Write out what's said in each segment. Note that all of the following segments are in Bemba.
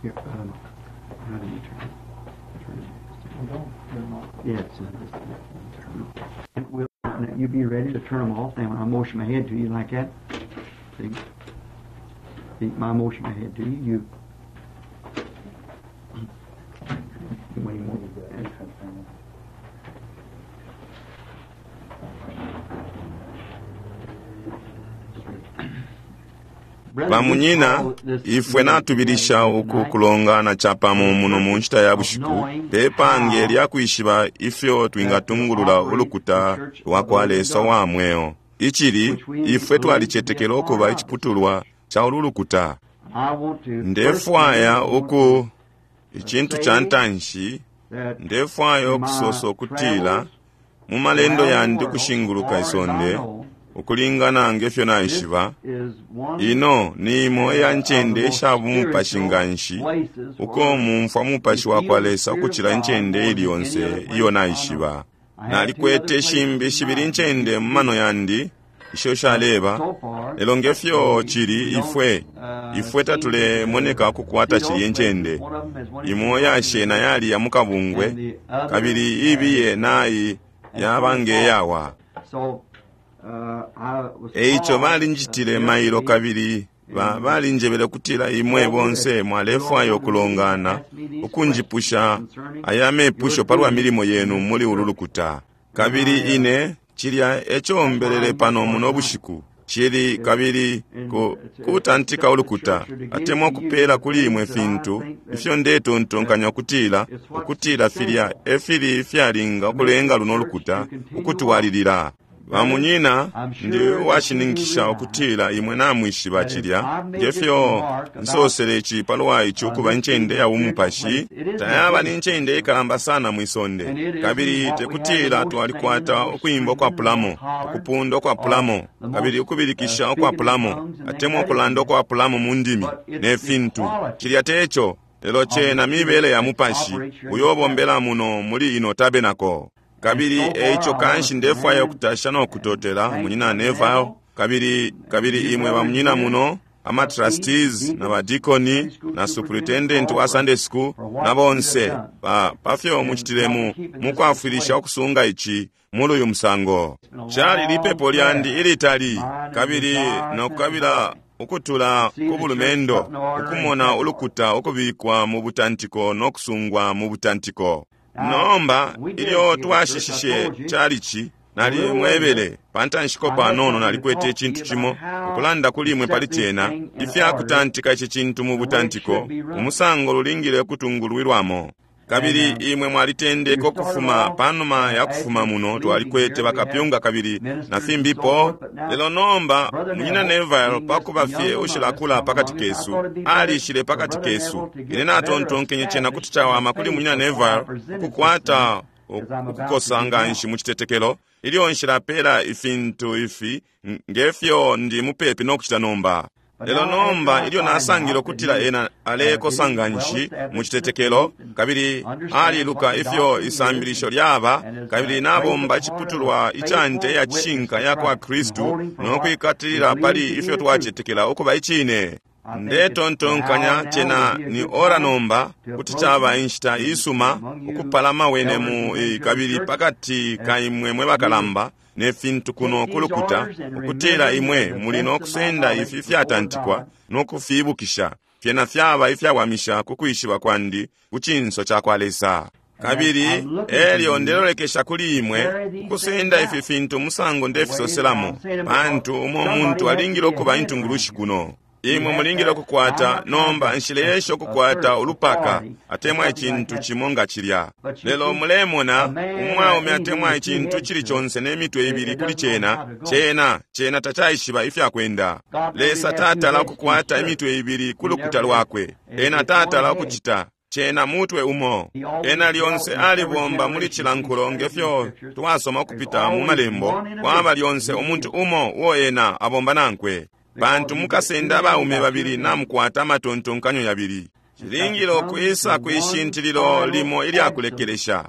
Here, how do you turn it? Turn it. Yes. And we'll, now you be ready to turn them off now when I motion my head to you like that. See? See, my motion my head to you, you. When you want. Bamunyina, ifwe natubilisha uku kulongana capamo muno mu nshita ya bushiku pe pange lya kwishiba ifyo twingatungulula ulukuta lwa kwa Lesa wa mweo. Icili, ifwe twalicetekela ukuba iciputulwa ca ulu lukuta. Ndefwaya uku icintu ca ntanshi, ndefwaya ukusosa ukutila mu malendo yandi ukushinguluka isonde, ukulingana ngefyo naishiba, ino ni imo iya ncende isha bumupashi nganshi uko mumfwa mupashi wa kwa Lesa ukucila incende ili yonse iyo naishiba. Nalikwete shimbi shibili incende mu mano yandi isho shaleba, lelo ngefyo cili ifwe ifwe tatulemoneka kukwata cilya incende. Imo yashena yali ya mukabungwe, kabili ibiye nayi yaba ngeyawa. Eico balinjitile mailo kabili balinjebele kutila imwe bonse mwalefwaya ukulongana ukunjipusha aya mepusho palwa milimo yenu muli ulu lukuta. Kabili ine cilya eco mbelele pano muno bushiku cili kabili kutantika ulukuta atemwa kupela kuli imwe fintu ifyo ndetontonkanya ukutila ukutila filya efili fyalinga ukulenga luno lukuta ukutwalilila. Bamunyina, ndi uwashininkisha ukutila imwe namwishiba cilya ngefyo nsosele ici palwa ici ukuba incende ya bumupashi tayaba ni ncende ikalamba sana mwisonde, kabili tekutila twalikwata ukwimba ukwapulamo, ukupunda ukwapulamo, kabili ukubilikisha ukwapulamo, atemwa ukulanda ukwapulamo mu ndimi ne fintu. Cilya teco, lelo cena mibele ya mupashi uyo bombela muno muli ino tabenako. Kabili eico kanshi ndefwaya ukutasha no kutotela munyina Neville, kabili kabili imwe bamunyina muno ama trustees na badikoni na superintendent wa Sunday school na bonse pa pafyo mucitilemu mukwafwilisha ukusunga ici muli uyu musango. Cali lipepo lyandi ilitali kabili nokukabila ukutula ku bulumendo ukumona ulukuta ukubikwa mu butantiko no kusungwa mu butantiko. Nomba ilyo twashishishe chalichi nali mwebele pantanshiko panono nalikwete icintu cimo ukulanda kuli imwe pali cena ifyakutantika ici cintu mu butantiko umusango lulingile kutungulwilwamo. Kabili imwe mwalitendeka ukufuma panuma ya kufuma muno twalikwete bakapyunga kabili na fimbipo, lelo nomba munyina Neville pakuba fye ushilakula pakati kesu alishile pakati kesu. Ine natontonkenye cena kuti cawama kuli munyina Neville ukukwata ukukosa nganshi mu citetekelo ilyo nshilapela ifintu ifi ngefyo ndi mupepi no kucita nomba. Lelo nomba ilyo nasangile ukutila ena alekosa nganshi mu citetekelo kabili aliluka ifyo isambilisho lyaba kabili nabomba iciputulwa ica nte ya cishinka ya kwa Kristu no kwikatilila pali ifyo twacetekela ukuba icine. Ndetontonkanya cena ni ora nomba kuti caba inshita isuma ukupalama wene mu kabili pakati ka imwe mwe bakalamba ne fintu kuno kulukuta ukutila imwe muli no kusenda ifi fyatantikwa no kufibukisha fyena fyaba ifyawamisha ku kwishiba kwandi ku cinso ca kwa Lesa. Kabili elyo ndelolekesha kuli imwe ukusenda ifi fintu musango ndefisoselamo, pantu umo muntu alingile ukuba intungulushi kuno. Imwe mulingile ukukwata nomba nshileyesha ukukwata ulupaka atemwa icintu cimo nga cilya, lelo mulemona umwaume atemwa icintu cili conse ne mitwe ibili kuli cena cena cena tacaishiba ifyakwenda. Lesa tatala ukukwata imitwe ibili ku lukuta lwakwe, ena tatala ukucita cena mutwe umo. Ena lyonse alibomba muli cilankulo ngefyo twasoma ukupita mu malembo, kwaba lyonse umuntu umo uo ena abomba nankwe. Pantu mukasenda abaume babili namukwata amatontonkanyo yabili. Cilingile ukwisa kwishintililo limo ilyakulekelesha,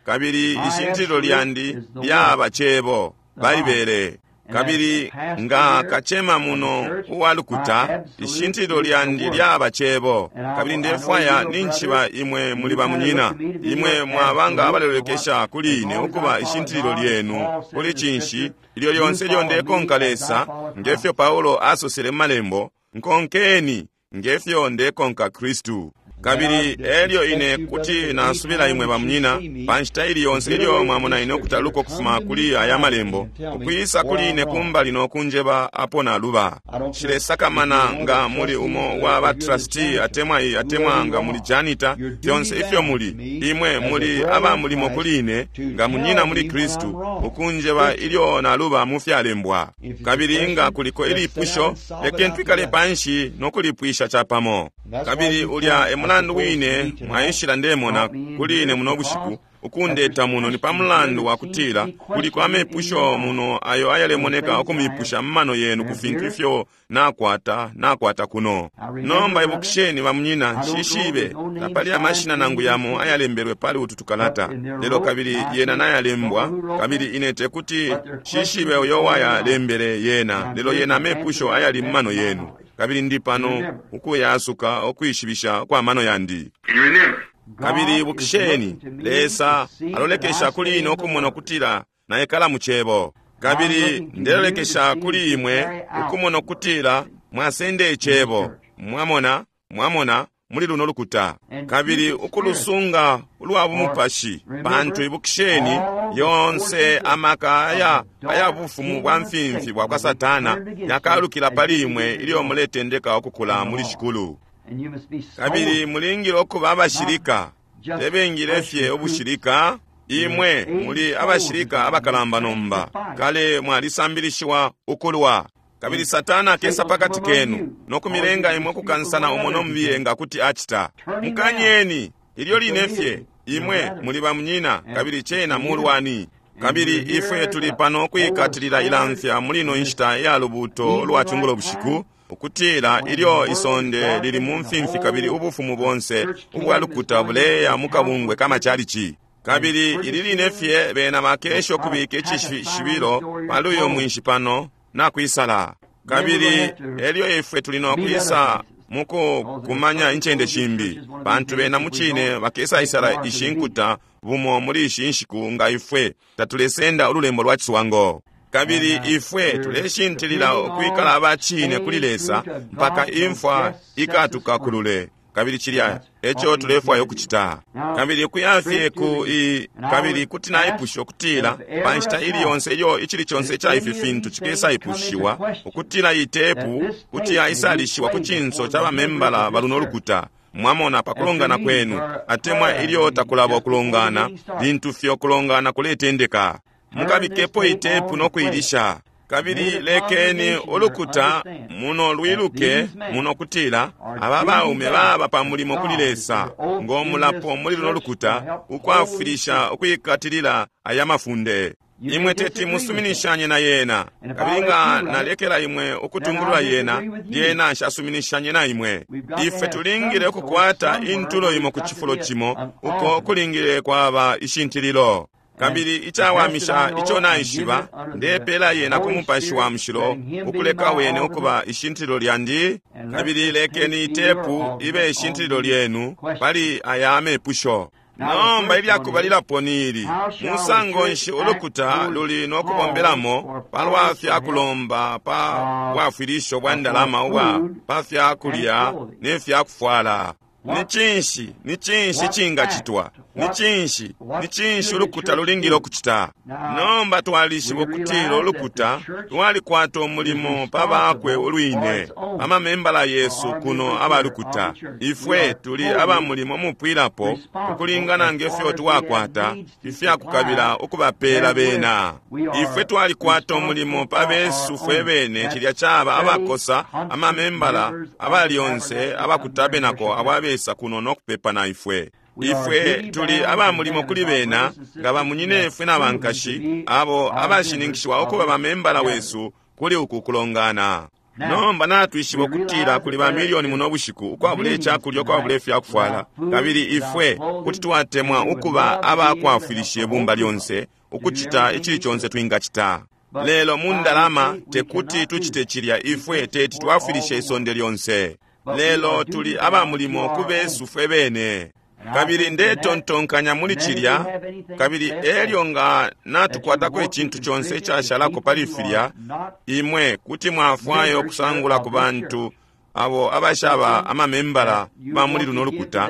kabili ishintililo lyandi lyaba cebo Baibele. Kabili nga kacema muno uwa lukuta, ishintililo lyandi lyaba cebo. Kabili ndefwaya ninjishiba imwe muli bamunyina. Imwe mwaba nga abalelolekesha kuli ine ukuba ishintililo lyenu kuli cinshi, ilyo lyonse ilyo ndekonka Lesa, ngefyo Paulo asosele mu Malembo, nkonkeni ngefyo ndekonka Kristu. Kabili elyo ine kuti nasubila imwe bamunyina, pa nshita ili yonse ilyo mwamona ine ukutaluka ukufuma kuli aya malembo, ukwisa kuli ine kumbali no kunjeba apo naluba. Nshilesakamana nga muli umo wa ba trustee atemwa atemwa nga muli janitor, fyonse ifyo muli, imwe muli aba mulimo kuli ine nga munyina muli Kristu, ukunjeba ilyo naluba mu fyalembwa. Kabili nga kuliko ilipusho, lekeni twikale panshi no kulipwisha capamo. Kabili ulya e mulandu wine mwaishila ndemona kuli ine muno bushiku, ukundeta muno ni pa mulandu wa kutila kuliko amepusho muno ayo ayalemoneka ukumipusha mu mano yenu ku fintu ifyo nakwata kuno. Nomba ibukisheni bamunyina, nshishibe tapali amashina nangu yamo ayalembelwe pali utu tukalata, lelo kabili yena nayalembwa, kabili ine tekuti nshishibe uyo wayalembele yena, lelo yena amepusho ayali mu mano yenu. Kabili ndi pano ukuyasuka ukwishibisha kwa mano yandi. Kabili ibukisheni, Lesa alolekesha kuli ine ukumona ukutila naikala mu cebo. Kabili ndelolekesha kuli imwe ukumona ukutila mwasende icebo. Mwamona, mwamona, muli luno lukuta. Kabili ukulusunga ulwa bumupashi, pantu ibukisheni, yonse amaka aya bufumu bwa mfimfi bwa kwa Satana yakalukila pali imwe ilyo muletendeka ukukula muli Shikulu. Kabili mulingile ukuba abashilika, tebengile fye ubushilika. Imwe muli abashilika abakalamba nomba, kale mwalisambilishiwa ukulwa. Kabili Satana akesa pakati kenu no kumilenga imwe kukansana umo no mubiye nga kuti acita. Mukanyeni ilyo line fye, imwe muli bamunyina, kabili cena mulwani. Kabili ifwe tuli pano kwikatilila ilamfya muli ino nshita ya lubuuto lwa cungulo bushiku, ukutila ilyo isonde lili mu mfimfi kabili ubufumu bonse ubwa lukuta buleya mu kabungwe kamachalichi. Kabili ili line fye bena bakesha ukubika icishibilo pali uyo mwinshi pano nakwisala. Kabili elyo ifwe tuli no kwisa mukukumanya incende shimbi, pantu bena mucine bakesaisala ishi nkuta bumo muli ishi nshiku nga ifwe tatulesenda ululembo lwa ciswango. Kabili ifwe tuleshintilila ukwikala abacine kuli Lesa mpaka imfwa ikatukakulule. Kabili cilya eco tulefwaya ukucita. Kabili kuyafye ku kabili kuti naipusha ukutila pa nshita ili yonse ilyo icili conse ica ifi fintu cikesaipushiwa, ukutila itepu kuti yaisalishiwa ku cinso ca bamembala baluno lukuta. Mwamona pa kulongana kwenu, atemwa ilyo takulaba ukulongana, lintu fye ukulongana kuletendeka, mukabikepo itepu no kuilisha. Kabili lekeni ulukuta muno lwiluke muno kutila aba baume baba pa mulimo kuli Lesa ngo mulapo muli luno lukuta ukwafwilisha ukwikatilila aya mafunde. Imwe teti musuminishanye na yena, kabili nga nalekela imwe ukutungulula yena, lyena nshasuminishanye na imwe. Ifwe tulingile ukukwata intulo imo ku cifulo cimo uko kulingile kwaba ishintililo. Kabili icawamisha ico naishiba, ndepela yena ku Mupashi wa Mushilo, ukuleka wene ukuba ishintililo lyandi. Kabili lekeni itepu ibe ishintililo lyenu pali aya amepusho. Nomba ilyakubalilapo ni ili: musango nshi ulukuta luli no kubombelamo palwa fya kulomba pa bwafwilisho bwa ndalama ubwa pa fya kulya ne fya kufwala? Ni cinshi, ni cinshi cingacitwa? Ni cinshi, ni cinshi ulukuta lulingile ukucita? Nomba twalishiba ukutila ulukuta lwalikwata umulimo pa bakwe ulwine, amamembala yesu kuno abalukuta. Ifwe tuli aba mulimo mupwilapo ukulingana ngefyo twakwata ifyakukabila ukubapela bena. Ifwe twalikwata umulimo pa besu fwe bene, cilya caba abakosa amamembala abalyonse abakutabenako abo abesa kuno no kupepa na ifwe. Ifwe tuli aba mulimo kuli bena nga bamunyinefwe na bankashi abo abashininkishiwa ukuba bamembala wesu kuli uku kulongana. Nomba natwishiba ukutila kuli bamilioni muno bushiku ukwabula icakulya, ukwabula ifyakufwala, kabili ifwe kuti twatemwa ukuba abakwafwilisha ibumba lyonse ukucita icili conse twingacita. Lelo mu ndalama tekuti tucite cilya, ifwe teti twafwilishe isonde lyonse. Lelo tuli aba mulimo ku besu fwe bene. Kabili ndetontonkanya muli cilya, kabili elyo nga natukwatako icintu conse icashalako pali filya, imwe kuti mwafwaya ukusangula ku bantu abo abashaba amamembala ba muli luno lukuta.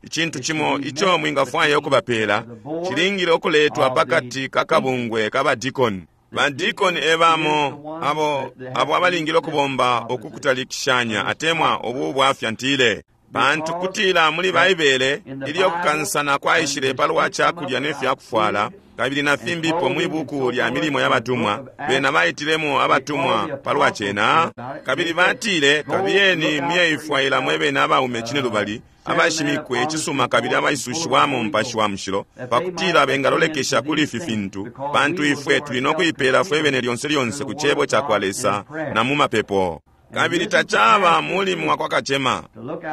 Icintu cimo ico mwingafwaya ukubapela cilingile ukuletwa pakati ka kabungwe ka badikoni. Badikoni ebamo abo abo abalingile ukubomba uku kutalikishanya atemwa ubu bwafya ntile. Pantu kutila muli Baibele, ilyo kukansana kwaishile palwa cakulya ne fyakufwala, kabili na fimbipo mwi buku lya Milimo ya Batumwa, bena baitilemo abatumwa palwa cena, kabili batile, Kabiyeni muyeifwaila mwe bene abaume cinelubali, abashimikwe icisuma kabili abaisushiwamo Mupashi wa Mushilo, pakutila bengalolekesha kuli ifi fintu, pantu ifwe tuli no kuipeela fwe bene lyonse lyonse ku Cebo cakwa Lesa na mu mapepo. Kabili tacaba mulimo wa kwa kacema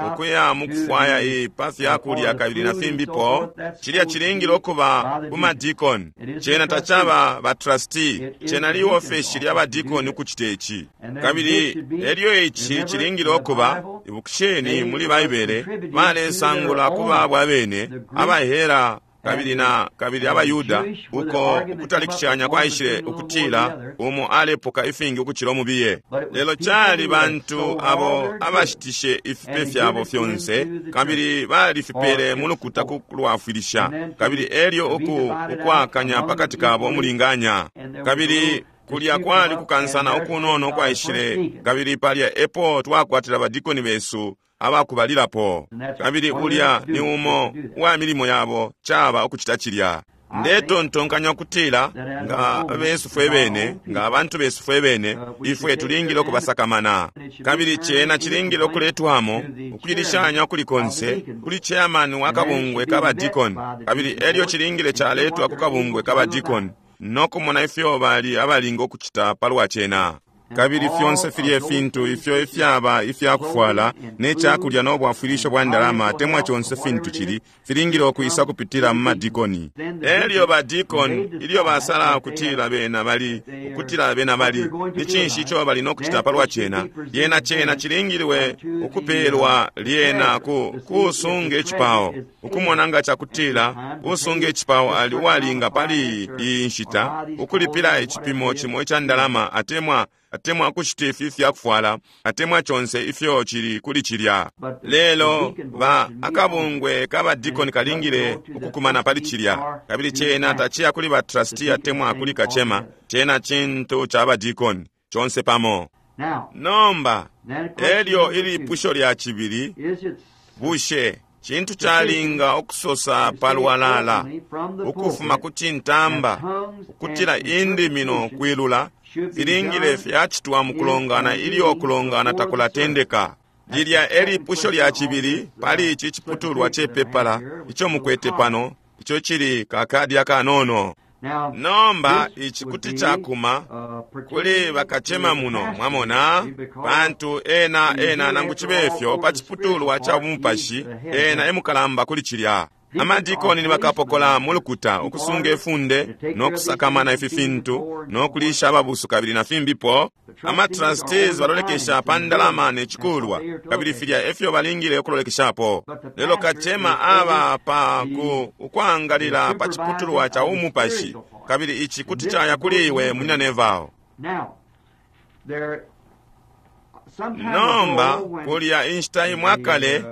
ukuya mukufwaya i pa fyakulya kabili na fimbipo. Cilya cilingile ukuba ku madikoni. Cena tacaba ba trustee. Cena liofeshi lya badikoni ukucita ici. Kabili elyo ici cilingile ukuba, ibukisheni muli Baibele, balesangula ku babo abene, abahera kabili na kabili abaYuda, uko ukutalikishanya kwaishile ukutila umo alepoka ifingi ukucila umubiye. Lelo cali bantu abo abashitishe ifipe fyabo fyonse kabili balifipele mu lukuta ku kulwafwilisha, kabili elyo uku ukwakanya pakati kabo umulinganya. Kabili kulya kwali kukansana ukunono kwaishile, kabili palya epo twakwatila badikoni besu abakubalilapo. Kabili ulya ni umo uwa milimo yabo, caba ukucita cilya. Ndetontonkanya ukutila nga besu fwe bene, nga abantu besu fwe bene, ifwe tulingile ukubasakamana. Kabili cena cilingile ukuletwamo ukuilishanya ukuli konse kuli chairman wa kabungwe ka badikoni, kabili elyo cilingile caletwa ku kabungwe ka badikoni no kumona ifyo bali abalinga ukucita palwa cena. Kabili fyonse filye fintu ifyo ifyaba ifyakufwala ne cakulya no bwafwilisho bwa ndalama atemwa conse fintu cili, filingile ukwisa kupitila mu madikoni. Elyo badikoni ilyo basala ukutila bena bali, ukutila bena bali, ni cinshi ico bali no kucita palwa cena? Lyena cena cilingilwe ukupelwa lyena ku kusunga icipao, ukumona nga cakutila usunga icipao ali uwalinga pali iyi nshita ukulipila icipimo cimo ica ndalama atemwa atemwa kushita ifi ifyakufwala atemwa conse ifyo cili kuli cilya. Lelo ba akabungwe ka badikoni kalingile ukukumana pali cilya, kabili cena taciya kuli ba trustee atemwa kuli kacema, cena cintu ca badikoni conse pamo. Nomba elyo ilipusho lya cibili, bushe cintu calinga ukusosa palwalala ukufuma ku cintamba ukutila indimi no kwilula filingile fyacitwa mu kulongana ilyo kulongana takulatendeka? Lilya elipusho lya cibili pali ici ciputulwa ce pepala ico mukwete pano, ico cili kakadi akanono. Nomba ici kuti cakuma kuli bakacema muno, mwamona, pantu ena ena nangu cibe fyo pa ciputulwa ca bumupashi ena emukalamba kuli cilya. Amadikoni ni bakapokola mu lukuta ukusunga ifunde no kusakamana ifi fintu no kulisha ababusu kabili na fimbipo. Ama trustees balolekesha pa ndalama ne cikulwa, kabili filya efyo balingile ukulolekeshapo. Lelo kacema aba pa ku ukwangalila pa ciputulwa ca umupashi, kabili ici kuti caya kuli iwe munyina Neville. Nomba kulya inshita imwe akale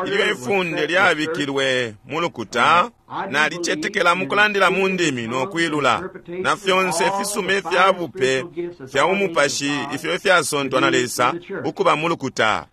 ilyo ifunde lyabikilwe mu lukuta, nalicetekela mu kulandila mu ndimi no kwilula na fyonse ifisuma ifya bupe fya umupashi ifyo ifyasontwa na Lesa ukuba mu lukuta.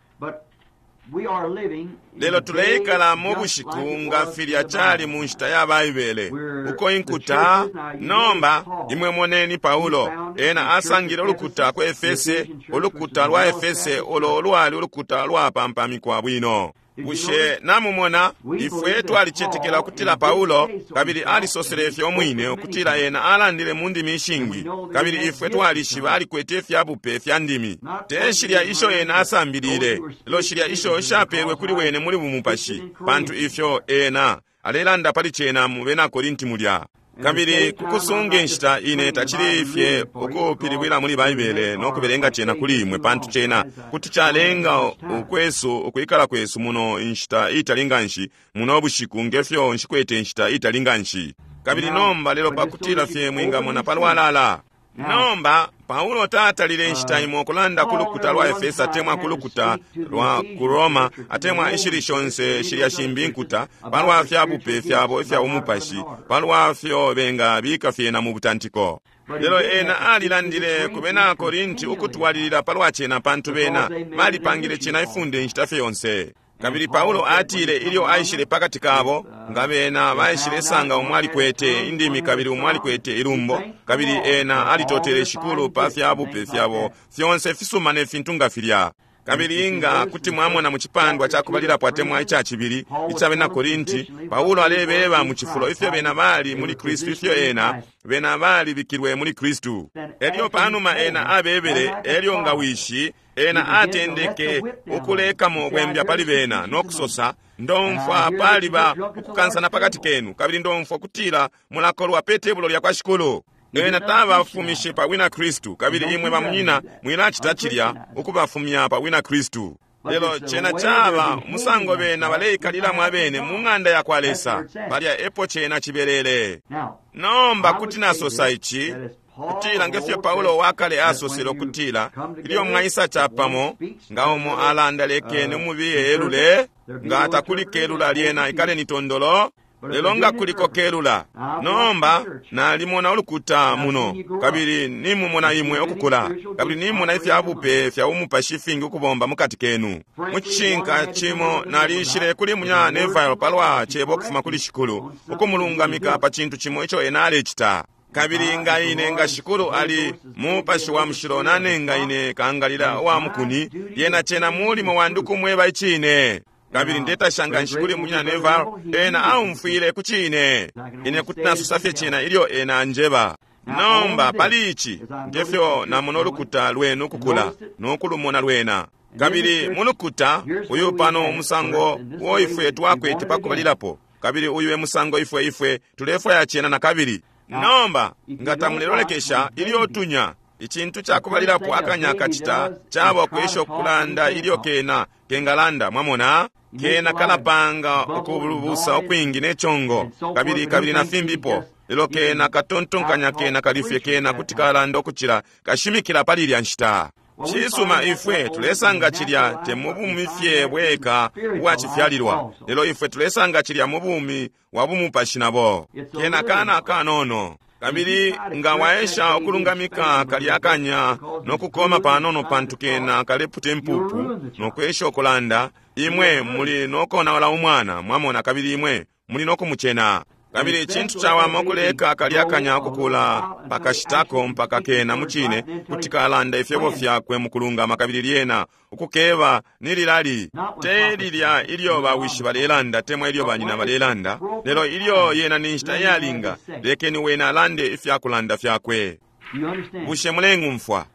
Lelo tuleikala mu bushiku nga filya cali mu nshita ya Baibele, uko inkuta. Nomba imwe moneni Paulo, ena asangile ulukuta ku Efese, ulukuta lwa Efese ulo lwali ulukuta lwapampamikwa bwino. Bushe namumona? Ifwe twalicetekela ukutila Paulo, kabili alisosele ifyo umwine ukutila ena alandile mu ndimi ishingi, kabili ifwe twalishiba alikwete ifya bupe fya ndimi. Te shilya isho ena asambilile, lelo shilya isho shapelwe kuli wene muli bumupashi, pantu ifyo ena alelanda pali cena mu bena Korinti mulya. Kabili kukusunga inshita ine tacili fye ukupilibwila muli Baibele no kubelenga cena kuli imwe, pantu cena kuti calenga ukwesu ukwikala kwesu muno inshita itali nganshi muno bushiku, ngefyo nshikwete inshita itali nganshi. Kabili nomba lelo pakutila fye mwingamona palwalala. Nomba Paulo tatalile inshita imo kulanda ku lukuta lwa Efesa atemwa ku lukuta lwa ku Roma atemwa ishili shonse shilya shimbi nkuta palwa fya bupe fyabo ifya umupashi, palwa fyo benga bika fyena mu butantiko. Lelo ena alilandile ku bena Korinti ukutwalilila palwa cena, pantu bena balipangile cena ifunde inshita fye yonse. Kabili Paulo atile ilyo aishile pakati kabo, nga bena baishile sanga umwalikwete indimi kabili umwalikwete ilumbo, kabili ena alitotele Shikulu pa fya bupe fyabo fyonse fisuma ne fintu nga filya. Kabili nga kuti mwamona mu cipandwa ca kubalilapo atemwa ica cibili ica bena Korinti, Paulo alebeba mu cifulo ifyo bena bali muli Kristu, ifyo ena bena balibikilwe muli Kristu. Elyo panuma ena abebele, elyo nga wishi ena atendeke ukulekamo bwembya pali bena no kusosa, ndomfwa paliba ukukansana pakati kenu, kabili ndomfwa kutila mulakolwa pe tebulo lya kwa Shikulu. Ena tabafumishe pa wina Kristu, kabili imwe bamunyina mwilacita cilya ukubafumya pa wina Kristu. Lelo cena caba musango bena baleikalilamo abene mu ng'anda ya kwa Lesa, palya epo cena cibelele. Nomba kuti nasosa ici, kutila ngefyo Paulo wakale asosele ukutila ilyo mwaisa capamo, nga umo alanda lekeni umubiye elule, nga atakuli kelula lyena ikaleni tondolo. Lelo nga kuliko kelula. Nomba nalimona ulukuta muno, kabili nimumona imwe ukukula, kabili nimona ifya bupe fya umupashi fingi ukubomba mukati kenu. Mu cishinka cimo nalishile kuli munya Neville palwa cebo ukufuma kuli Shikulu, ukumulungamika pa cintu cimo ico ena alecita. Kabili nga ine nga Shikulu ali mupashi wa mushilo nanenga ine kangalila wa mukuni, yena cena mulimo wandi ukumweba icine. Kabili ndetasha nga nshikuli munyina Neville, ena aumfwile ku cine. Ine kuti nasosa fye cena ilyo ena anjeba. Nomba pali ici, ngefyo namona ulukuta lwenu ukukula no kulumona lwena. Kabili mu lukuta uyu pano umusango uo ifwe twakwete pakubalilapo, kabili uyu e musango ifwe ifwe tulefwaya cena na kabili. Nomba nga tamulelolekesha ilyo tunya, icintu cakubalilapo akanya kacita caba kwesha ukulanda ilyo kena kengalanda, mwamona kena kalapanga ukulubusa ukwingi ne chongo, kabili kabili na fimbipo. Lelo kena katontonkanya kena kalifye kena kuti kalanda ukucila kashimikila pali ilya nshita. Cisuma ifwe tulesanga cilya te mu bumi fye bweka ubwacifyalilwa, lelo ifwe tulesanga cilya mu bumi wa bumupashi nabo. Kena kana kanono. Kabili nga waesha ukulungamika kalya kanya no kukoma panono pantu kena kaleputa impupu no kwesha ukulanda, imwe muli no konaula umwana, mwamona, kabili imwe muli no kumucena. Kabili icintu cawama ukuleka kalya kanya ukukula pakashitako mpaka kena mucine kuti kalanda ifyebo fyakwe mukulungama, kabili lyena ukukeba ni lilali te lilya ilyo bawishi balelanda temwa ilyo banyina balelanda, lelo ilyo yena ni nshita iyalinga, lekeni wena alande ifyakulanda fyakwe. Bushe mulengumfwa?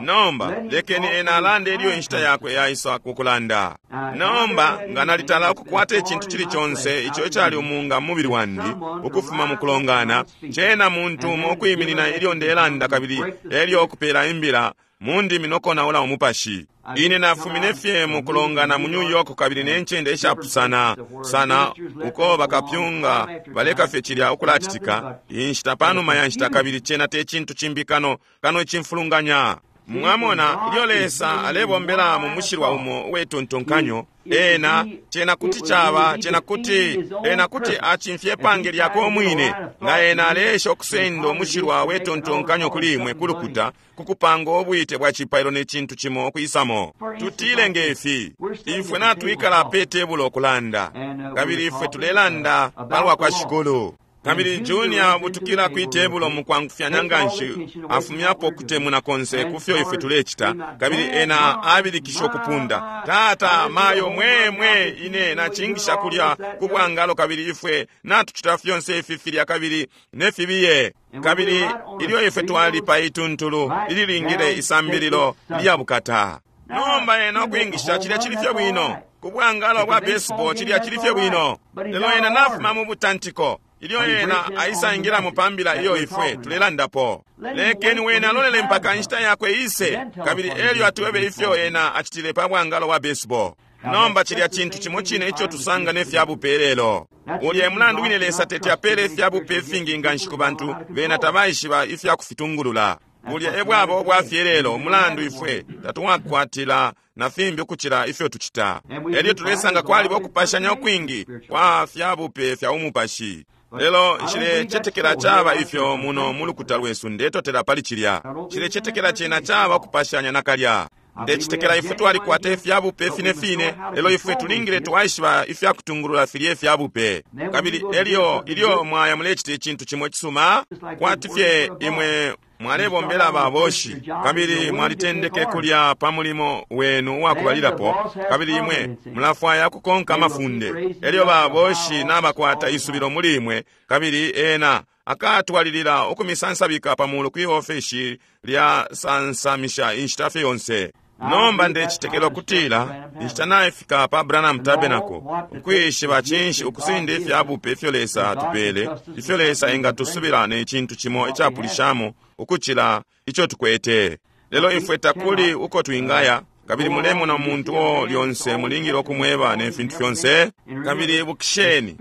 Nomba lekeni ena alande ilyo inshita yakwe yaisa kukulanda. Nomba nga nalitala ukukwata icintu cili conse ico icali umunga mu mubili wandi ukufuma mu kulongana, cena muntu umo ukwiminina ilyo ndelanda kabili elyo ukupela imbila mu ndimi nokonaula umupashi. Ine nafumine fye mu kulongana mu New York kabili ne ncende ishapusana sana uko bakapyunga baleka fye cilya ukulacitika inshita panuma ya nshita, kabili cena te cintu cimbi kano kano icimfulunganya. Mwamona ilyo Lesa alebombela mu mushilwa umo uwetontonkanyo, ena cena kuti caba cena kuti ena kuti acimfye pange lyakwe umwine, nga ena aleesha ukusenda umushilwa wetontonkanyo kuli imwe kulukuta kukupanga ubwite bwa cipailo ne cintu cimo ukwisamo. Tutile ngefi, ifwe natwikala pe tebulo ukulanda, kabili ifwe tulelanda palwa kwa Shikulu. Kabili Junior abutukila kwi tebulo mukwangufyanya nganshi, afumyapo kutemuna konse kufyo ifwe tulecita, kabili ena abilikisha ukupunda, tata mayo mwe mwe ine nacingisha kulya ku bwangalo, kabili ifwe natucita fyonse ifi filya kabili nefibiye. Kabili ilyo ifwe twali pa ituntulu ililingile isambililo lya bukata. Nomba ena ukwingisha cilya cili fye bwino ku bwangalo bwa baseball, cilya cili fye bwino, lelo ena nafuma mu butantiko. Ilyo ena aisaingilamo pa mbila iyo ifwe tulelandapo, lekeni wene alolele mpaka inshita yakwe ise, kabili elyo atwebe ifyo ena acitile pa bwangalo wa baseball. Nomba cilya cintu cimo cine ico tusanga ne fya bupe lelo. Ulya e mulandu wine Lesa teti apele ifya bupe ifingi nganshi ku bantu, bena tabaishiba ifya kufitungulula. Bulya e bwaba ubwafye lelo, umulandu ifwe tatwakwatila na fimbi ukucila ifyo tucita. Elyo tulesanga kwaliba ukupashanya ukwingi kwa fya bupe fya umupashi. Lelo nshilecetekela caba ifyo muno mu lukuta lwesu, ndetotela pali cilya. Nshilecetekela cena caba ukupashanya nakalya. Ndecetekela ifwe twalikwata ifya bupe fine fine, lelo ifwe tulingile twaishiba ifya kutungulula filye fya bupe. Kabili elyo ilyo mwaya mulecita icintu cimo icisuma, kwati fye imwe mwalebombela baboshi, kabili mwalitendeke kulya pa mulimo wenu uwakubalilapo, kabili imwe mulafwaya kukonka amafunde. Elyo baboshi nabakwata isubilo muli imwe, kabili ena akatwalilila ukumisansabika pa mulu kwi ofeshi lya sansamisha inshita fye yonse. Nomba ndecetekela ukutila inshita naifika pa Branham Tabernacle ukwishiba cinshi ukusenda ifya bupe ifyo Lesa atupele, ifyo Lesa engatusubila ne cintu cimo icapulishamo ukucila ico tukwete. Lelo ifwe takuli uko twingaya, kabili mulemona umuntu o lyonse mulingile ukumweba ne fintu fyonse. Kabili ibukisheni,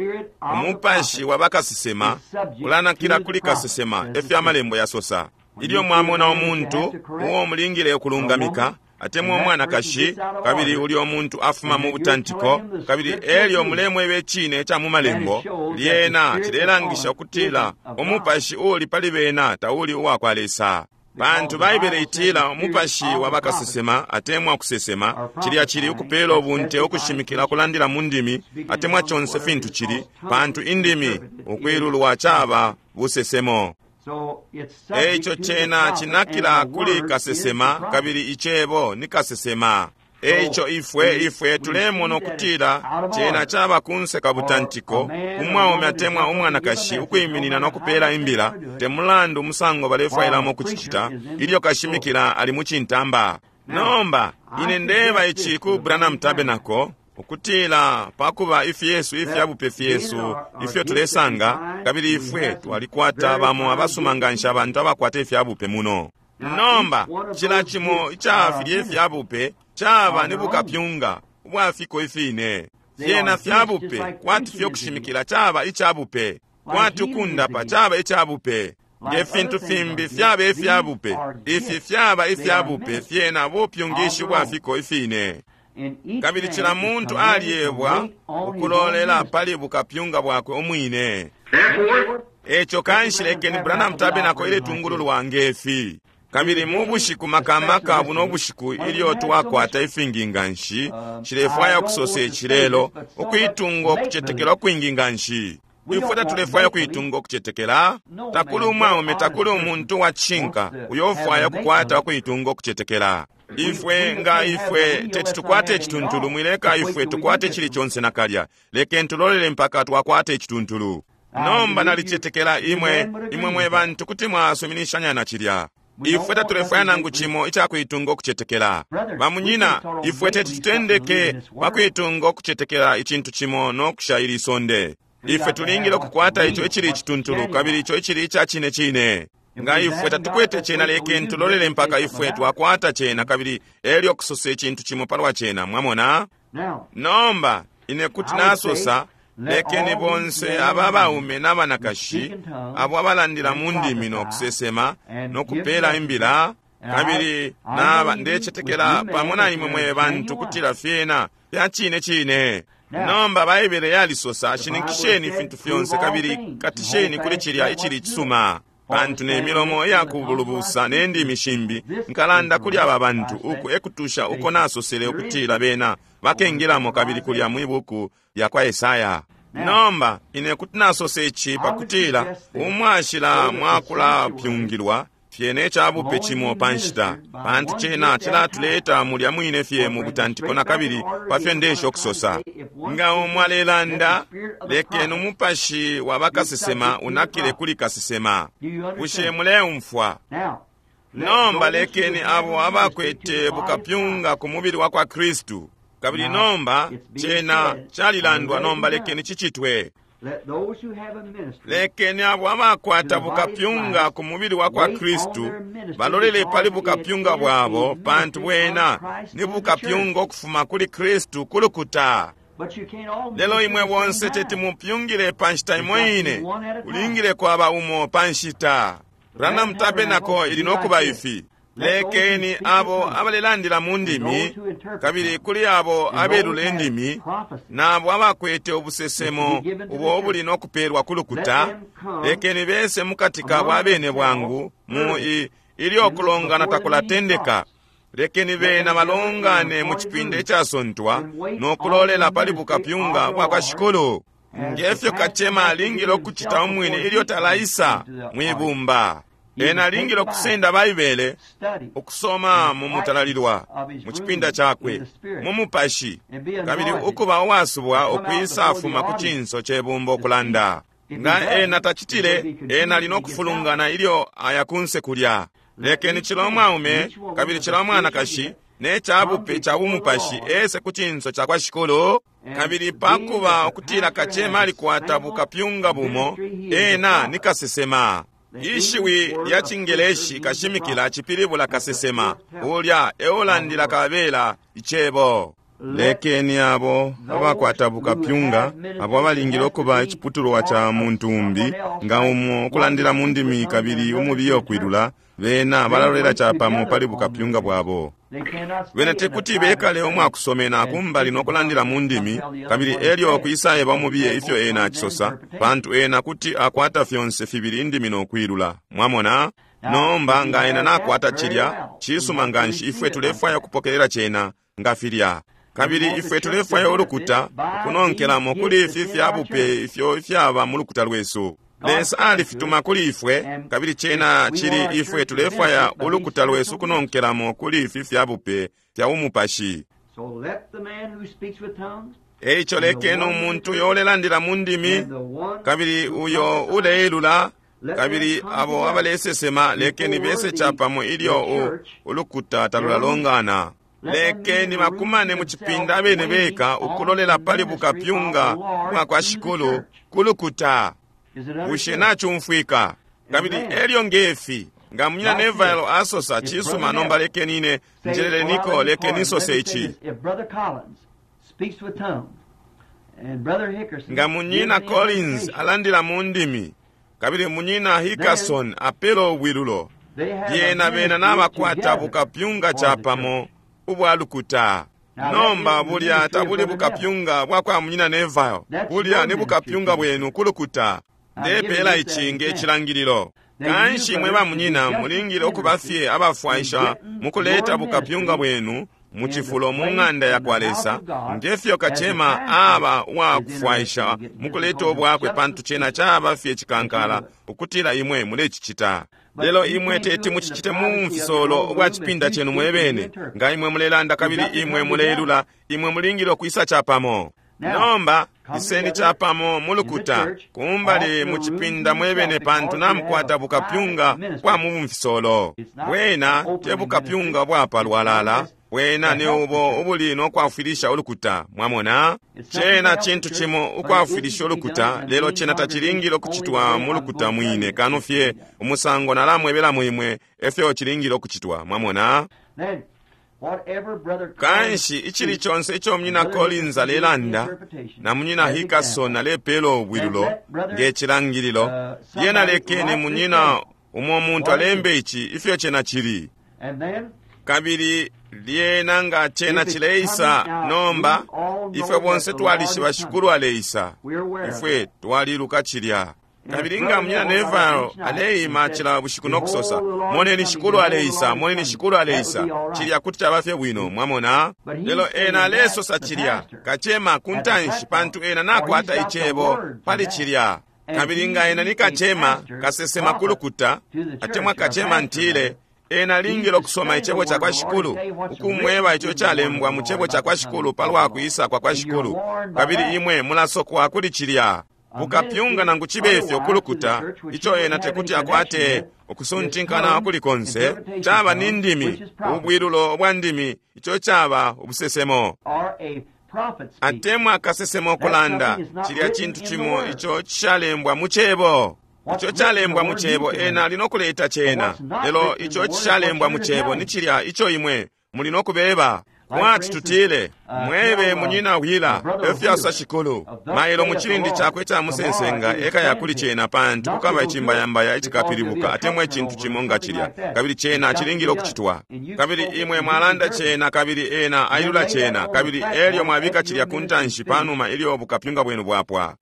umupashi wa bakasesema ulanakila kuli kasesema, efyo amalembo yasosa. Ilyo mwamona umuntu uo mulingile ukulungamika, atemwa umwanakashi, kabili ulyo muntu afuma mu butantiko, kabili elyo mulemweba icine ca mu malembo, lyena cilelangisha ukutila umupashi uuli pali bena tauli uwa kwa Lesa. Pantu Baibele itila umupashi wa bakasesema atemwa kusesema, cilya cili ukupela ubunte, ukushimikila, kulandila mu ndimi, atemwa conse fintu cili, pantu indimi ukwilulwa caba busesemo. Eico cena cinakila kuli kasesema, kabili icebo ni kasesema. Eico ifwe tulemona ukutila cena caba kunse ka butantiko, umwaume atemwa umwanakashi ukwiminina no kupela imbila, te mulandu umusango balefwailamo kucicita, ilyo kashimikila ali mu cintamba. Nomba ine ndeba ici ku Branham Tabernacle, ukutila pakuba ifyesu ifya bupe fyesu ifyo tulesanga, kabili ifwe twalikwata bamo abasuma nganshi abantu abakwata ifya bupe muno. Nomba cila cimo ica filye fya bupe caba ni bukapyunga ubwafiko ifine. Fyena fya bupe kwati fyo kushimikila caba ica bupe, kwati ukundapa caba ica bupe, nge fintu fimbi fyaba ifya bupe. Ifi fyaba ifya bupe fyena bupyungishi ubwafiko ifine. Kabili cila muntu alyebwa ukulolela pali bukapyunga bwakwe umwine. Eco kanshi lekeni Branham Tabernacle iletungululwa ngefi. Kabili mu bushiku makamaka buno bushiku ilyo twakwata ifingi nganshi, nshilefwaya ukusosa ici lelo, ukuitunga ukucetekela ukwingi nganshi. Ifwe tatulefwaya ukuitunga ukucetekela. Takuli umwaume, takuli umuntu wa cishinka uyo ufwaya ukukwata ukuitunga ukucetekela. Ifwe nga ifwe teti tukwate icituntulu, mwileka ifwe tukwate icili conse nakalya. Lekeni tulolele mpaka twakwate icituntulu. Nomba nalicetekela imwe, imwe mwe bantu kuti mwasuminishanya na cilya. Ifwe tatulefwaya nangu cimo icakuitunga ukucetekela. Bamunyina, ifwe teti tutendeke pakuitunga ukucetekela icintu cimo no kusha ili sonde. Ifwe tulingile ukukwata ico icili icituntulu, kabili ico icili ica cine cine. Nga ifwe tatukwete cena, lekeni tulolele mpaka ifwe twakwata cena, kabili elyo kusosa icintu cimo palwa cena. Mwamona? Nomba ine kuti nasosa, lekeni bonse aba baume na banakashi abo abalandila mu ndimi no kusesema no kupela imbila, kabili naba ndecetekela pamo na imwe mwe bantu kutila fyena fya cine cine. Nomba Baibele yalisosa, shininkisheni ifintu fyonse kabili katisheni kuli cilya icili cisuma. Pantu ne milomo iyakubulubusa ne ndimi shimbi nkalanda kuli aba bantu, uku ekutusha uko nasosele ukutila bena bakengilamo kabili kulya mwi buku lya kwa Esaya. Nomba ine kuti nasosa ici pakutila umwashila mwakulapyungilwa fyene icabupe cimo pa nshita, pantu cena cilatuleta mulya mwine fye mu butantiko na kabili pafyo ndesha ukusosa. Nga umo alelanda, lekeni umupashi wa bakasesema unakile kuli kasesema. Bushe muleumfwa? Nomba lekeni abo abakwete bukapyunga ku mubili wa kwa Kristu. Kabili nomba cena calilandwa, nomba lekeni cicitwe. Lekeni abo abakwata bukapyunga ku mubili wa kwa Kristu balolele pali bukapyunga bwabo, pantu bwena ni bukapyunga ukufuma kuli Kristu ku lukuta. Lelo imwe bonse teti mupyungile pa nshita imo ine, kulingile kwaba umo pa nshita. Branham Tabernacle ili nokuba ifi. Lekeni abo abalelandila mu ndimi, kabili kuli abo abelula indimi, nabo abakwete ubusesemo ubo ubuli nokupelwa ku lukuta, lekeni bese mukati kabo abene bwangu mu ilyo kulongana takulatendeka. Lekeni bena balongane mu cipinda icasontwa no kulolela pali bukapyunga bwa kwa Shikulu, ngefyo kacema alingile ukucita umwine ilyo talaisa mwibumba. Ena alingile ukusenda Baibele, ukusoma mu mutalalilwa, mu cipinda cakwe, mu mupashi, kabili ukuba uwasubwa ukwisafuma ku cinso ce bumba ukulanda. Nga ena tacitile, ena ali no kufulungana ilyo aya kunse kulya. Lekeni cila umwaume kabili cila umwanakashi ne cabupe ca bumupashi ese ku cinso ca kwa Shikulu, kabili pakuba ukutila kacema alikwata bukapyunga bumo, ena ni kasesema. Ishiwi lya Cingeleshi kashimikila cipilibula kasesema, ulya eulandila kabela icebo. Lekeni abo abakwata bukapyunga, abo abalingile ukuba iciputulwa ca muntu umbi, nga umo ukulandila mu ndimi kabili umubiye ukwilula, bena balalolela capamo pali bukapyunga bwabo. Bena tekuti bekale umwakusomena kumbali no kulandila mu ndimi, kabili elyo kwisaeba umubiye ifyo ena acisosa, pantu ena kuti akwata fyonse fibili indimi no kwilula. Mwamona? Nomba nga ena nakwata cilya, cisuma nganshi ifwe tulefwaya ukupokelela cena nga filya. Kabili ifwe tulefwaya ulukuta ukunonkelamo kuli ifi fyabupe ifyo ifyaba mu lukuta lwesu. Lesa alifituma kuli ifwe, kabili cena cili ifwe tulefwaya ulukuta lwesu kunonkelamo kuli ifi fyabupe fya umupashi. Eico lekeni umuntu uyo ulelandila mu ndimi, kabili uyo uleilula, kabili abo abalesesema, lekeni bese capamo ilyo ulukuta talulalongana. Lekeni bakumane mu cipinda abene beka ukulolela pali bukapyunga bwa kwa Shikulu ku lukuta. Bushe nacumfwika? Kabili elyo ngefi nga munyina Neville asosa cisuma, nomba lekeni ine njeleleniko, lekeni nsose ici. Nga munyina Collins alandila mu ndimi, kabili munyina Hickerson apela ubwilulo, lyena bena nabakwata bukapyunga capamo ubwa lukuta. Nomba bulya tabuli bukapyunga bwa kwa munyina Neville, bulya ni bukapyunga bwenu ku lukuta. Ndepela ici nge cilangililo. Kanshi mwe ba munyina mulingile ukuba fye abafwaisha mukuleta bukapyunga bwenu mu cifulo mu ng'anda ya kwa Lesa, ngefyo kacema aba uwakufwaisha mukuleta ubwakwe, pantu cena caba fye cikankala ukutila imwe mulecicita. Lelo imwe teti mucicite mu mfisolo ubwa cipinda cenu mwebene. Nga imwe mulelanda kabili imwe muleilula, imwe mulingile ukwisa capamo. Nomba iseni capamo mu lukuta kumbali mu cipinda mwebene, pantu namukwata bukapyunga bwa mu mfisolo. Bwena te bukapyunga bwa palwalala, bwena ni ubo ubuli no kwafwilisha ulukuta. Mwamona, cena cintu cimo ukwafwilisha ulukuta, lelo cena tacilingile ukucitwa mu lukuta mwine, kano fye umusango nalamwebelamo imwe efyo cilingile ukucitwa. Mwamona? Kanshi icili conse ico munyina Collins alelanda na munyina Hickerson alepela ubwilulo nge cilangililo, lyena lekeni munyina umo muntu alembe ici ifyo cena cili. Kabili lyena nga cena cileisa, nomba ifwe bonse twalishiba Shikulu aleisa, ifwe twaliluka cilya. Kabili nga munyina Neville aleima cila bushiku no kusosa, moneni Shikulu aleisa, moneni Shikulu aleisa, cilya kuti caba fye bwino, mwamona. Lelo ena alesosa cilya kacema ku ntanshi, pantu ena nakwata icebo pali cilya. Kabili nga ena ni kacema kasesema ku lukuta, atemwa kacema ntile, ena alingile ukusoma icebo ca kwa Shikulu, ukumweba ico calembwa mu cebo ca kwa Shikulu palwa kwisa kwa kwa Shikulu, kabili imwe mulasokwa kuli cilya. Bukapyunga nangu cibe ifyo kulukuta, ico ena tekuti akwate ukusuntinkana kuli konse, caba ni ndimi, ubwilulo bwa ndimi, ico caba ubusesemo. Atemwa kasesema ukulanda, cilya cintu cimo ico cishalembwa mu Cebo. Ico calembwa mu Cebo, ena ali no kuleta cena. Lelo ico cishalembwa mu Cebo ni cilya ico imwe muli no kubeba. Kwati tutile, mwebe munyina Wheeler, efyasosa Shikulu, mailo mu cilindi cakwe ca musensenga ekaya kuli cena, pantu kukaba icimbayambaya icikapilibuka atemwa icintu cimo nga cilya, kabili cena cilingile ukucitwa. Kabili imwe mwalanda cena, kabili ena ailula cena, kabili elyo mwabika cilya ku ntanshi panuma ilyo bukapyunga bwenu bwapwa.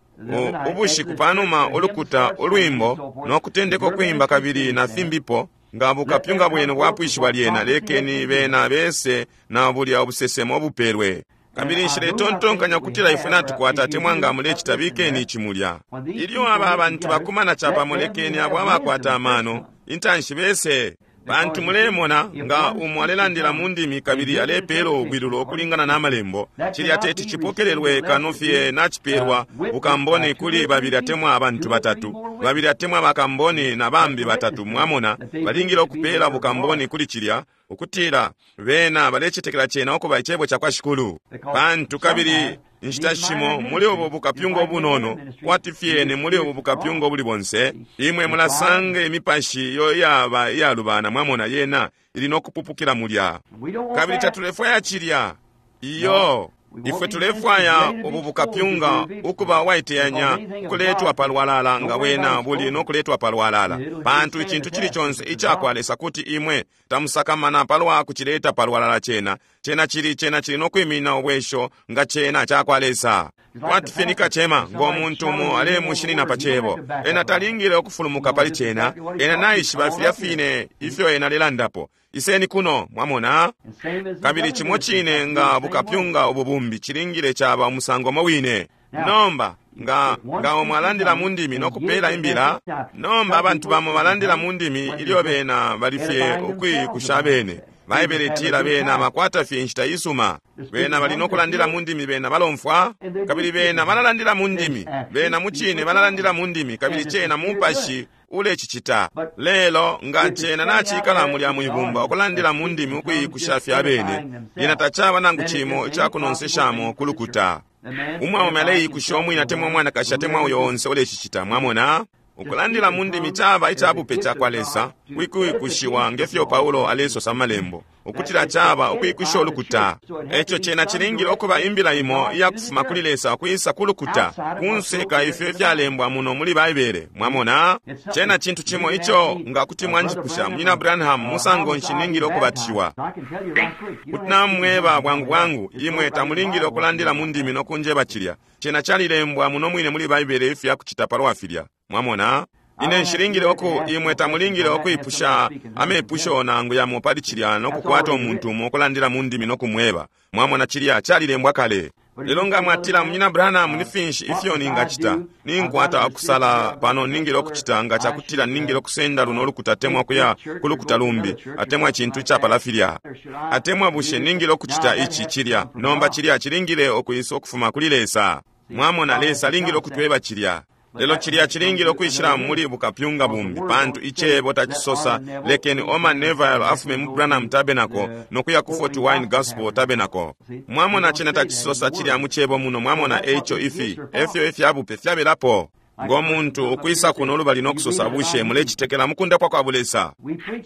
Ubushiku panuma ulukuta ulwimbo no kutendeka ukwimba kabili na fimbipo, nga bukapyunga bwenu bwapwishiwa lyena, lekeni bena bese na bulya ubusesemo bupelwe. Kabili nshiletontonkanya ukutila ifwe natukwata atemwa nga mulecita, bikeni ici mulya. Ilyo aba abantu bakumana capamo, lekeni abo abakwata amano intanshi bese. Pantu mulemona, nga umo alelandila mu ndimi kabili alepela ubwilulo ukulingana na malembo, cilya teti cipokelelwe kano fye nacipelwa bukamboni kuli babili atemwa abantu batatu, babili atemwa bakamboni na bambi batatu. Mwamona, balingile ukupela bukamboni kuli cilya, ukutila bena balecetekela cena ukuba icebo cakwa Shikulu. Pantu kabili inshita shimo muli ubu bukapyunga ubunono, kwati fyene muli ubu bukapyunga ubuli bonse, imwe mulasanga imipashi iyo iyaba iyalubana. Mwamona, yena ili no kupupukila mulya. Kabili tatulefwaya cilya. Iyo, ifwe tulefwaya ubu bukapyunga ukuba waiteyanya ukuletwa palwalala nga wena buli no kuletwa palwalala, pantu icintu cili conse icakwa Lesa kuti imwe tamusakamana palwa kucileta palwalala. Cena cena cili cena cili no kwimina ubwesho nga cena cakwa Lesa. Kwati fye ni kacema, ngo muntu umo alemushinina pa cebo, ena talingile ukufulumuka pali cena. Ena naishiba filya fine ifyo ena alelandapo. Iseni kuno, mwamona. Kabili cimo cine nga bukapyunga ububumbi cilingile caba umusango mo wine. Nomba nga nga omwe alandila mu ndimi no kupela imbila, nomba abantu bamo balandila mu ndimi ilyo bena bali fye ukwikusha bene. Baibele itila bena bakwata fye inshita isuma. Bena bali no kulandila mu ndimi, bena balomfwa, kabili bena balalandila mu ndimi. Bena mucine balalandila mu ndimi, kabili cena mupashi ulecicita. Lelo nga cena nacikala mulya mwibumba ukulandila mu ndimi ukwikusha fye abene, lyena tacaba nangu cimo icakunonseshamo kulukuta. Umwaume aleikusha umwine atemwa umwanakashi atemwa uyo onse ulecicita. Mwamona, ukulandila mu ndimi caba icabupe cakwa Lesa, kwikwikushiwa ngefyo Paulo alesosa mu malembo, ukutila caba ukwikusha ulukuta. Eco cena cilingile ukuba imbila imo iyakufuma kuli Lesa ukwisa ku lukuta, kunse ka ifyo ifyalembwa muno muli Baibele. Mwamona, cena cintu cimo ico nga kuti mwanjipusha, Munyina Branham, musango nshi ningile ukubatishiwa? Kuti namweba bwangu bwangu, imwe tamulingile ukulandila mu ndimi no kunjeba cilya. Cena calilembwa muno mwine muli Baibele ifya kucita palwa filya. Mwamona, ine nshilingile oku imwe tamulingile okwipusha amepusho nangu yamo pali cilya no kukwata umuntu umo ukulandila mu ndimi no kumweba. Mwamona, cilya calilembwa kale. Lelo nga mwatila, Munyina Branham, ni finshi ifyo ningacita? Ninkwata ukusala pano ningile okucita nga cakutila ningile okusenda luno ulukuta atemwa kuya ku lukuta lumbi, atemwa icintu icapala filya, atemwa bushe ningile okucita ici cilya. Nomba cilya cilingile okwisa ukufuma kuli Lesa. Mwamona, Lesa alingile okutweba cilya. Lelo cilya cilingile ukwishila muli bukapyunga bumbi, pantu icebo tacisosa lekeni Orman Neville afume mu Branham Tabernacle no kuya ku Fort Wayne Gospel Tabernacle. Mwamona, cena tacisosa cilya mu cebo muno. Mwamona, eico ifi efyo ifyabupe fyabelapo. Ngo muntu ukwisa kuno lubali no kusosa, bushe mulecitekela mukundapwa kwa bulesa?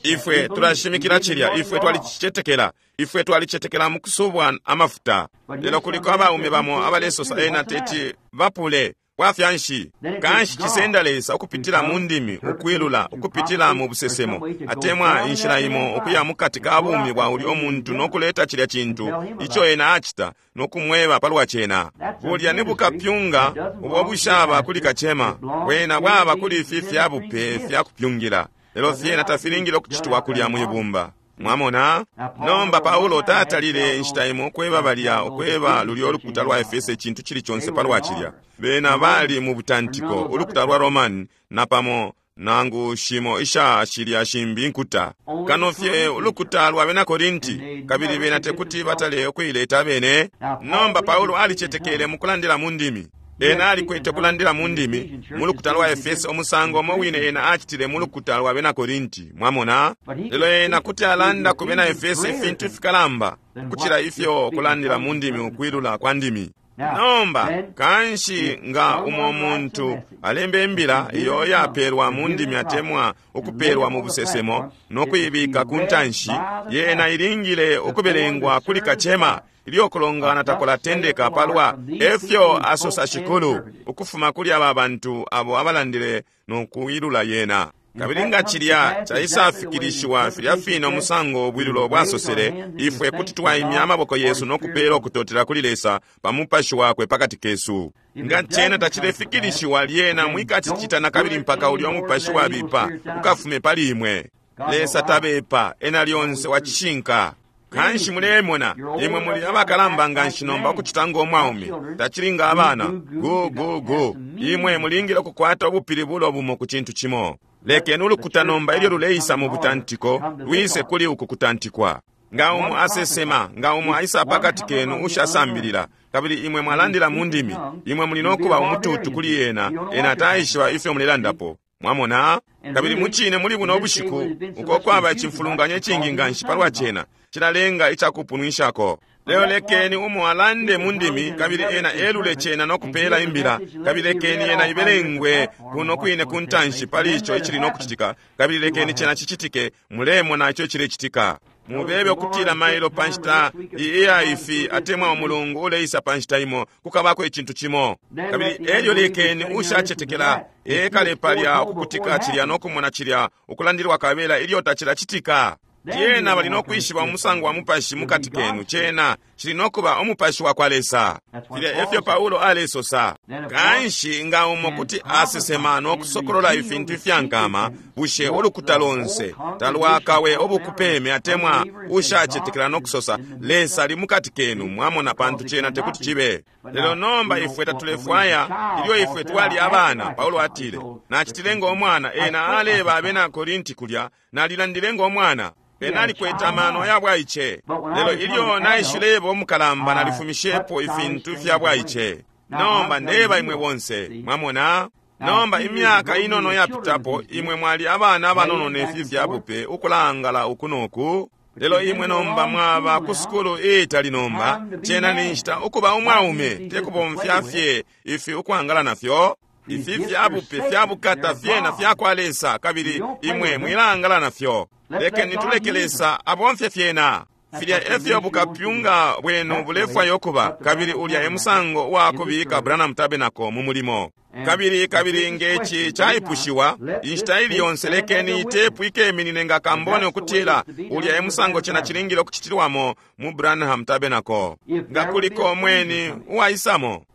Ifwe tulashimikila cilya, ifwe twalicicetekela, ifwe twalicetekela mukusubwa amafuta. Lelo kuliko abaume bamo abalesosa ena teti bapule bwafya nshi. Kanshi cisenda Lesa ukupitila mu ndimi, ukwilula, ukupitila mu busesemo, atemwa inshila imo ukuya mukati ka bumi bwa ulyo muntu no kuleta cilya cintu ico ena acita no kumweba palwa cena. Bulya ni bukapyunga ubo bushaba kuli kacema, bwena bwaba kuli ifi fyabupe fya kupyungila, lelo fyena tafilingile ukucitwa kulya mwibumba. Mwamona, nomba Paulo tatalile inshita imo ukweba balya, ukweba lulyo ulukuta lwa Efese icintu cili conse palwa cilya. Bena bali mu butantiko, ulukuta lwa Roman napamo nangu shimo isha shilya shimbi nkuta, kano fye ulukuta lwa bena Korinti, kabili bena tekuti batale ukuileta abene. Nomba Paulo alicetekele mukulandila mu ndimi. Ena alikwete ukulandila mu ndimi mu lukuta lwa Efeso umusango umo wine ena acitile mu lukuta lwa bena Korinti. Mwamona? Lelo ena kuti alanda ku bena Efeso ifintu ifikalamba ukucila ifyo kulandila mu ndimi ukwilula kwa ndimi. Nomba, kanshi nga umo muntu alembe imbila iyo yapelwa mu ndimi atemwa ukupelwa mu busesemo no kuibika ku ntanshi, yena ilingile ukubelengwa kuli kacema ilyo kulongana takulatendeka palwa efyo asosa Shikulu ukufuma kuli aba bantu abo abalandile no kuilula yena. Kabili nga cilya caisafikilishiwa filya fine umusango ubwilulo bwasosele, ifwe kuti twaimya amaboko yesu no kupela ukutotela kuli Lesa pa mupashi wakwe pakati kesu. Nga cena tacilefikilishiwa, lyena mwikacicita nakabili mpaka ulya umupashi wabipa ukafume pali imwe. Lesa tabepa, ena lyonse wa cishinka. Kanshi mulemona, imwe muli abakalamba nganshi nomba ukucita ngo mwaume, tacili nga abana. Gu gu gu. Imwe mulingile ukukwata ubupilibulo bumo ku cintu cimo. Lekeni ulukuta nomba ilyo luleisa mu butantiko, lwise kuli uku kutantikwa. Nga umo asesema, nga umo aisa pakati kenu ushasambilila, kabili imwe mwalandila mu ndimi, imwe muli no kuba umututu kuli ena, ena taishiba ifyo mulelandapo. Mwamona? Kabili mucine muli buno bushiku, uko kwaba icimfulunganya icingi nganshi palwa cena, cilalenga icakupunwishako. Lelo lekeni umo alande mu ndimi, kabili ena elule cena no kupela imbila, kabili lekeni yena ibelengwe kuno kwine ku ntanshi pali ico icili no kucitika, kabili lekeni cena cicitike, mulemona ico icilecitika. Mubebe ukutila mailo pa nshita iya ifi atemwa umulungu uleisa pa nshita imo kukabako icintu cimo. Kabili elyo lekeni ushacetekela ekale palya ukukutika cilya no kumona cilya ukulandilwa kabela ilyo tacilacitika. Lyena bali no kwishiba umusango wa mupashi mukati kenu, cena cili no kuba umupashi wa kwa Lesa. Filya efyo Paulo alesosa. Kanshi nga umo kuti asesema no kusokolola ifintu ifyankama, bushe ulukuta lonse talwakawe ubukupeme atemwa ushacetekela no kusosa Lesa ali mukati kenu? Mwamona, pantu cena tekuti cibe. Lelo nomba ifwe tatulefwaya. Ilyo ifwe twali abana, Paulo atile, nacitile ngo mwana. Ena aleba abena Korinti kulya, nalilandile ngo mwana. Ena alikwete amano ya bwaice. Lelo ilyo naishileba umukalamba, nalifumishepo ifintu fya bwaice. Nomba ndeba imwe bonse, mwamona? Nomba imyaka inono yapitapo, imwe mwali abana abanono nefi fya bupe ukulaangala uku noku. Lelo imwe nomba mwaba ku sukulu iitali nomba, cena ni nshita ukuba umwaume, te kubomfya fye ifi ukwangala nafyo. Ifi fya bupe fya bukata fyena fya kwa Lesa, kabili imwe mwilaangala nafyo. Lekeni tuleke Lesa abomfye fyena. Filya efyo bukapyunga bwenu bulefwayo kuba, kabili ulya e musango wa kubika Branham Tabernacle mu mulimo. Kabili kabili ngeci caipushiwa inshita ili yonse, lekeni itepu ikeminine nga kambone ukutila ulya e musango cena cilingile ukucitilwamo mu Branham Tabernacle. Nga kuliko mweni uwaisamo,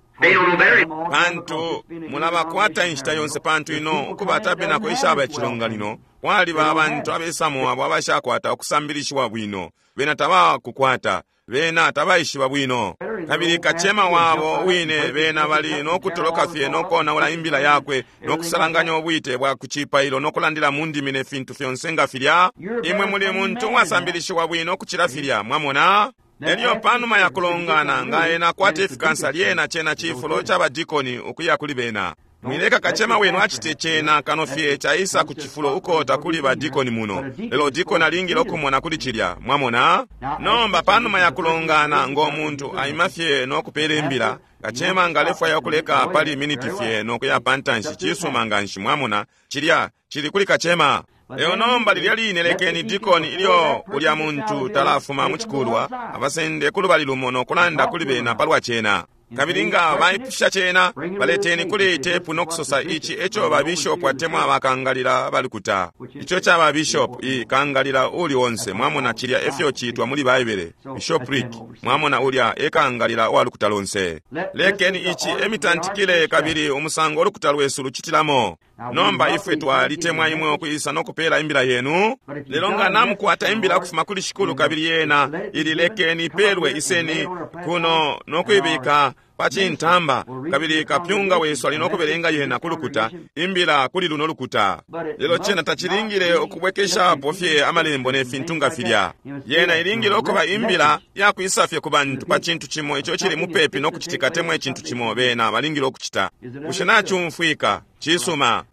pantu mulabakwata inshita yonse, pantu ino ukuba tabernacle ishaba icilonganino, kwaliba abantu abesamo abo abashakwata ukusambilishiwa bwino. Bena tabakukwata, bena tabaishiba bwino. Kabili kacema wabo wine bena bali no kutoloka fye no konaula imbila yakwe no kusalanganya ubwite bwa kucipailo no kulandila mu ndimi ne fintu fyonse nga filya. Imwe muli muntu uwasambilishiwa bwino ukucila filya, mwamona? Elyo panuma ya kulongana, nga ena akwata ifikansa, lyena cena cifulo ca badikoni ukuya kuli bena. Mwileka kacema wenu acite cena kano fye caisa ku cifulo uko takuli badikoni muno. Lelo dikoni alingile ukumona kuli cilya, mwamona? Nomba panuma ya kulongana, ngo muntu aima fye no kupela imbila, kacema nga alefwaya ukuleka pali miniti fye no kuya pantanshi, cisuma nganshi, mwamona? Cilya cili kuli kacema. Lelo nomba lilya line lekeni dikoni ilyo ulya muntu talafuma mu cikulwa, abasende kulubali lumo no kulanda kuli bena palwa cena. Kabili nga baipusha cena, baleteni kuli tepu no kusosa ici eco ba bishop atemwa bakangalila balukuta. Ico ca ba bishop i kangalila uli onse, mwamona, cilya efyo citwa muli Baibele, bishopric, mwamona, ulya e kangalila wa lukuta lonse. Lekeni ici emitantikile kabili umusango ulukuta lwesu lucitilamo. Nomba ifwe twalitemwa imwe ukwisa no kupela imbila yenu. Lelo nga namukwata imbila ukufuma kuli Shikulu kabili yena ili lekeni ipelwe, iseni kuno no kuibika pa cintamba, kabili kapyunga wesu ali no kubelenga yena ku lukuta, imbila kuli luno lukuta. Lelo cena tacilingile ukubwekeshapo fye amalembo ne fintu nga filya. Yena ilingile ukuba imbila yakwisa fye ku bantu pa cintu cimo ico cili mupepi no kucitika temwa icintu cimo bena balingile ukucita. Bushe nacumfwika? Cisuma.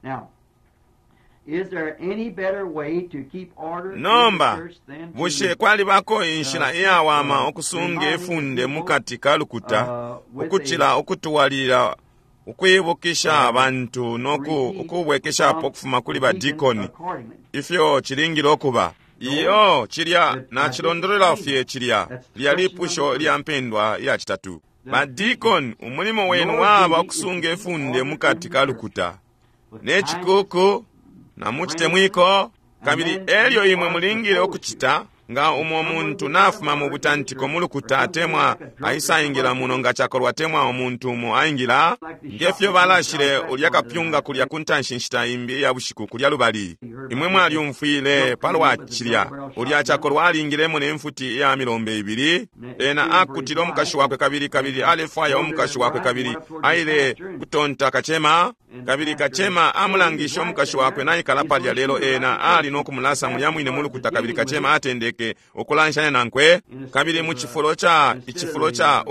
Nomba, bushe kwalibako inshila iyawama ukusunga ifunde mukati ka lukuta ukucila ukutwalilila ukwibukisha abantu no ukubwekeshapo ukufuma kuli badikoni ifyo cilingile ukuba? Iyo, cilya nacilondolola fye cilya lya lipusho lya mpendwa iya citatu. Badikoni, umulimo wenu waba ukusunga ifunde mukati ka lukuta ne cikuku na mucitemwiko, kabili elyo imwe mulingile ukucita nga umo muntu nafuma mu butantiko mu lukuta atemwa aisaingila muno nga cakolwa temwa umuntu umo aingila ngefyo balashile ulya kapyunga kulya ku ntanshi nshita imbi iya bushiku kulya lubali. Imwe mwalyumfwile palwa cilya. Ulya cakolwa alingilemo ne mfuti iya milombe ibili. Ena akutile umukashi wakwe kabili kabili alefwaya umukashi wakwe kabili aile kutonta kacema, kabili kacema amulangishe umukashi wakwe naikala palya, lelo ena ali no kumulasa mulya mwine mu lukuta, kabili kacema atendeke ukulanshanya nankwe, kabili mu cifulo ca icifulo ca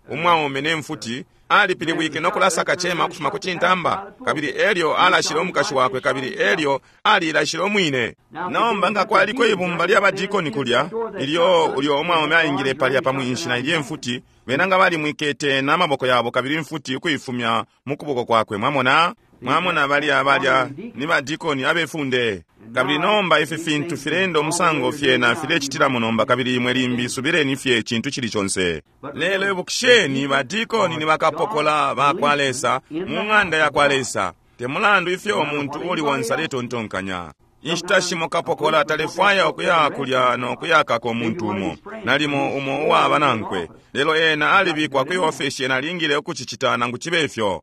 umwaume ne mfuti alipilibwike no kulasa kacema ukufuma ku cintamba, kabili elyo alashile umukashi wakwe, kabili elyo alilashile umwine. Nomba nga kwaliko ibumba lya badikoni kulya ilyo ulyo umwaume aingile palya pa mwinshi na ilye mfuti, bena nga balimwikete na maboko yabo kabili mfuti ukuifumya mu kuboko kwakwe. Mwamona? Mwamona balya balya ni badikoni abefunde. Kabili nomba ifi fintu filenda umusango fyena filecitilamo nomba, kabili imwe limbi subileni fye cintu cili conse. Lelo ibukisheni, badikoni ni bakapokola ba kwa Lesa mu ng'anda ya kwa Lesa, te mulandu ifyo umuntu uli wonse aletontonkanya. Inshita shimo kapokola talefwaya ukuya kulya no kuyakako umuntu umo, nalimo umo uwaba nankwe, lelo ena alibikwa kwi ofesi, ena alingile ukucicita nangu cibe ifyo.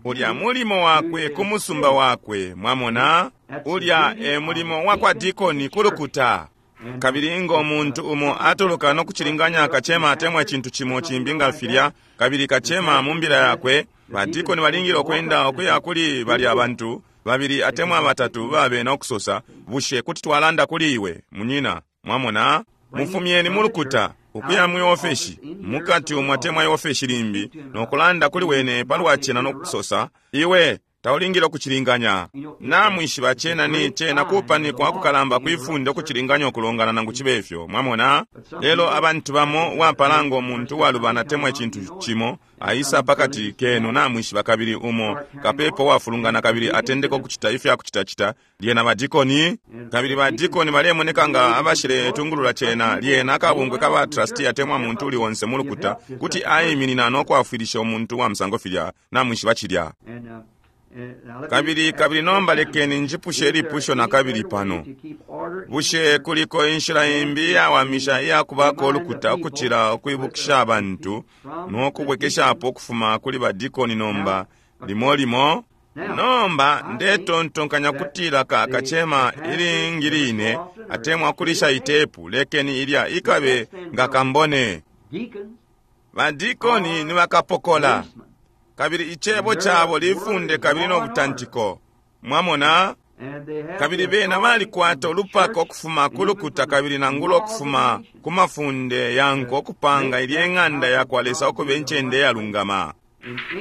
Ulya mulimo wakwe ku musumba wakwe, mwamona? Ulya e mulimo wa kwa dikoni ku lukuta. Kabili ngo muntu umo atuluka no kucilinganya kacema atemwa icintu cimo cimbi nga filya, kabili kacema mu mbila yakwe, badikoni balingile ukwenda ukuya kuli balya bantu babili atemwa batatu babe no kusosa, bushe kuti twalanda kuli iwe munyina? Mwamona? Mufumyeni mu lukuta ukuya mwi ofeshi mukati umwe atemwa iofeshi limbi no kulanda kuli wene palwa cena no kusosa, iwe taulingile ukucilinganya. Namwishiba cena ni cena kupanikwa kukalamba kwifunde ukucilinganya ukulongana nangu cibe ifyo. Mwamona? Lelo abantu bamo wapala ngo muntu walubana temwa icintu cimo aisa pakati kenu, namwishiba, kabili umo kapepo wafulungana kabili atendeka ukucita ifya kucitacita, lyena badikoni, kabili badikoni balemoneka nga abashile tungulula cena, lyena akabungwe ka ba trustee atemwa muntu uli onse mu lukuta kuti aiminina no kwafwilisha umuntu wa musango filya, namwishiba cilya. Kabili kabili nomba lekeni njipushe ilipusho na kabili pano. Bushe kuliko inshila imbi iyawamisha iyakubako ulukuta ukucila ukwibukisha abantu no kubwekeshapo ukufuma kuli badikoni nomba limo limo? Nomba ndetontonkanya kutila ka kacema ilingi line atemwa kulisha itepu, lekeni ilya ikabe nga kambone. Badikoni ni bakapokola, kabili icebo cabo lifunde kabili no butantiko. Mwamona? Kabili bena balikwata ulupaka ukufuma ku lukuta kabili nangula ukufuma ku mafunde yanko ukupanga ilye ng'anda ya kwa Lesa ukuba incende yalungama.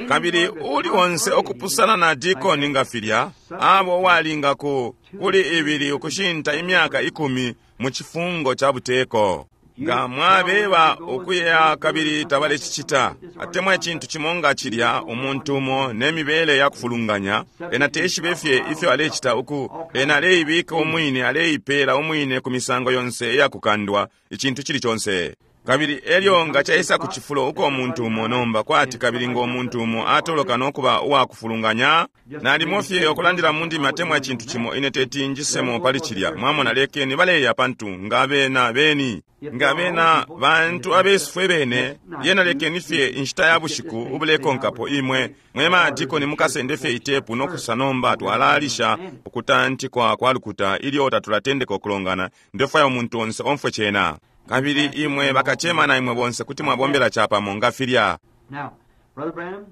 Kabili uli onse okupusana na dikoni nga filya, abo uwalinga ku kuli ibili ukushinta imyaka 10 mu cifungo ca buteko. Nga mwabeba ukuya kabili tabalecicita, atemwa icintu cimo nga cilya, umuntu umo ne mibele ya kufulunganya, ena teshibe fye ifyo alecita uku, ena aleibika umwine, aleipela umwine ku misango yonse iya kukandwa, icintu cili conse. Kabili elyo nga caisa ku cifulo uko umuntu umo nomba kwati kabili ngo muntu umo atoloka no kuba uwakufulunganya, nalimo fye ukulandila mu ndimi atemwa icintu cimo, ine teti njisemo pali cilya. Mwamona, lekeni baleya, pantu nga bena beni, nga bena bantu abesu fwe bene, lyena lekeni fye inshita ya bushiku ubulekonkapo imwe mwe madikoni mukasende fye itepu no kusosa, nomba twalalisha ukutantikwa kwa lukuta ilyo tatulatendeka ukulongana. Ndefwaya umuntu onse omfwe cena. Kabili imwe bakacema na imwe bonse kuti mwabombela capamo nga filya. Now, Brother Branham,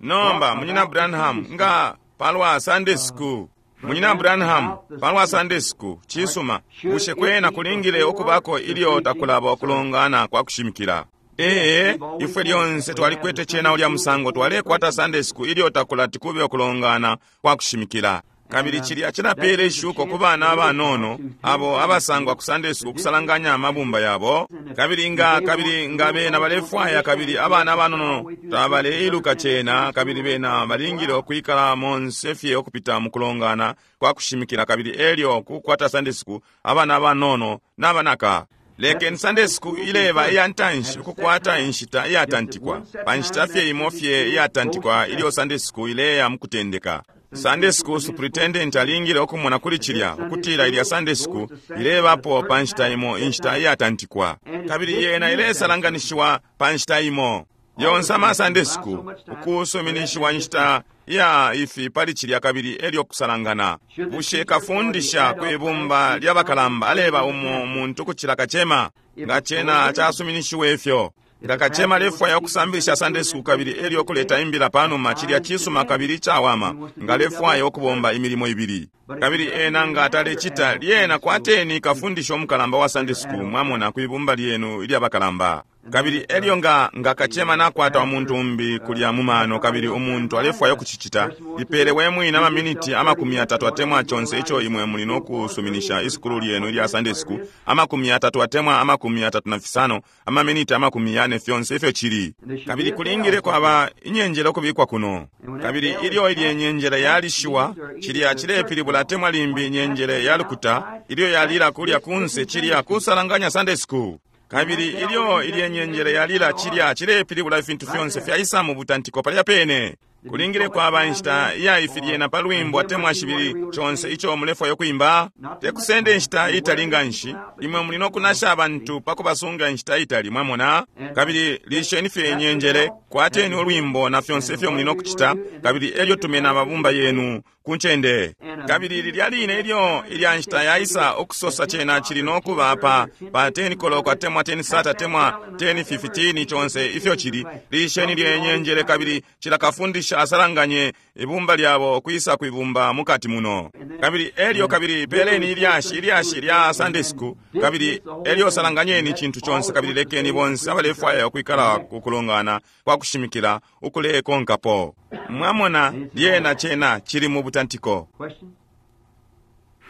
Nomba, Munyina Branham, nga palwa Sunday school. Munyina Branham, palwa Sunday school, cisuma, bushe kwena kulingile ukubako ilyo takulaba ukulongana kwa kushimikila? Ee, ifwe lyonse twalikwete cena ulya musango, twalekwata Sunday school ilyo takulati kube ukulongana kwa kushimikila. Kabili cilya cilapela ishuko ku bana abanono abo abasangwa ku Sunday school ukusalanganya amabumba yabo. Kabili nga, kabili nga bena balefwaya, kabili abana abanono tabaleiluka cena, kabili bena balingile ukwikala monse fye ukupita mu kulongana kwa kushimikila, kabili elyo kukwata Sunday school abana abanono n'abanaka. Lekeni Sunday school ileba iya ntanshi ukukwata inshita iyatantikwa, pa nshita fye imo fye iyatantikwa ilyo Sunday school ileya mu kutendeka. Sunday school superintendent alingile ukumona kuli cilya ukutila ilya Sunday school ilebapo pa nshita imo, inshita iyatantikwa, kabili yena ilesalanganishiwa pa nshita imo. Yonse ama Sunday school ukusuminishiwa inshita ya ifi pali cilya, kabili elyo kusalangana. Bushe kafundisha kwi bumba lya bakalamba aleba umo muntu kucila kacema? Nga cena casuminishiwe ifyo, nga kacema alefwaya ukusambilisha Sunday school kabili elyo kuleta imbila panuma, cilya cisuma kabili cawama, nga alefwaya ukubomba imilimo ibili. Kabili ena nga atalecita, lyena kwateni kafundisha umukalamba wa Sunday school, mwamona, kwi bumba lyenu ilya bakalamba. Kabili elyo nga, nga kacema nakwata umuntu umbi kulya mu mano, kabili umuntu alefwaya ukucicita, ipele we mwine amaminiti 30 atemwa conse ico imwe muli no kusuminisha isukulu lyenu ilya Sunday school, 30 atemwa 35, amaminiti 40, fyonse ifyo cili. Kabili kulingile kwaba inyenjele ukubikwa kuno. Kabili ilyo ilye nyenjele yalishiwa, cilya cilepilibula atemwa limbi inyenjele ya lukuta, ilyo yalila kulya kunse, cilya kusalanganya Sunday school. Kabili ilyo ilye nyenjele yalila, cilya cilepilibula ifintu fyonse fyaisa mu butantiko palya pene. Kulingile kwaba inshita iya ifi lyena pa lwimbo atemwa shibili, conse ico mulefwaya ukwimba. Tekusenda inshita itali nganshi, imwe muli no kunasha abantu pa kubasunga inshita itali, mwamona. Kabili lisheni fye inyenjele, kwateni ulwimbo na fyonse ifyo muli no kucita, kabili elyo tumena amabumba yenu ku ncende. Kabili lilya line ilyo ilya nshita yaisa ukusosa, cena cili no kuba pa, pa 10 koloko atemwa 10 sata atemwa 10:15, conse ifyo cili, lisheni lye nyenjele, kabili cila kafundisha asalanganye ibumba lyabo kwisa kwibumba mukati muno. Kabili elyo kabili peleni ilyashi, ilyashi lya Sunday school, kabili elyo salanganyeni icintu conse, kabili lekeni bonse abalefwaya ukwikala kukulongana kwa kushimikila ukulekonkapo. Mwamona, lyena cena cili mu butantiko. Question?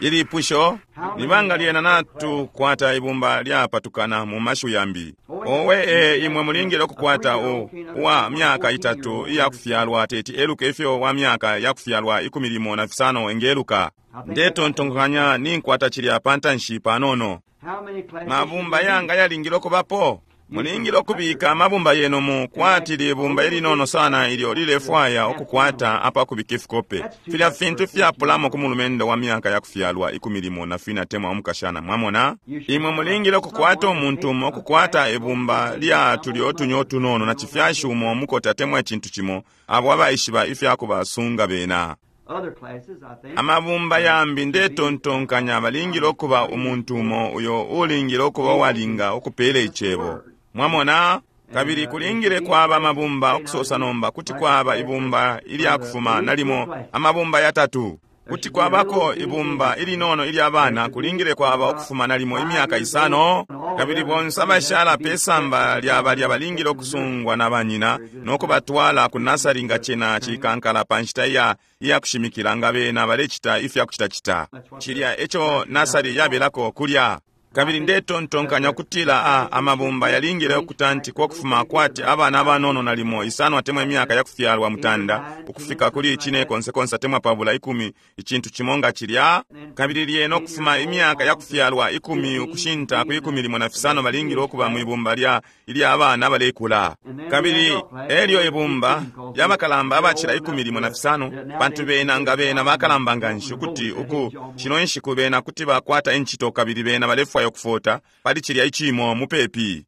Ilipusho nibanga lyena natukwata ibumba lyapatukana mu mashiwi yambi. Owe, e, imwe mulingile ukukwata u uwa myaka 3 iyakufyalwa teti eluke ifyo wa myaka yakufyalwa 15 engeluka. Ndetontonkanya ninkwata cilya pantanshi panono. How many classes? Mabumba yanga yalingile ukubapo. Mulingile ukubika amabumba yenu mu kwati libumba ilinono sana ilyo lilefwaya ukukwata apakubika ifikope. Filya fintu fyapulamo ku mulumendo wa myaka yakufyalwa 14 atemwa umukashana, mwamona. Imwe mulingile ukukwata umuntu umo ukukwata ibumba lya tulyo utunyo tunono na cifyashi umo mukota atemwa icintu cimo, abo abaishiba ifya kubasunga bena. Other classes, I think. Amabumba yambi ndetontonkanya balingile ukuba umuntu umo uyo ulingile ukuba uwalinga ukupela icebo, mwamona. Kabili kulingile kwaba amabumba ukusosa nomba kuti kwaba ibumba ilyakufuma nalimo amabumba yatatu. Kuti kwabako ibumba ilinono ilya bana, kulingile kwaba ukufuma nalimo imyaka 5, kabili bonse abashala pe samba lya balya balingile ukusungwa na banyina no kubatwala ku nasari nga cena cikankala pa nshita iya, iya kushimikila nga bena balecita ifya kucitacita. Cilya eco nasari yabelako kulya. Kabili ndetontonkanya ukutila a amabumba yalingile ukutantikwa ukufuma kwati abana abanono nalimo isano atemwa imyaka yakufyalwa mutanda ukufika kuli cine konse konse atemwa pabula ikumi, icintu cimo nga cilya. Kabili lyena ukufuma imyaka yakufyalwa ikumi ukushinta ku ikumi limo na fisano balingile ukuba mwibumba lya ilya abana abalekula. Kabili elyo ibumba lya bakalamba abacila ikumi limo na fisano, pantu bena nga bena bakalamba nganshi ukuti uku shino inshiku bena kuti bakwata incito kabili bena balefwaya ukufota pali cilya icimo mupepi.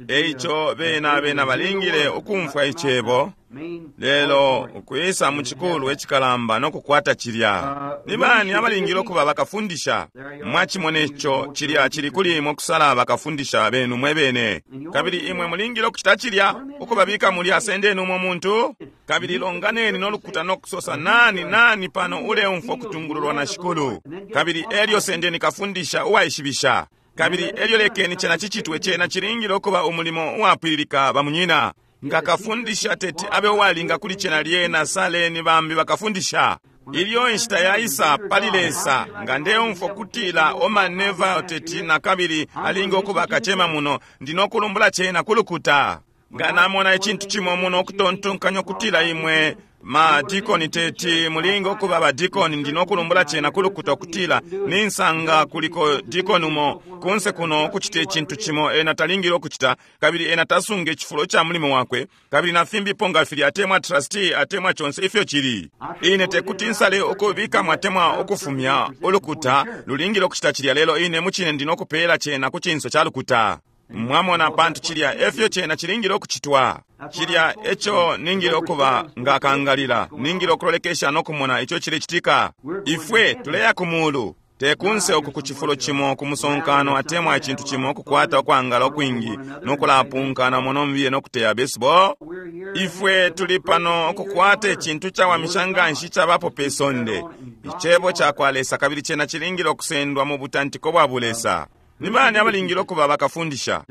Eico bena bena balingile ukumfwa icebo, lelo ukwisa mu cikulu icikalamba no kukwata cilya. Ni bani abalingile ukuba bakafundisha? Mwachimone ico, cilya cili kuli imwe kusala bakafundisha benu mwe bene. Kabili imwe mulingile ukucita cilya, ukubabika mulya, sendeni umo muntu, kabili longaneni no lukuta no kusosa, nani nani pano uleumfwa kutungululwa na Shikulu. Kabili elyo sendeni kafundisha uwaishibisha. Kabili elyo lekeni cena cicitwe, cena cilingile ukuba umulimo uwapwililika bamunyina. Nga kafundisha teti abe uwalinga kuli cena, lyena saleni bambi bakafundisha. Ilyo inshita yaisa pali Lesa, nga ndeumfwa kutila Orman Neville teti na kabili alinga ukuba kacema muno, ndi no kulumbula cena kulukuta. Nga namona icintu cimo muno ukutontonkanya kutila imwe ma dikoni teti mulinga ukuba ba dikoni, ndi no kulumbula cena kulukuta kutila ninsanga kuliko dikoni umo kunse kuno ukucita icintu cimo ena talingile ukucita, kabili ena tasunga icifulo ca mulimo wakwe, kabili na fimbipo nga filya, atemwa trustee atemwa conse ifyo cili. Ine tekuti nsale ukubika mwatemwa ukufumya ulukuta lulingile ukucita cilya, lelo ine mucine ndi no kupela cena ku cinso ca lukuta. Mwamona, pantu cilya efyo cena cilingile ukucitwa. Cilya eco ningile ukuba nga kangalila, ningile ukulolekesha no kumona ico cilecitika. Ifwe tuleya ku mulu, te kunse uku ku cifulo cimo ku musonkano atemwa icintu cimo ukukwata ukwangala ukwingi no kulapunkana muno mbiye no kuteya baseball. Ifwe tuli pano ukukwata icintu cawamisha nganshi icabapo pe sonde, icebo cakwa Lesa, kabili cena cilingile ukusendwa mu butantiko bwa bulesa. Ni bani abalingile ukuba bakafundisha?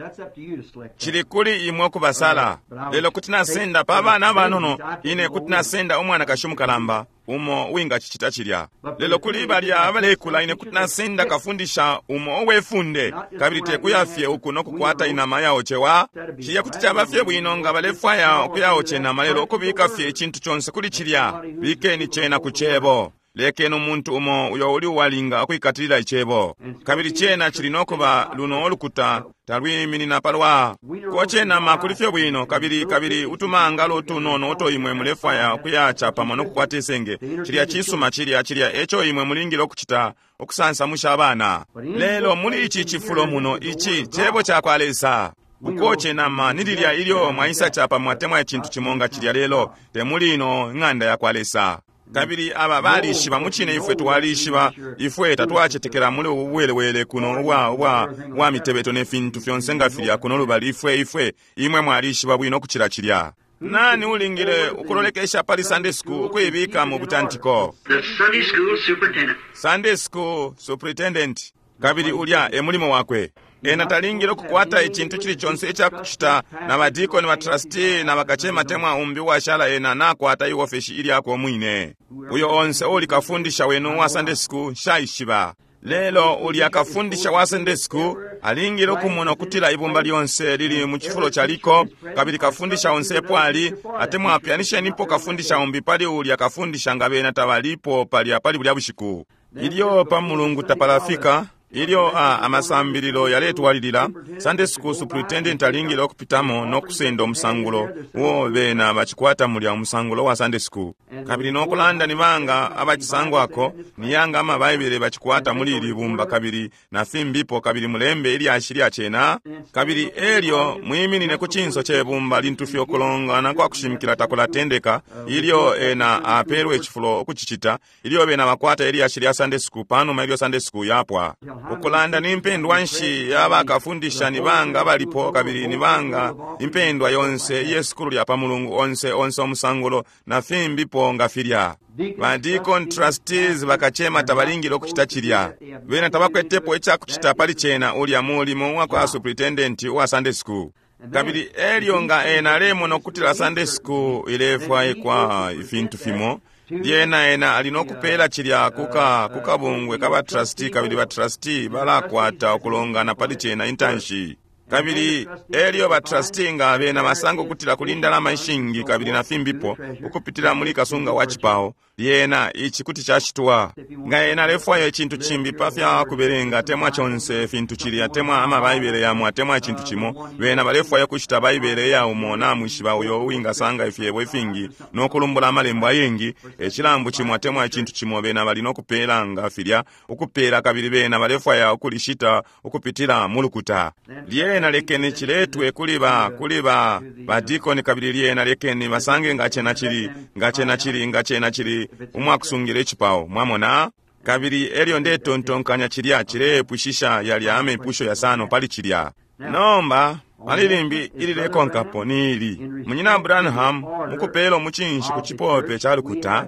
Cili kuli imwe ukubasala. Lelo kuti nasenda pa bana abanono, ine kuti nasenda umwanakashi umukalamba umo uwingacicita cilya. Lelo kuli balya abalekula, ine kuti nasenda kafundisha umo uwefunde, kabili tekuya fye uku no kukwata inama yaocewa. Cilya kuti caba fye bwino nga balefwaya ukuyaoce inama, lelo ukubika fye icintu conse kuli cilya, bikeni cena ku cebo. Lekeni umuntu umo uyo uli uwalinga ukwikatilila icebo. Kabili cena cili no kuba luno ulukuta talwiminina palwa koce nama kuli fye bwino, kabili kabili utumangalo utunono uto imwe mulefwaya ukuyaca pamo no kukwata isenge. Cilya cisuma, cilya cilya eco imwe mulingile ukucita, ukusansamusha abana. Lelo muli ici cifulo muno, ici cebo cakwa Lesa. Ukoce nama ni lilya ilyo mwaisa capa mwatemwa icintu cimo nga cilya, lelo te muli ino ng'anda yakwa Lesa. Kabili aba balishiba mucine, ifwe twalishiba, ifwe tatwacetekela muli ubu bwelewele kuno ubwa ubwa ubwa mitebeto ne fintu fyonse nga filya kuno lubali. Ifwe ifwe imwe mwalishiba bwino kucila cilya. Nani ulingile ukulolekesha pali Sunday school ukuibika mu butantiko? The Sunday school superintendent. Sunday school superintendent. Kabili ulya e mulimo wakwe. Ena talingile ukukwata icintu cili conse icakucita na badikoni, ba trustee na bakacema temwa umbi uwashala. Ena nakwata iofeshi ilyakwe umwine. Uyo onse uli kafundisha wenu wa Sunday school nshaishiba. Lelo ulya kafundisha wa Sunday school alingile ukumona ukutila ibumba lyonse lili mu cifulo caliko, kabili kafundisha onse epo ali, atemwa apyanishenipo kafundisha umbi pali ulya kafundisha nga bena tabalipo palya pali bulya bushiku. Ilyo pa mulungu tapalafika, ilyo a amasambililo yaletwalilila, Sunday school superintendent alingile ukupitamo no kusenda umusangulo uo bena bacikwata mulya, umusangulo wa Sunday school. Kabili no kulanda ni banga abacisangwako, ni yanga amabaibele bacikwata muli ili bumba, kabili na fimbipo, kabili mulembe ilyashi lya cena. Kabili elyo mwiminine ku cinso ce bumba lintu fye ukulongana kwa kushimikila takulatendeka, ilyo ena apelwe icifulo ukucicita, ilyo bena bakwata ilyashi lya Sunday school panuma ilyo Sunday school yapwa. Ukulanda ni mpendwa nshi yabakafundisha, ni banga abalipo, kabili ni banga impendwa yonse iye sukulu lya pa mulungu onse onse umusangulo na fimbipo nga filya. Ba deacon, trustees, bakacema tabalingile ukucita cilya. Bena tabakwetepo icakucita pali cena, ulya mulimo wa kwa superintendent wa Sunday school. Kabili elyo nga ena alemona ukutila Sunday school ilefwaikwa ifintu fimo, Lyena ena ali no kupela cilya kuka kukabungwe ka batrustee, kabili batrustee balakwata ukulongana pali cena intanshi. Kabili elyo batrustee nga bena basanga ukutila kuli indalama ishingi kabili na fimbipo ukupitila muli kasunga wa cipao, lyena ici kuti cacitwa. Nga ena alefwaya icintu cimbi pa fya kubelenga atemwa conse fintu cili, atemwa ama Baibele yamo atemwa icintu cimo, bena balefwaya kushita Baibele iya umo namwishiba uyo uwingasanga ifyebo ifingi no kulumbula amalembo ayengi, icilambu cimo atemwa icintu cimo bena bali no kupela nga filya ukupela, kabili bena balefwaya ukulishita ukupitila mu lukuta. Lyena lekeni ciletwe kuli ba kuli ba badikoni, kabili lyena lekeni basange nga cena cili nga cena cili nga cena cili umwakusungila icipao, mwamona. Kabili elyo ndetontonkanya cilya cilepwishisha yalya amepusho yasano pali cilya. Nomba pali limbi ililekonkapo ni ili, Munyina Branham mukupela umucinshi ku cipope ca lukuta,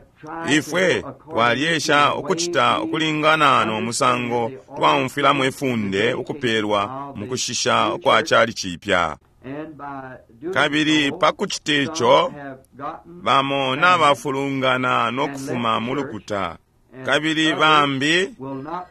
ifwe twalyesha ukucita ukulingana no musango twaumfwilamo ifunde ukupelwa mukushisha kwa cali cipya. Kabili pa kucita ico, bamo nabafulungana no kufuma mu lukuta, kabili bambi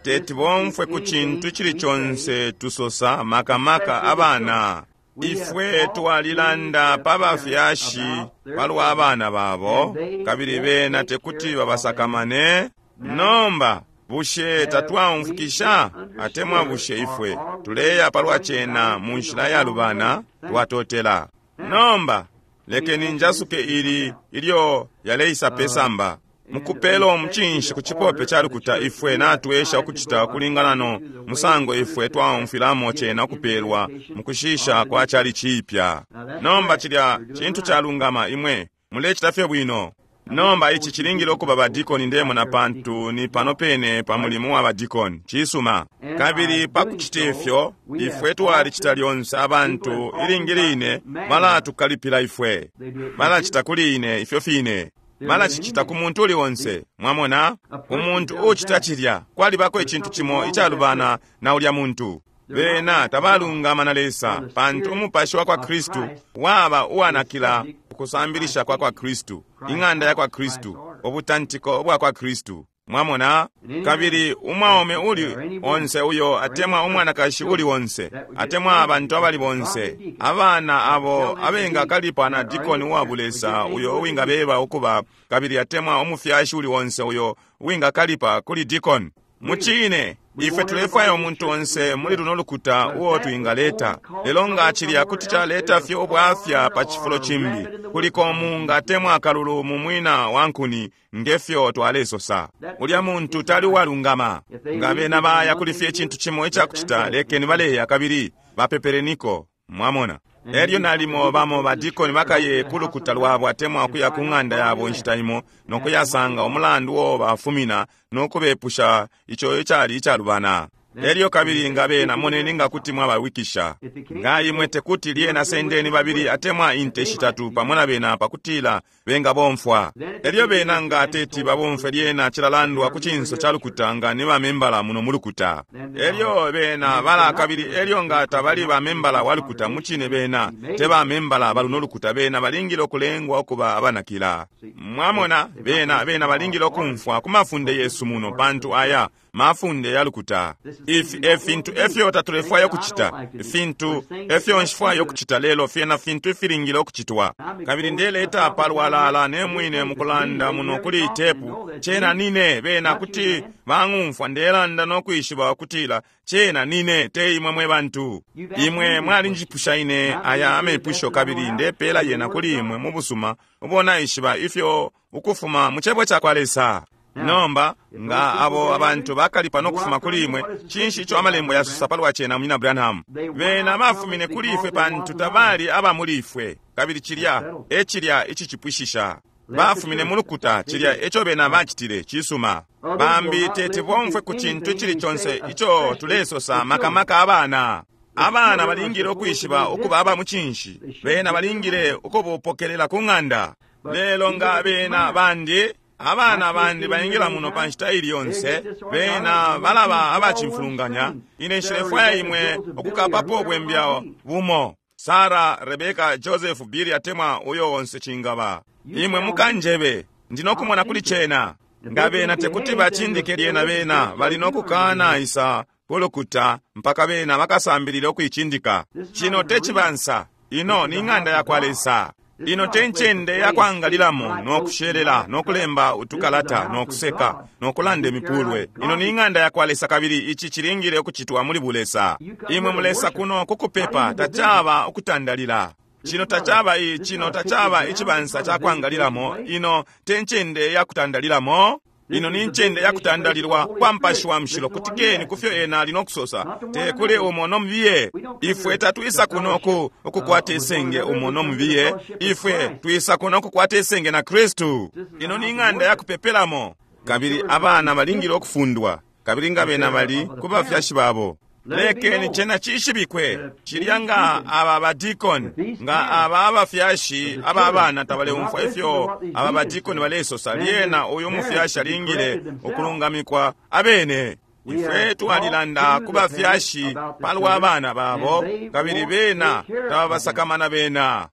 teti bomfwe ku cintu cili conse tusosa, makamaka abana. Ifwe twalilanda pa bafyashi palwa abana babo, kabili bena tekuti babasakamane. Nomba bushe tatwaumfukisha, atemwa bushe ifwe tuleya palwa cena mu nshila yalubana? Twatotela. Nomba lekeni njasuke ili ilyo yaleisa pesamba. Mukupela umucinshi ku cipope ca lukuta, ifwe natwesha ukucita ukulingana no musango ifwe twaumfwilamo cena ukupelwa mukushisha kwa cali cipya. Nomba cilya cintu calungama, imwe mulecita fye bwino. Nomba ici cilingile ukuba badikoni, ndemona, pantu ni pano pene pa mulimo wa badikoni. Cisuma. Kabili pa kucita ifyo, ifwe twalicita lyonse. Abantu ilingi line balatukalipila ifwe, balacita kuli ine ifyo fine, balacicita ku muntu uli onse. Mwamona, umuntu ucita cilya, kwalibako icintu cimo icalubana na ulya muntu. Bena tabalungama na Lesa, pantu umupashi wa kwa Kristu waba uwanakila ukusambilisha kwa kwa Kristu, ing'anda ya kwa Kristu, ubutantiko bwa kwa Kristu. Mwamona? Kabili umwaume uli onse uyo atemwa umwanakashi uli onse atemwa abantu abali bonse abana abo abengakalipa na dikoni uwa bulesa uyo uwingabeba ukuba, kabili atemwa umufyashi uli onse uyo uwingakalipa kuli dikoni. Mucine ifwe tulefwaya umuntu onse muli luno lukuta uo twingaleta, lelo nga cilya kuti caleta fye ubwafya pa cifulo cimbi, kuliko umunga atemwa akalulu mu mwina wa nkuni, ngefyo twalesosa. Ulya muntu tali uwalungama. Nga bena baya kuli fye icintu cimo icakucita, lekeni baleya kabili bapepereniko. Mwamona? Elyo nalimo bamo badikoni bakaye ku lukuta lwabo atemwa ukuya ku ng'anda yabo inshita imo no kuyasanga umulandu uo bafumina no kubepusha ico icali icalubana. Elyo kabili nga bena moneni nga kuti mwabawikisha. Nga imwe tekuti, lyena sendeni babili atemwa inte shitatu pamo na bena pakutila bengabomfwa. Elyo bena nga teti babomfwe, lyena cilalandwa ku cinso ca lukuta nga ni bamembala muno mu lukuta. Elyo bena bala kabili elyo nga tabali bamembala wa lukuta, mucine bena te bamembala baluno lukuta, bena balingile ukulengwa ukuba abanakila. Mwamona, bena bena balingile ukumfwa ku mafunde yesu muno, pantu aya mafunde ya lukuta. Ifi e fintu efyo tatulefwaya ukucita, ifintu efyo nshifwaya ukucita, lelo fyena fintu ifilingile ukucitwa. Kabili ndeleta palwalala ne mwine mukulanda muno kuli tepu, cena nine. Bena kuti bang'umfwa ndelanda no kwishiba ukutila cena nine, te imwe mwe bantu. Imwe mwalinjipusha ine aya amepusho, kabili ndepela yena kuli imwe mu busuma ubo naishiba ifyo ukufuma mu cebo ca kwa Lesa. Nomba nga abo abantu bakalipa no kufuma kuli imwe, cinshi ico amalembo yasosa palwa cena, Munyina Branham? Bena bafumine kuli ifwe pantu tabali aba muli ifwe, kabili cilya e cilya icicipwishisha. Bafumine mu lukuta, cilya eco bena bacitile. Cisuma. Bambi teti bomfwe ku cintu icili conse ico tulesosa, makamaka abana. Abana balingile ukwishiba ukuba aba mucinshi, bena balingile ukubupokelela ku ng'anda. Lelo nga bena bandi abana bandi baingila muno pa nshita ili yonse, bena balaba abacimfulunganya. Ine nshilefwaya imwe ukukapapo ubwembya bumo, Sara, Rebeka, Joseph, Billy atemwa uyo onse cingaba. Imwe mukanjebe. Ndi nokumona kuli cena. Nga bena tekuti bacindike lyena bena bali nokukana isa kulukuta mpaka bena bakasambilile ukuicindika. Cino te cibansa. Ino ni ng'anda yakwa Lesa. Ino te ncende yakwangalilamo no kushelela no kulemba utukalata no kuseka no kulanda imipulwe. Ino ni ng'anda yakwa Lesa kabili ici cilingile ukucitwa muli bulesa. Imwe mulesa kuno kukupepa tacaba ukutandalila. Cino tacaba cino tacaba icibansa cakwangalilamo. Ino te ncende yakutandalilamo. Ino ni ncende yakutandalilwa kwa Mupashi wa Mushilo. Kutikeni kufyo ena ali nokusosa, te kuli umo no mubiye. Ifwe tatwisa kuno ku ukukwata isenge umo no mubiye. Ifwe twisa kuno kukwata isenge na Kristu. Ino ni ng'anda yakupepelamo. Kabili abana balingile ukufundwa, kabili nga bena bali ku bafyashi babo. Lekeni cena cishibikwe cilya nga aba badikoni, nga aba abafyashi aba bana tabaleumfwa ifyo aba badikoni balesosa, lyena uyu mufyashi alingile ukulungamikwa abene. Ifwe twalilanda ku bafyashi palwa bana babo, kabili bena tababasakamana bena.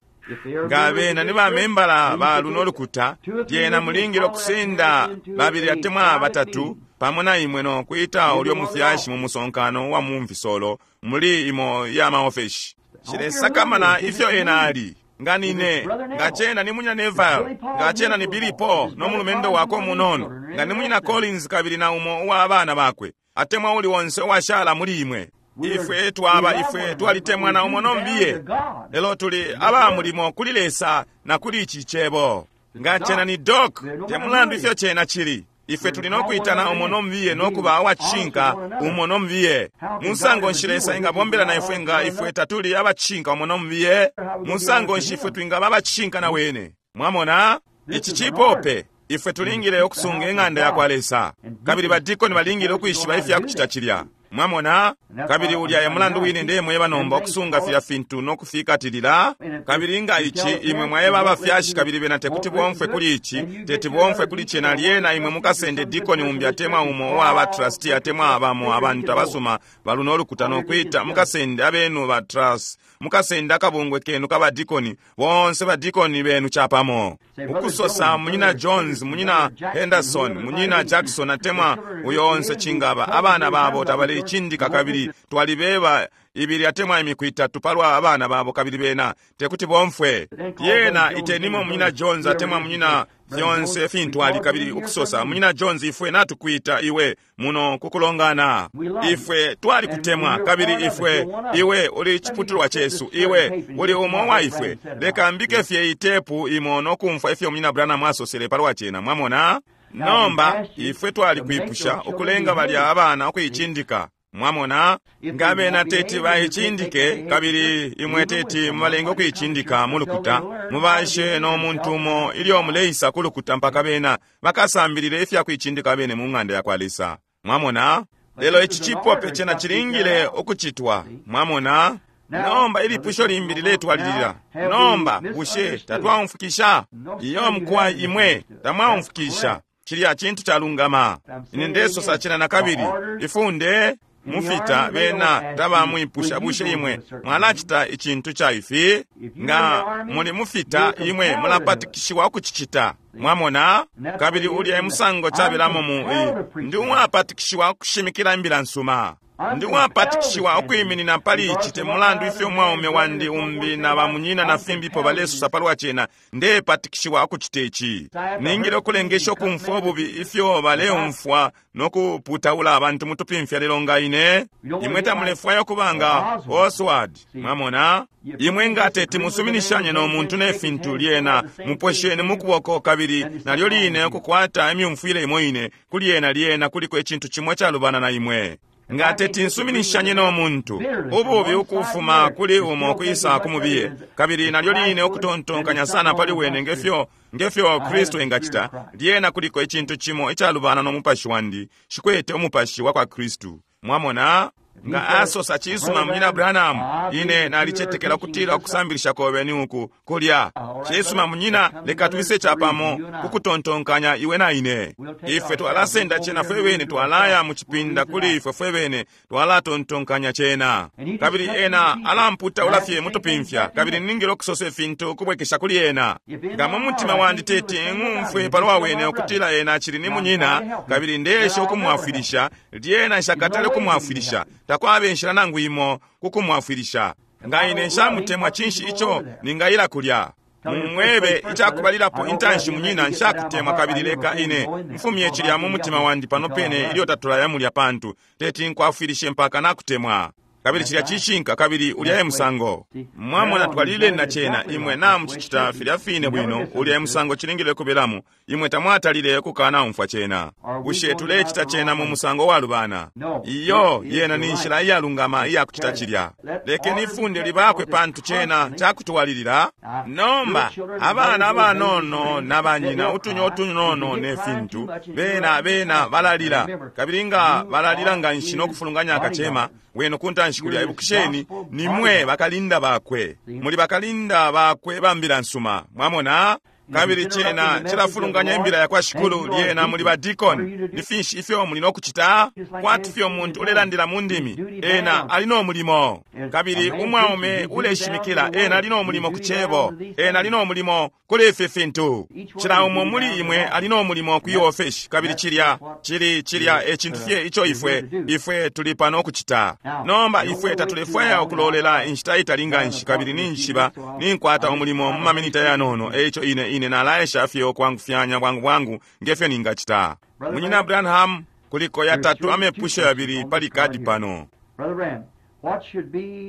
Nga bena ni bamembala ba luno lukuta, lyena mulingile ukusenda babili atemwa batatu pamo na imwe no kwita ulyo mufyashi mu musonkano wa mumfisolo muli imo ya maofeshi. Shilesakamana ifyo ena ali. Nga nine, nga cena ni munyina Neville, nga cena ni Billy Paul no mulumendo wakwe umunono, nga ni munyina Collins kabili na umo uwa abana bakwe, atemwa uli onse uwashala muli imwe. Ifwe twaba ifwe twalitemwana umo no mbiye, lelo tuli aba mulimo kuli Lesa na kuli ici cebo. Nga cena ni Doc, te mulandu ifyo cena cili. Ifwe tuli nokwitana umo no mubiye nokuba abacishinka umo no mubiye. Musango nshi Lesa engabombela na ifwe nga ifwe tatuli abacishinka umo no mubiye? Musango nshi ifwe twingaba abacishinka na wene? Mwamona? Ici cipope. Ifwe tulingile ukusunga ing'anda yakwa Lesa. Kabili badikoni balingile ukwishiba ifya kucita cilya. Mwamona? Kabili ulya e mulandu wine ndemweba nomba ukusunga filya fintu no kufikatilila. Kabili nga ici imwe mwaeba abafyashi kabili bena tekuti bomfwe kuli ici, teti bomfwe kuli cena, lyena imwe mukasende dikoni umbi atemwa umo uwa ba trustee atemwa abamo abantu abasuma baluno ulukuta no kwita mukasende abenu ba trust, mukasende akabungwe kenu kaba dikoni, bonse ba dikoni benu chapamo. Ukusosa munyina Jones, munyina Henderson, munyina Jackson atemwa uyo onse chingaba abana babo tabali chindika kabili twalibeba ibili atemwa imiku itatu palwa abana babo kabili bena tekuti bomfwe. Yena itenimo munyina Jones atemwa munyina fyonse fintu ali kabili ukusosa munyina Jones ifwe natukwita iwe muno kukulongana. Ifwe twali kutemwa kabili ifwe iwe uli chiputulwa chesu, iwe uli umo wa ifwe. Leka mbike fye itepu imo nokumfwa ifyo munyina Branham asosele palwa cena. Mwamona? Nomba ifwe twali kwipusha ukulenga balya abana ukuicindika. Mwamona? Nga bena teti baicindike kabili imwe teti mubalenge ukuicindika mu lukuta, mubashe no muntu umo ilyo muleisa ku lukuta mpaka bena bakasambilile ifya kuicindika bene mu ng'anda yakwa Lesa. Mwamona? Lelo ici cipope cena cilingile ukucitwa. Mwamona? Nomba ilipusho limbi liletwalilila. Nomba bushe tatwaumfukisha? Iyo mukwa imwe tamwaumfukisha. Cilya cintu calungama. Ine ndesosa cena na kabili. Ifunde mufita bena tabamwipusha bushe imwe mwalacita icintu ca ifi? Nga muli mufita imwe mulapatikishiwa ukucicita. Mwamona? Kabili ulya emusango cabelamo mu ndi umwapatikishiwa ukushimikila imbila nsuma. Ndi uwapatikishiwa ukwiminina pali ici te mulandu ifyo mwaume wandi umbi na bamunyina na fimbipo balesosa palwa cena, ndepatikishiwa ukucita ici. Ningile ukulengesha ukumfwa ububi ifyo baleumfwa no kuputaula abantu mutupimfya lelo nga ine. Imwe tamulefwaya ukuba nga Oswald. Mwamona? Imwe nga teti musuminishanye no muntu ne fintu lyena mupwesheni mukuboko kabili nalyo line ukukwata imyumfwile imo ine kuli yena lyena kuliko icintu cimo calubana na imwe. Nga teti nsuminishanye no muntu ububi ukufuma kuli umo kwisa kumubiye kabili nalyo line ukutontonkanya sana pali wene ngefyo Kristu engacita, lyena kuliko icintu cimo icalubana no mupashi wandi, shikwete umupashi wa kwa Kristu. Mwamona? Nga asosa, cisuma, Munyina Branham, ine nalicetekela kutila ukusambilisha kobe ni uku kulya. Cisuma, munyina, leka twise capamo kukutontonkanya iwe na ine. Ifwe twalasenda cena fwe bene, twalaya mucipinda kuli ifwe fwe bene, twalatontonkanya cena. Kabili ena alamputaula fye mutupimfya, kabili ningile ukusosa ifintu ukubwekesha kuli ena. Nga mu mutima wandi teti ng'umfwe palwa wene ukutila ena acili ni munyina, kabili ndeesha ukumwafwilisha, lyena nshakatale ukumwafwilisha. Takwaba inshila nangu imo kukumwafwilisha. Nga ine nshamutemwa, cinshi ico ningayila kulya? Mumwebe icakubalilapo intanshi, munyina, nshakutemwa, kabili leka ine mfumye cilya mu mutima wandi pano pene ilyo tatulaya mulya, pantu teti nkwafwilishe mpaka nakutemwa. Kabili cilya cishinka, kabili ulya e musango. Mwamona, twalileni na cena, imwe namucicita filya fine bwino, ulya e musango cilingile kubelamo. Imwe tamwatalile kukanaumfwa cena. Bushe tulecita cena mu musango walubana? Iyo, yena ni nshila iyalungama iyakucita cilya. Lekeni ifunde libakwe, pantu cena cakutwalilila. Nomba abana abanono na banyina, utunya utunono ne fintu, bena bena balalila, kabili nga balalila nganshi no kufulunganya akacema wenu kuntanshi kulya. Ibukisheni, nimwe bakalinda bakwe, muli bakalinda bakwe bambila nsuma. Mwamona? Kabili cena cilafulunganya imbila yakwa Shikulu. Lyena muli ba deacon, ni finshi ifyo muli no kucita? Kwati fye umuntu ulelandila mu ndimi, ena ali no mulimo. Kabili umwaume uleshimikila, ena ali no mulimo ku cebo, ena ali no mulimo kuli ifi fintu. Cila umo muli imwe ali no mulimo ku iofeshi, kabili cilya cili cilya e cintu fye ico ifwe ifwe tuli pano kucita. Nomba ifwe tatulefwaya ukulolela inshita itali nganshi, kabili ninjishiba ninkwata umulimo mu maminita yanono, eico ine ine nalaesha fye ukwangufyanya bwangu bwangu ngefyo ningacita. Munyina Branham, kuliko yatatu amepusho yabili pali kadi pano.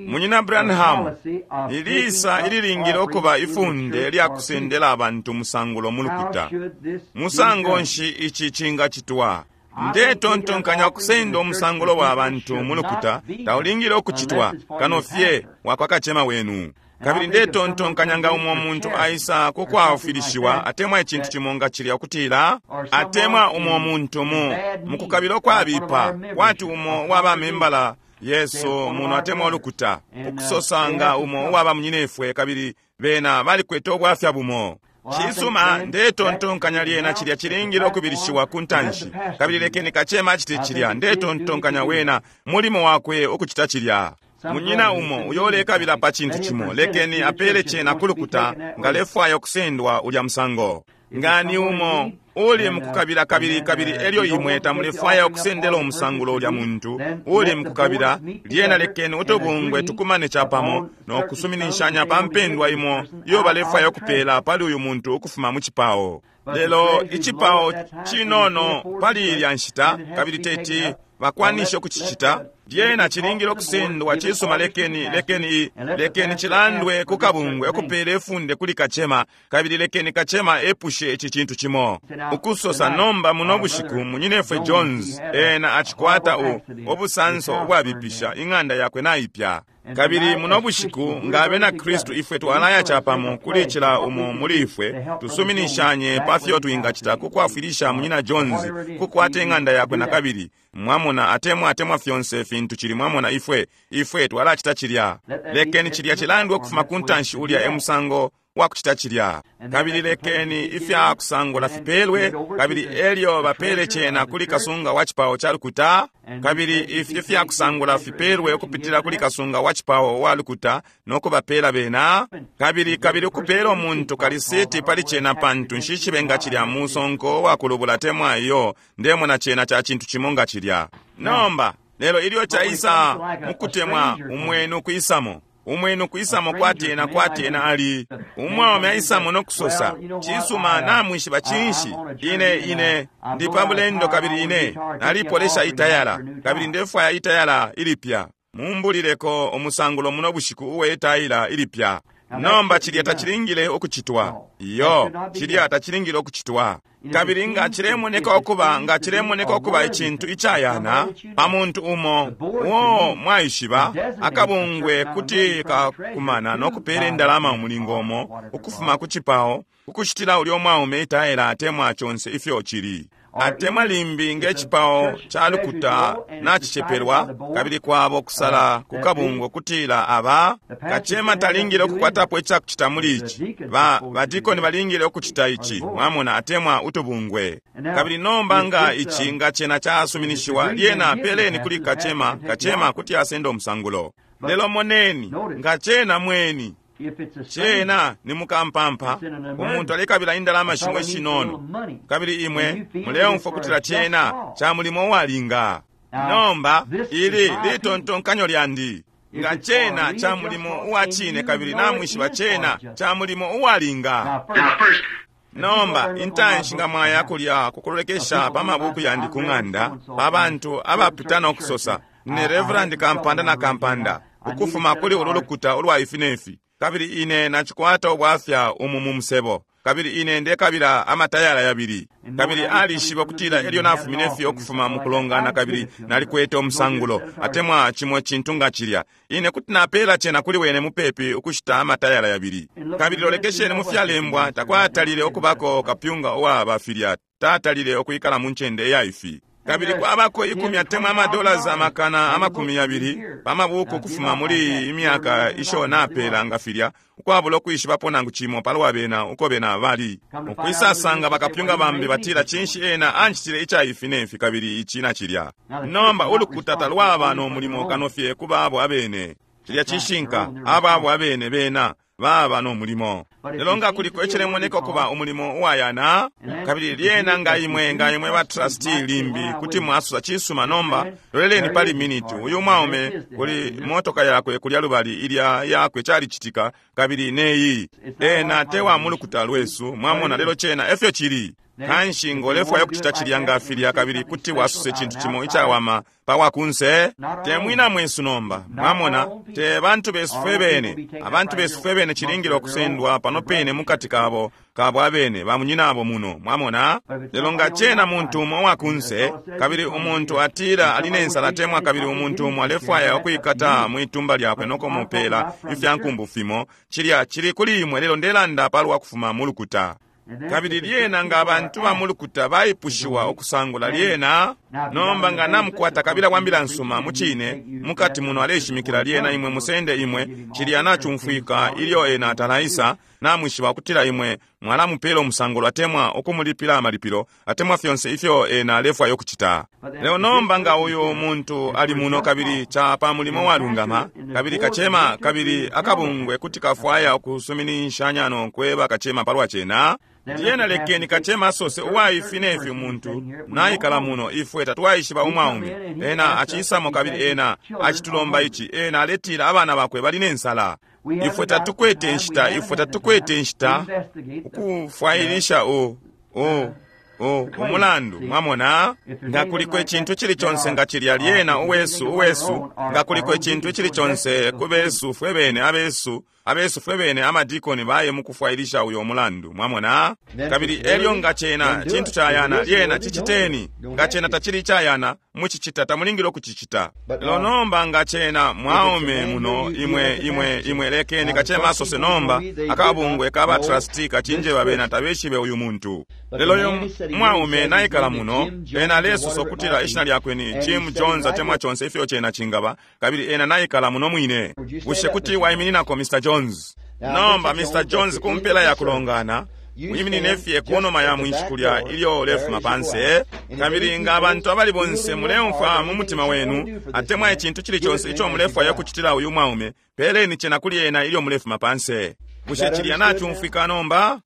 Munyina Branham, ilisa ililingile ukuba ifunde lya kusendela abantu musangulo mu lukuta. Musango nshi ici cingacitwa? Ndetontonkanya ukusenda umusangulo wa bantu mu lukuta taulingile ukucitwa kano fye wakwa kacema wenu. Kabili ndetontonkanya nga umo muntu aisa kukwafwilishiwa atemwa icintu cimo nga cilya, ukutila atemwa umo muntu mu mukukabila ukwabipa, kwati umo waba membala Yesu muno atemwa ulukuta, ukusosa nga umo uwaba munyinefwe, kabili bena balikwete ubwafya bumo. Cisuma, ndetontonkanya lyena cilya cilingile ukubilishiwa ku ntanshi, kabili lekeni kacema acite cilya. Ndetontonkanya wena mulimo wakwe ukucita cilya. Munyina umo uyo ulekabila pa cintu cimo, lekeni apele cena kulukuta nga lefwaya ukusendwa ulya musango. Nga ni umo uli mukukabila, kabili kabili elyo imwe tamulefwaya ukusendela umusangulo ulya muntu uli mukukabila, lyena lekeni utubungwe tukumane capamo no kusuminishanya pa mpendwa imo iyo balefwaya ukupela pali uyu muntu ukufuma mu cipao. Lelo icipao cinono pali ilya nshita, kabili teti bakwanishe ukucicita, lyena cilingile ukusendwa. Cisuma, lekeni lekeni lekeni cilandwe ku kabungwe ukupela ifunde kuli kacema, kabili lekeni kacema epushe ici cintu cimo ukusosa. Nomba muno bushiku munyinefwe Jones ena acikwata ubusanso ubwabipisha, ing'anda yakwe naipya. Kabili muno bushiku nga abena Kristu ifwe twalaya capamo kuli cila umo muli ifwe, tusuminishanye pa fyo twingacita kukwafwilisha munyina Jones kukwata ing'anda yakwe nakabili. Mwamona, atemwa atemwa fyonse fintu cili, mwamona, ifwe ifwe twalacita cilya. Lekeni cilya cilandwe ukufuma ku ntanshi, ulya e musango wa kucita cilya. Kabili lekeni ifya kusangula fipelwe, kabili elyo bapele cena kuli kasunga wa cipao ca lukuta. Kabili ifi ifya kusangula fipelwe ukupitila kuli kasunga wa cipao wa lukuta no kubapela bena, kabili kabili ukupela umuntu kalisiti pali cena, pantu nshishibe nga cilya musonko wa kulubula temwa iyo. Ndemona cena ca cintu cimo nga cilya. Nomba lelo ilyo caisa mukutemwa umwenu kwisamo, umwenu kwisamo kwati ena kwati ena ali umwaume aisamo no kusosa, cisuma, namwishiba cinshi, ine ine ndi pa bulendo, kabili ine nalipolesha itayala, kabili ndefwaya itayala ilipya. Mumbulileko umusangulo muno bushiku uwe itayila ilipya. Nomba cilya tacilingile ukucitwa. Iyo, cilya tacilingile ukucitwa. Kabili nga cilemoneka ukuba nga cilemoneka ukuba icintu icayana pa muntu umo uo mwaishiba, akabungwe kuti kakumana no kupela indalama umulingo umo ukufuma ku cipao ukushitila ulyo mwaume itayela atemwa conse ifyo cili. Atemwa limbi nge cipao ca lukuta nacicepelwa, kabili kwabo kusala ku kabungwe kutila aba kacema talingile ukukwatapo icakucita muli ici, badikoni balingile ukucita ici, mwamona, atemwa utubungwe. Kabili nomba nga ici nga cena casuminishiwa, lyena peleni kuli kacema, kacema kuti asenda umusangulo. Lelo moneni, nga cena mweni, cena ni mukampampa, umuntu alekabila indalama shimwe shinono, kabili imwe muleumfwa kutila cena ca mulimo uwalinga. Nomba ili litontonkanyo lyandi, nga cena ca mulimo uwa cine kabili namwishiba cena ca mulimo uwalinga. Nomba intanshi nga mwaya kulya kukulolekesha pa mabuku yandi ku ng'anda, pa bantu abapita no kusosa ne Reverend kampanda na kampanda ukufuma kuli ulu lukuta ulwa ifi nefi, kabili ine nacikwata ubwafya umu mu musebo, kabili ine ndekabila amatayala yabili. Kabili alishiba kutila elyo nafumine fye ukufuma mukulongana kabili nalikwete umusangulo atemwa cimo cintu nga cilya, ine kuti napela cena kuli wene mupepi ukushita amatayala yabili. Kabili lolekesheni mu fyalembwa, takwatalile ukubako kapyunga uwa bafilya, tatalile ukwikala mu ncende iya ifi. Kabili kwabako ikumi atemwa amadollars amakana amakumi yabili pa mabuku ukufuma muli imyaka isho napela nga filya, ukwabula ukwishibapo nangu cimo palwa bena uko bena bali. Ukwisasanga bakapyunga bambi batila cinshi ena ancitile ica ifi nefi kabili ici na cilya. Nomba ulukuta talwaba no mulimo kano fye ku babo abene. Cilya cishinka, ababo abene bena baba no mulimo. Lelo nga kuliko icilemoneka ukuba umulimo uwayana, kabili lyena nga imwe nga imwe ba trustee limbi kuti mwasosa cisuma. Nomba loleleni pali miniti, uyu mwaume kuli motoka yakwe kulya lubali ilya yakwe calicitika, kabili neyi ena te wa mulukuta lwesu, mwamona, lelo cena efyo cili. Kanshi ngolefwaya ukucita cilya nga filya, kabili kuti wasose cintu cimo icawama pa wakunse, te mwina mwesu nomba, mwamona, te bantu besu fwe bene. Abantu besu fwe bene cilingile ukusendwa pano pene mukati kabo kabo abene bamunyinabo muno, mwamona. Lelo nga cena muntu umo wakunse, kabili umuntu atila ali ne nsala atemwa kabili umuntu umo alefwaya ukwikata mwitumba lyakwe no kumupela ifya nkumbu fimo, cilya cili kuli imwe. Lelo ndelanda palwa kufuma mu lukuta. Kabili lyena nga abantu ba mulukuta baipushiwa ukusangula, lyena nomba nga namukwata kabila wa mbila nsuma mucine mukati muno aleshimikila, lyena imwe musende imwe cilya nacumfwika ilyo ena atalaisa, namwishiba ukutila imwe mwalamupela umusangulo atemwa ukumulipila amalipilo atemwa fyonse ifyo ena alefwaya ukucita. Lelo nomba nga uyu muntu ali muno kabili ca pa mulimo walungama, kabili kacema kabili akabungwe kuti kafwaya ukusuminishanya no kweba kacema palwa cena, lyena lekeni kacema asose uwaifi nefi umuntu naikala muno, ifwe tatwaishiba umwaume, ena acisamo kabili ena acitulomba ici, ena aletila abana bakwe bali ne nsala. Ifwe tatukwete nshita, ifwe tatukwete nshita ukufwailisha umulandu, mwamona. Nga kuliko icintu cili conse nga cilya, lyena uwesu uwesu, nga kuliko icintu cili conse ku besu fwe bene, abesu abesu fwe bene amadikoni baye mukufwailisha uyo mulandu, mwamona. Kabili elyo nga cena cintu cayana, lyena ciciteni. Nga cena tacili icayana, mucicita, tamulingile ukucicita. Lelo nomba nga cena mwaume muno, imwe imwe imwe lekeni kacema asose. Nomba akabungwe kaba trustee kacinjeba bena tabeshibe uyu muntu, lelo uyu mwaume naikala muno, ena alesosa ukutila ishina lyakwe ni Jim Jones atemwa conse ifyo cena cingaba, kabili ena naikala muno mwine. Bushe kuti waimininako, Mr Jones? Nomba Mr Jones, kumpela ya kulongana wiminine fye kunuma ya mwinshi kulya ilyo ulefuma panse, kabili nga abantu abali bonse muleumfwa mu mutima wenu atemwa icintu cili conse ico mulefwaya kucitila uyu mwaume, peleni cena kuli ena ilyo mulefuma panse. Bushe cilya nacumfwika nomba?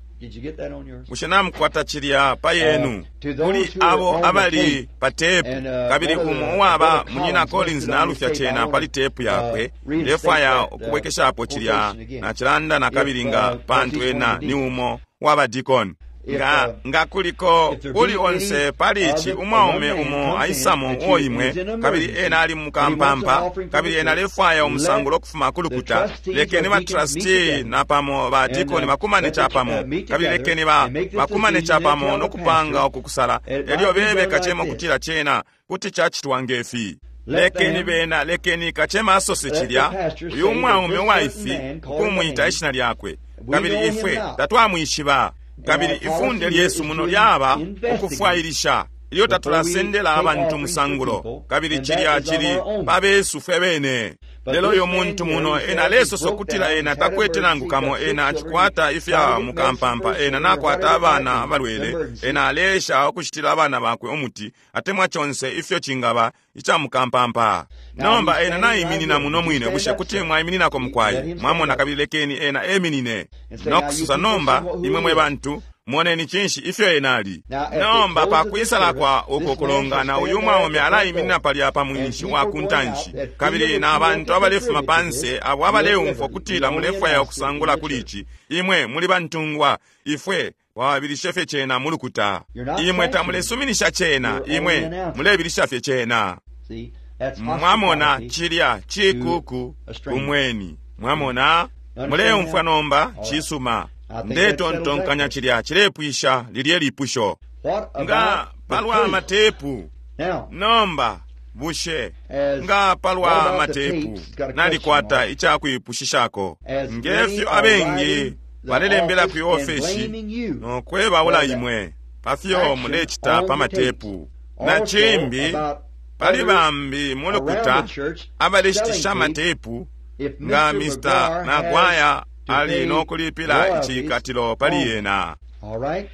Bushe namukwata cilya pa yenu? Kuli abo abali pa tepu, kabili umo uwaba munyina Collins nalufya cena pali tepu yakwe, ndefwaya ukubwekeshapo cilya nacilanda na kabili nga pantu ena ni umo waba deacon. Nga nga kuliko uli onse pali ici umwaume umo aisamo uo imwe, kabili ena ali mukampampa, kabili ena alefwaya umusangulo ukufuma ku lukuta, lekeni ba trustee napamo ba deacon bakumane capamo, kabili lekeni ba bakumane capamo no kupanga ukukusala, elyo bebe kacema ukutila cena kuti cacitwa ngefi. Lekeni bena, lekeni kacema asose cilya, uyu mwaume uwaifi, ukumwita ishina lyakwe, kabili ifwe tatwamwishiba, kabili ifunde lyesu muno lyaba ukufwailisha. Ilyo Before we tatulasendela take abantu offerings for musangulo people, kabili and that cilya is of cili our own. pabesu fwe bene. But Lelo this uyo man muntu here, muno he ena says he alesosa broke ukutila down, ena he's had takwete nangu emergency, kamo got six ena children, acikwata he's ifya trying to get medicine mukampampa for his ena children or nakwata whatever it might abana be, the abalwele emergency. ena aleesha ukushitila abana bakwe umuti atemwa conse ifyo cingaba ica mukampampa. Now Nomba he's ena standing right naiminina here. muno Would you mwine stand bushe up, kuti sir? mwaimininako Let mukwai him stand mwamona up kabili lekeni ena eminine and say, Now no you kusosa people see nomba who imwe he mwe is. bantu moneni cinshi ifyo ena ali. Now at the Nomba close of this pakwisala service, kwa uko this man shall kulongana stand uyu there at mwaume the front alaiminina door, palya pa and mwinshi wa people ku going out ntanshi that feel kabili that na you want bantu to abalefuma contribute to this, panse abo you're at abaleumfwa liberty. We kutila only mulefwaya announce it in ukusangula the kuli church. ici imwe muli bantungwa ifwe twabilishe fye cena mu lukuta. You're not Imwe sanctioning it. tamulesuminisha cena You're only imwe announcing it. mulebilisha fye cena. See, that's Mwamona hospitality cilya to cikuku a stranger. kumweni. Mwamona You understand muleumfwa now? nomba All right. cisuma. I think that settles that Ndetontonkanya question. cilya cilepwisha lilye lipusho. What Nga about the palwa tapes? matepu Now, nomba bushe as nga what palwa about the matepu tapes? It's got a question nalikwata mark. icakwipushisha As many ngefyo are abengi writing the balelembela office kwi and ofeshi blaming you nokwebaula for the imwe pafyo action mulecita on pa the tapes. matepu. Na Also cimbi about pali others bambi mu around lukuta the church selling abaleshitisha tapes. amatepu If nga Mr. Mr. McGuire has Maguire to ali pay nokulipila royalties icikatilo pali on it. yena. All right?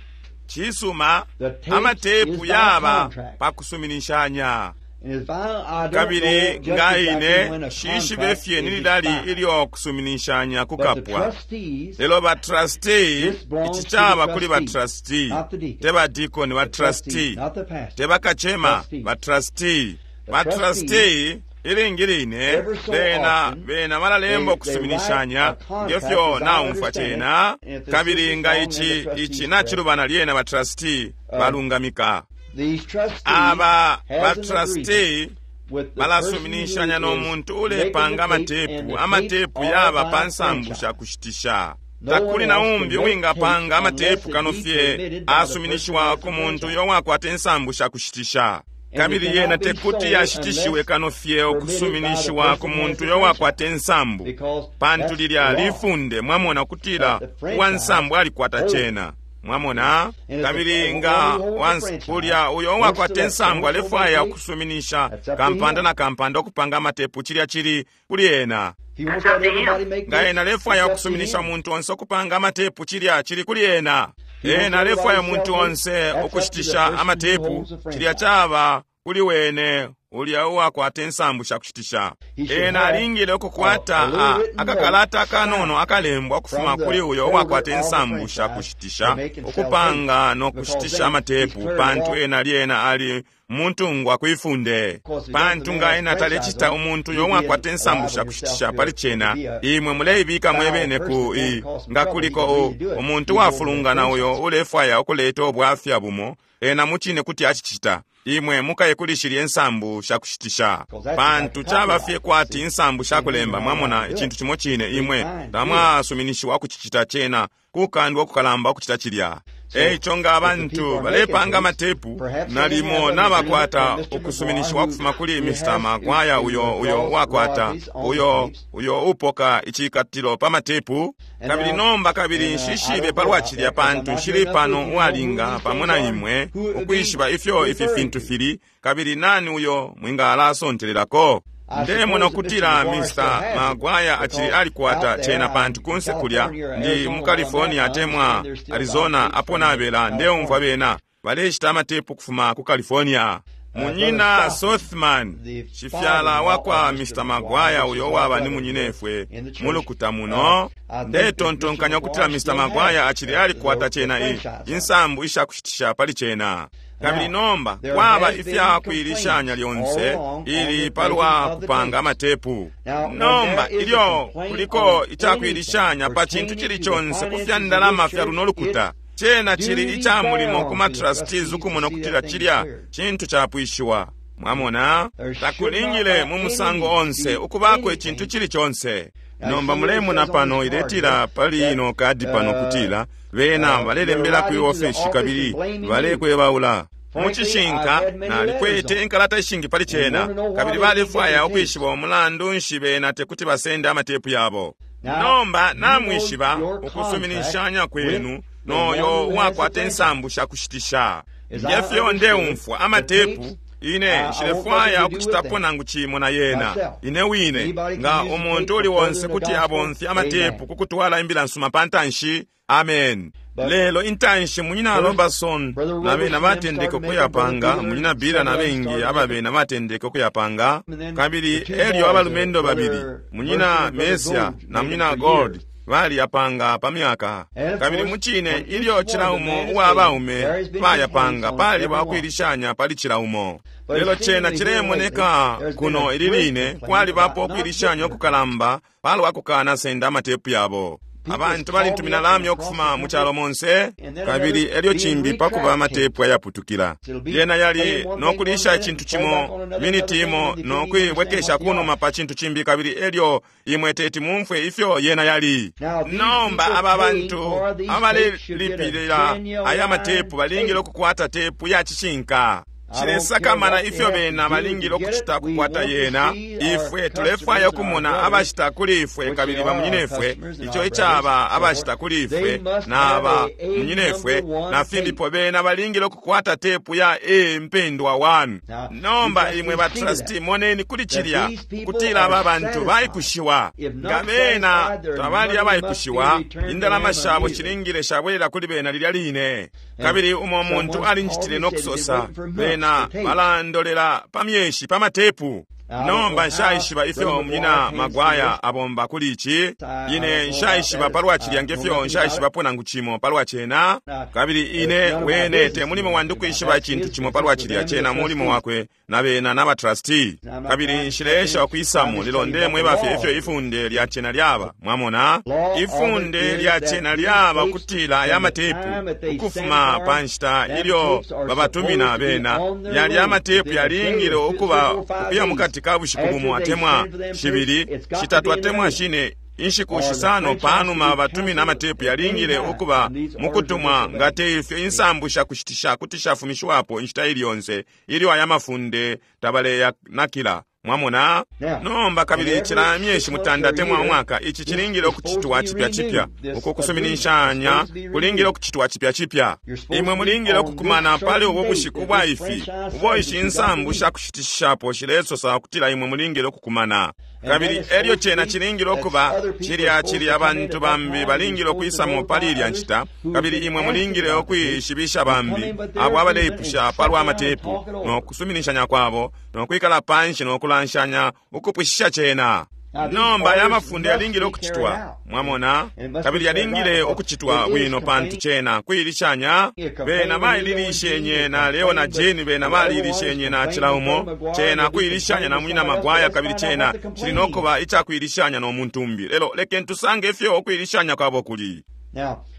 Cisuma The tapes amatepu is by yaba contract. pakusuminishanya. And if I don't Kabili know just nga exactly when ine a shishibe contract fye is nililali expired. ilyo kusuminishanya But the kukapwa. trustees, Lelo ba trustee this belongs ici to the caba kuli ba trustees, trustee not the deacon. te ba deacon ba The trustees, trustee not the pastor. te bakacema Trustees. ba trustee The ba trustees, trustee ilingi line ever so bena often, bena balalemba they write okusuminishanya a contract, ngefyo as I naumfwa understand it, cena and if the kabili sister's nga wrong, then the ici trustee's ici correct. nacilubana lyena ba trustee balungamika. These trustees Aba has ba an agreement trustee with the person who balasuminishanya is n'omuntu making the ulepanga tape, and amatepu the tapes amatepu are yaba by pa nsambu franchise. sha kushitisha. No one Takuli na else can umbi make tapes uwingapanga unless amatepu it kano be fye permitted by the person who asuminishiwa has the ku muntu franchise. uyo wakwata insambu sha kushitisha. And it Kabili yena cannot be tekuti sold yashitishiwe unless kano fye permitted by the okusuminishiwa ku person who has muntu the uyo franchise. wakwata insambu Because pantu that's lilya the law. lifunde mwamona kutila But the franchise uwansambu alikwata holds. cena. Mwamona And if the kabili one nga who holds the franchise ulya uyo wants to wakwata let insambu so and so make alefwaya tapes, okusuminisha that's up to kampanda him. na kampanda okupanga amatepu cilya cili kuli ena. If he wants to let everybody make Nga tapes, ena alefwaya it's up to okusuminisha him. umuntu onse okupanga amatepu cilya cili kuli ena. If he wants Ena everybody alefwaya to sell umuntu tapes, onse that's up to the okushitisha person who amatepu holds the cilya franchise. caba kuli wene ulya uwakwata insambu sha kushitisha. He should Ena have alingile a okukwata little written note akakalata akanono signed akalembwa okufuma from the kuli uyo holder uwakwata of the insambu sha franchise to kushitisha make and sell tapes. okupanga Because n'okushitisha then he's amatepu cleared pantu law. ena lyena ali muntungwa kwifunde. Of course, if he does the Pantu man nga has ena franchise talecita on it, umuntu you'd uyo be wakwata insambu liable sha yourself kushitisha to pali to cena be a imwe muleibika foul mwebene person ku that won't i cause some nga trouble. He kuliko can really do it. omuntu He's over the wafulungana uyo franchise. ulefwaya okuleta obwafya bumo ena mucine kuti acicita imwe mukaye kuli shilya ensambu sha kushitisha Because that's like pantu caba fye copyright. kwati See, insambu sha same thing kulemba you're not allowed mwamona to do icintu it. cimo cine Be imwe fined to do it. tamwasuminishiwa kucicita cena kukandwa okukalamba okucita cilya. So Eico nga if the abantu people are making balepanga tapes, amatepu perhaps they have nalimo an agreement nabakwata from Mr. McGuire okusuminishiwa who okufuma kuli who Mr. has who, Maguire who uyo uyo draws wakwata royalties on the uyo tapes. uyo upoka icikatilo pa matepu. And Kabili now, nomba kabili and I nshishibe don't know palwa about cilya that because I'm pantu not here nshili enough with pano you to know who uwalinga these pamo things na are, imwe who it would be ukwishiba ifyo ifi referring fintu to. fili kabili nani uyo mwingalasontelelako. I Ndemona suppose that Mr. okutila McGuire still Mr. has it Maguire acili because alikwata out there, cena I'm pantu in kunse kulya California or ndi Arizona mu where I'm at, California I atemwa understand there's still buying Arizona tapes apo from nabela ndeumfwa California. bena baleshita amatepu kufuma ku California. Brother Munyina Sothman, Sothman the shifyala father-in-law wakwa of Mr. Mr. McGuire, Maguire which uyo is our waba ni brother here munyinefwe in the mu church, lukuta muno I think that Mr. ndetontonkanya okutila McGuire Mr. still Maguire has acili alikwata the cena franchise on it. insambu ishakushitisha pali cena. Kabili Now, nomba there kwaba has been ifya kuilishanya complaints all lyonse along on ili the making palwa of the kupanga tapes. amatepu. Now, when Nomba there is a ilyo complaint kuliko on anything icakuilishanya pa cintu pertaining cili to the conse ku fya finances of ndalama this fya church, luno it's lukuta cena cili duty ica mulimo bound ku to the matrustees trustees to ukumona see okutila that thing cilya cleared. cintu capwishiwa. Mwamona There should not takulingile by mu any musango means onse be ukubako icintu anything. cili conse. Now, you Nomba see what it mulemona says on pano this card here iletila pali that ino kadi pano kutila bena they're balelembela kwi writing to the ofeshi office and kabili blaming you. balekwebaula. Mu Frankly, I've cishinka had many letters nalikwete on it inkalata ishingi pali and cena want to know why kabili they can't get balefwaya their tapes. ukwishiba umulandu nshi bena tekuti basende amatepu yabo. Now, Nomba you know namwishiba your contract ukusuminishanya with kwenu the one noyo who has the uwakwata franchise. insambu sha kushitisha. Nge fyo ndeumfwa amatepu, ine nshilefwaya ukucitapo nangu cimo na yena ine wine. Nga umuntu uli onse kuti abomfya amatepu kukutwala imbila nsuma pa ntanshi, amen. Lelo intanshi munyina Robertson na bena batendeke ukuyapanga, munyina Bila na bengi ababena batendeke ukuyapanga, kabili elyo abalumendo babili, munyina Mesia na munyina Gold, baliyapanga pa myaka. Kabili mucine ilyo cila umo uwa baume bayapanga, paliba ukwilishanya pali cila umo. Lelo cena cilemoneka kuno ili line kwalibapo ukwilishanya ukukalamba palwa kukana senda amatepu yabo. Abantu balintumina lamya ukufuma mu calo monse, kabili elyo cimbi pakuba amatepu ayaputukila. Yena yali nokulisha icintu cimo miniti imo nokuibwekesha kunuma pa cintu cimbi, kabili elyo imwe teti mumfwe ifyo yena yali. Nomba aba bantu abalelipilila aya matepu balingile ukukwata tepu ya cishinka. Cilesakamana ifyo bena balingile ukucita kukwata yena. Ifwe tulefwaya ukumona abashita kuli ifwe kabili bamunyinefwe, ico icaba abashita kuli ifwe na bamunyinefwe na fimbipo, bena balingile ukukwata tepu ya A mpendwa 1. Nomba imwe ba trustee moneni kuli cilya kutila aba bantu baikushiwa. Nga bena tabali abaikushiwa, indalama shabo shilingile shabwelela kuli bena lilya line. Kabili umo muntu alinjitile nokusosa, bena balandolela pa myeshi pa matepu. Nomba nshaishiba ifyo munyina Magwaya abomba kuli ici. Ine nshaishiba palwa cilya ngefyo nshaishibapo nangu cimo palwa cena. Kabili ine wene te mulimo wandi ukwishiba icintu cimo palwa cilya, cena mulimo wakwe na bena na batrustee. Kabili nshileesha ukwisamo, lelo ndemweba fye ifyo ifunde lya cena lyaba. Mwamona, ifunde lya cena lyaba kutila aya matepu ukufuma pa nshita ilyo babatumina bena, yali amatepu yalingile ukuba ukuya mukati ka bushiku bumo atemwa shibili, shitatu atemwa shine, inshiku shisano panuma batumina amatepu yalingile ukuba mukutumwa. Nga te ifyo, insambu shakushitisha kuti shafumishiwapo inshita ili yonse ilyo aya mafunde tabaleyanakila. Mwamona? Nomba kabili cila myeshi mutanda atemwa umwaka, ici cilingile ukucitwa cipya cipya. Uko kusuminishanya kulingile ukucitwa cipya cipya. Imwe mulingile ukukumana pali ubu bushiku bwa ifi ubo ishi insambu shakushitishapo shilesosa ukutila imwe mulingile ukukumana. Kabili elyo cena cilingile ukuba cilya cilya abantu bambi balingile ukwisamo pali ilya nshita, kabili imwe mulingile ukwishibisha bambi abo abaleipusha palwa matepu no kusuminishanya kwabo no kwikala panshi no kulanshanya ukupwishisha cena. Nomba aya mafunde yalingile ukucitwa, mwamona, kabili yalingile ukucitwa bwino pantu cena kuilishanya. Bena baililishenye na Leo na Jane, bena baliilishenye na cila umo. Cena kuilishanya na munyina Magwaya, kabili cena cili nokuba icakuilishanya no muntu umbi. Lelo lekeni tusange ifyo ukuilishanya kwabo kuli.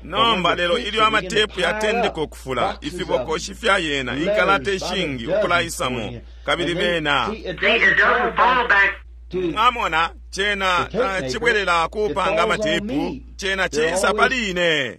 Nomba lelo ilyo amatepu yatendeka ukufula, ifibokoshi fya yena, inkalata ishingi ukulaisamo, kabili bena mwamona, cena tacibwelela kupanga amatepu, cena cisa pali ine.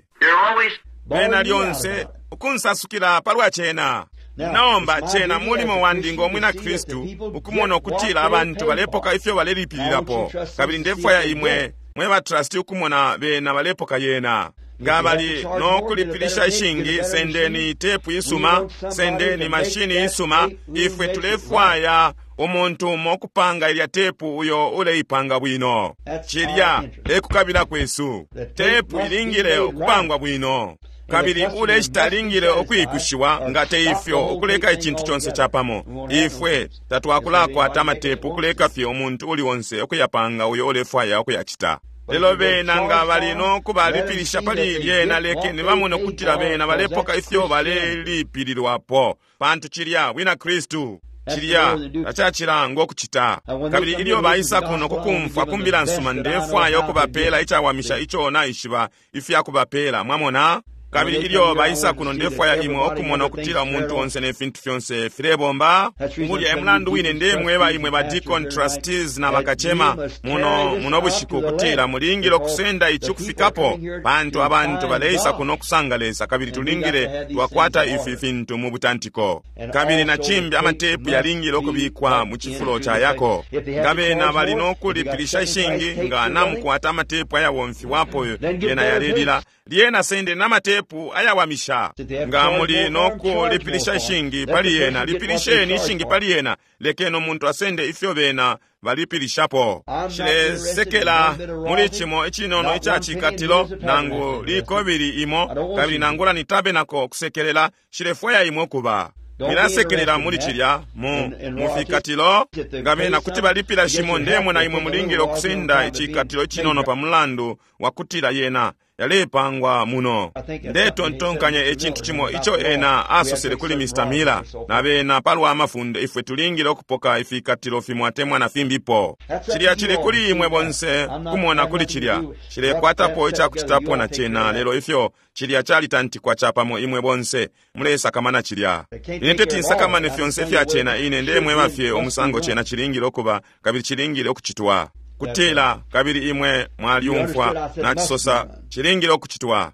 Bena lyonse ukunsasukila palwa cena. Nomba cena mulimo wandi ngo mwina Kristu ukumona ukutila abantu balepoka ifyo balelipilirapo, kabili ndefwaya imwe mwe ba trustee ukumona bena balepoka yena. Nga bali no kulipilisha ishingi, sendeni tepu isuma, sendeni mashini isuma. Ifwe tulefwaya umuntu umo kupanga ilya tepu uyo uleipanga bwino. Cilya ekukabila kwesu. Tepu ilingile ukupangwa bwino, kabili uleshita alingile ukwikushiwa. Nga te ifyo, ukuleka icintu conse capamo, ifwe tatwakulakwata amatepu, ukuleka fye umuntu uli onse ukuyapanga uyo ulefwaya ukuyacita. Lelo bena nga bali no kubalipilisha pali lyena, lekeni bamone ukutila bena balepoka ifyo balelipililwapo, pantu cilya bwina Kristu. Cilya tacacilanga ukucita. Kabili ilyo baisa kuno kukumfwa kumbila nsuma, ndefwaya ukubapela icawamisha ico naishiba ifya kubapela. Mwamona? Kabili ilyo baisa kuno, ndefwaya imwe ukumona ukutila umuntu onse ne fintu fyonse filebomba. Ulya e mulandu wine ndemweba imwe ba deacon trustees na bakacema muno muno bushiku ukutila mulingile ukusenda ici ukufikapo, pantu abantu baleisa kuno kusanga Lesa, kabili tulingile twakwata ifi fintu mu butantiko. Kabili na cimbi, amatepu yalingile ukubikwa mu cifulo ca yako. Nga bena bali no kulipilisha ishingi, nga namukwata amatepu ayabomfiwapo yena yalelila. Lyena sendeni amatepu ayawamisha. Nga muli nokulipilisha ishingi pali yena, lipilisheni ishingi pali yena. Lekeni umuntu asende ifyo bena balipilishapo. Nshilesekela muli cimo icinono ica cikatilo nangu likobili imo, kabili nangula ni tabenako kusekelela. Nshilefwaya imwe ukuba. Mwilasekelela muli cilya mu mufikatilo. Nga bena kuti balipila shimo, ndemona imwe mulingile ukusenda icikatilo icinono pa mulandu wa kutila yena yalepangwa muno. Ndetontonkanya icintu cimo ico ena asosele kuli Mr. Miller na bena palwa mafunde, ifwe tulingile ukupoka ifikatilo fimo atemwa na fimbipo. Cilya cili kuli imwe bonse kumona kuli cilya. Nshilekwatapo icakucitapo na cena, lelo ifyo cilya calitantikwa capamo imwe bonse mulesakamana cilya. Ine teti nsakamane fyonse ifya cena, ine ndemweba fye umusango cena cilingile ukuba kabili cilingile ukucitwa. Kutila, kabili imwe mwalyumfwa nacisosa, cilingile ukucitwa.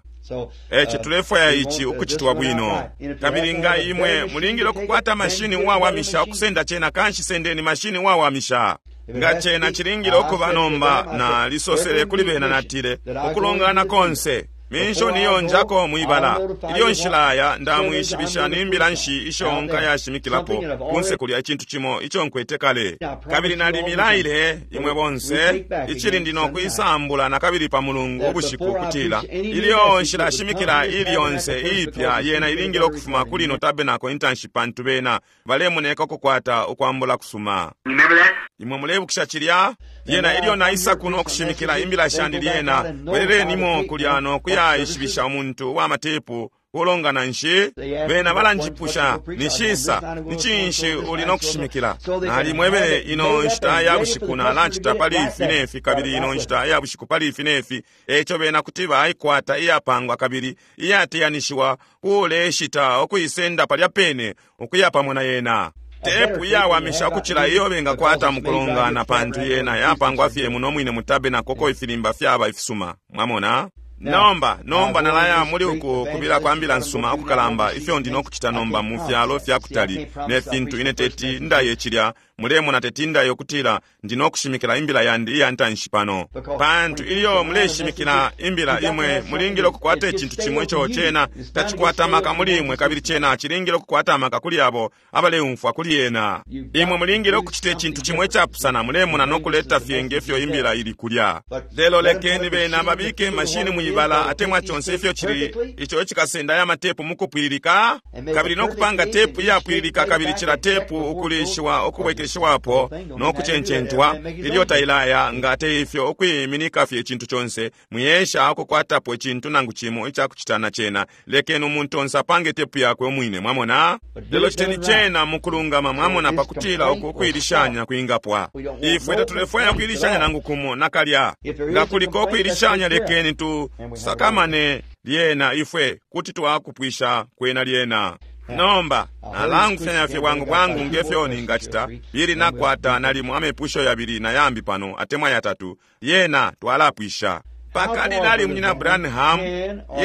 Eci tulefwaya ici ukucitwa bwino. Kabili nga imwe mulingile ukukwata mashini uwawamisha ukusenda cena, kanshi sendeni mashini uwawamisha. Nga cena cilingile ukuba nomba, nalisosele kuli bena natile, ukulongana konse minshoni iyo njako mwibala, ilyo nshilaya ndamwishibisha ni mbila nshi isho nkayashimikilapo kunse kulya, icintu cimo ico nkwete kale. Kabili nalimilaile imwe bonse icili ndi nokwisambula na kabili pa Mulungu ubushiku, kutila ilyo nshilashimikila ili yonse iipya, yena ilingile ukufuma kuli ino tabenako intanshi, pantu bena balemoneka ukukwata ukwambula kusuma. Imwe mulebukisha cilya? Lyena ilyo naisa kuno kushimikila imbila shandi, lyena bwelelenimo kulya no kuyaishibisha umuntu wa matepu kulongana nshi. Bena balanjipusha, nishisa ni cinshi uli no kushimikila? Nalimwebele ino nshita ya bushiku nalacita pali ifi nefi, kabili ino nshita ya bushiku pali ifi nefi. Eco bena kuti baikwata iyapangwa kabili iyateyanishiwa kuleshita ukuisenda palya pene ukuya pamo na yena. Tepu iyawamisha ukucila iyo bengakwata mukulongana, pantu yena yapangwa fye muno mwine mutabenako uko ifilimba fyaba ifisuma. Mwamona? Nomba, nomba nalaya muli uku kubila kwa mbila nsuma ukukalamba ifyo ndi nokucita nomba mu fyalo fya kutali ne fintu. Ine teti ndaye cilya, mulemona, teti ndaye ukutila ndi nokushimikila imbila yandi iya ntanshi pano. Pantu ilyo muleshimikila imbila, imwe mulingile ukukwata icintu cimo ico cena tacikwata amaka muli imwe, kabili cena cilingile ukukwata amaka kuli abo abaleumfwa kuli yena. Imwe mulingile ukucita icintu cimo icapusana, mulemona, nokuleta fye ngefyo imbila ili kulya. Lelo lekeni bena babike mashini mwibala atemwa conse ifyo cili ico icikasenda aya matepu mukupwililika, kabili nokupanga tepu iyapwililika, kabili cila tepu ukulishiwa ukubwekeshiwapo nokucencentwa ilyo tailaya. Nga te ifyo, ukwiminika fye icintu conse, mwiyesha ukukwatapo icintu nangu cimo icakucita na cena. Lekeni umuntu onse apange tepu yakwe umwine, mwamona. Lelo citeni cena mukulungama, mwamona, pakutila uku ukuilishanya kwingapwa. Ifwe tatulefwaya ukuilishanya nangu kumo nakalya. Nga kuliko ukuilishanya, lekeni tu sakamane lyena, ifwe kuti twakupwisha kwena lyena. Nomba nalangufyanya fye bwangu bwangu ngefyo ningacita, ili nakwata nalimo amepusho yabili na yambi pano atemwa yatatu, lyena twalapwisha. Pakalilali munyina Branham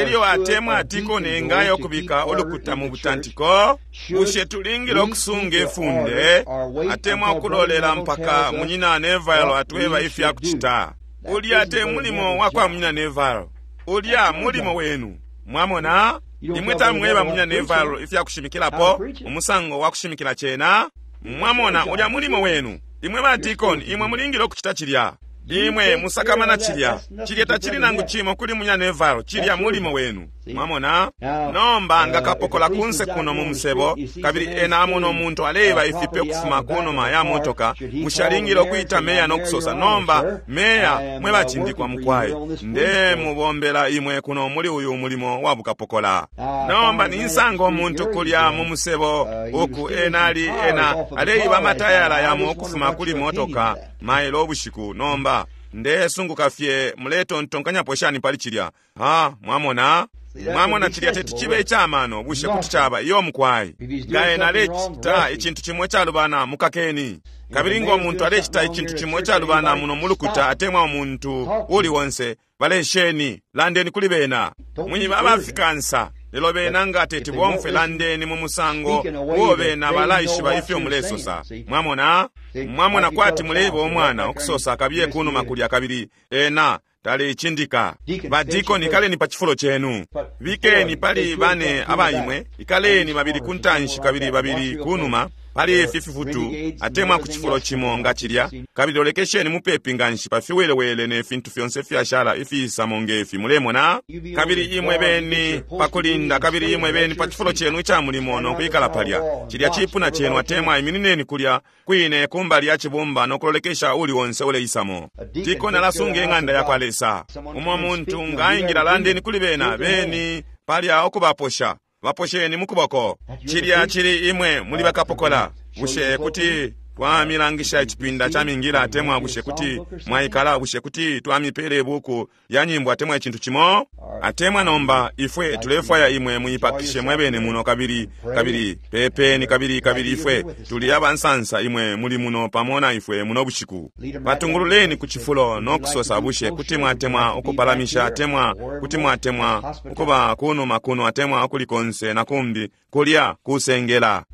ilyo atemwa atikone engayo kubika ulukuta mu butantiko, bushe tulingile ukusunga ifunde atemwa ukulolela mpaka munyina Neville atweba ifya kucita? Ulya te mulimo wa kwa munyina Neville, ulya mulimo wenu. Mwamona, imwe tamweba munyina Neville ifya kushimikilapo, umusango wa kushimikila cena. Mwamona, ulya mulimo wenu. Imwe ba deacon, imwe mulingile ukucita cilya. Imwe musakamana cilya. Cilya tacili nangu cimo kuli munyina Neville, cilya mulimo wenu. Mwamona? Nomba nga kapokola kunse kuno mu musebo, kabili ena amona umuntu aleiba ifipe ukufuma kunuma ya motoka, bushe alingile ukuita meya no kusosa, nomba meya, mwe bacindikwa mukwai, ndemubombela imwe kuno muli uyu mulimo wa bukapokola. Nomba ninsanga umuntu kulya mu musebo uku ena ali ena aleiba amatayala yamo ukufuma kuli motoka mailo ubushiku. Nomba ndesunguka fye muletontonkanyapo shani pali cilya. Ha, mwamona? Mwamona, cilya teti cibe icamano. Bushe kuti caba? Iyo mukwai. Nga ena alecita icintu cimo icalubana, mukakeni. Kabili ngo muntu alecita icintu cimo icalubana muno mulukuta atemwa umuntu uli onse, balesheni, landeni kuli bena. Mwiba abafikansa, lelo bena nga teti bomfwe, landeni mu musango uo bena balaishiba ifyo mulesosa. Mwamona? Mwamona, kwati muleiba umwana ukusosa kabiye kunuma kulya, kabili ena Taleicindika. Badikoni, ikaleni pa cifulo cenu. Bikeni pali bane abaimwe, ikaleni babili ku ntanshi kabili babili kunuma pali ifi fifutu atemwa ku cifulo cimo nga cilya, kabili lolekesheni mupepi nganshi pa fiwelewele ne fintu fyonse fyashala ifiisamo ngefi, mulemona. Kabili imwe beni pa kulinda, kabili imwe beni pa cifulo cenu ica mulimo no kwikala palya. Cilya cipuna cenu atemwa iminineni kulya kwine kumbali ya cibumba no kulolekesha uli onse uleisamo. Dikoni alasunga ing'anda ya kwa Lesa. Umo muntu nga aingila, landeni kuli bena, beni palya ukubaposha. Baposheni mukuboko. Cilya cili imwe muli bakapokola. Bushe kuti twamilangisha icipinda ca mingila atemwa bushe kuti mwaikala, bushe kuti twamipele ibuku lya nyimbo atemwa icintu cimo? Atemwa nomba ifwe tulefwaya imwe muipakishe mwebene muno, kabili kabili pepeni, kabili kabili ifwe tuli abansansa imwe muli muno pamo na ifwe muno bushiku. Batungululeni ku cifulo no kusosa, bushe kuti mwatemwa ukupalamisha atemwa kuti mwatemwa ukuba kunuma kuno atemwa ukuli konse na kumbi kulya kusengela.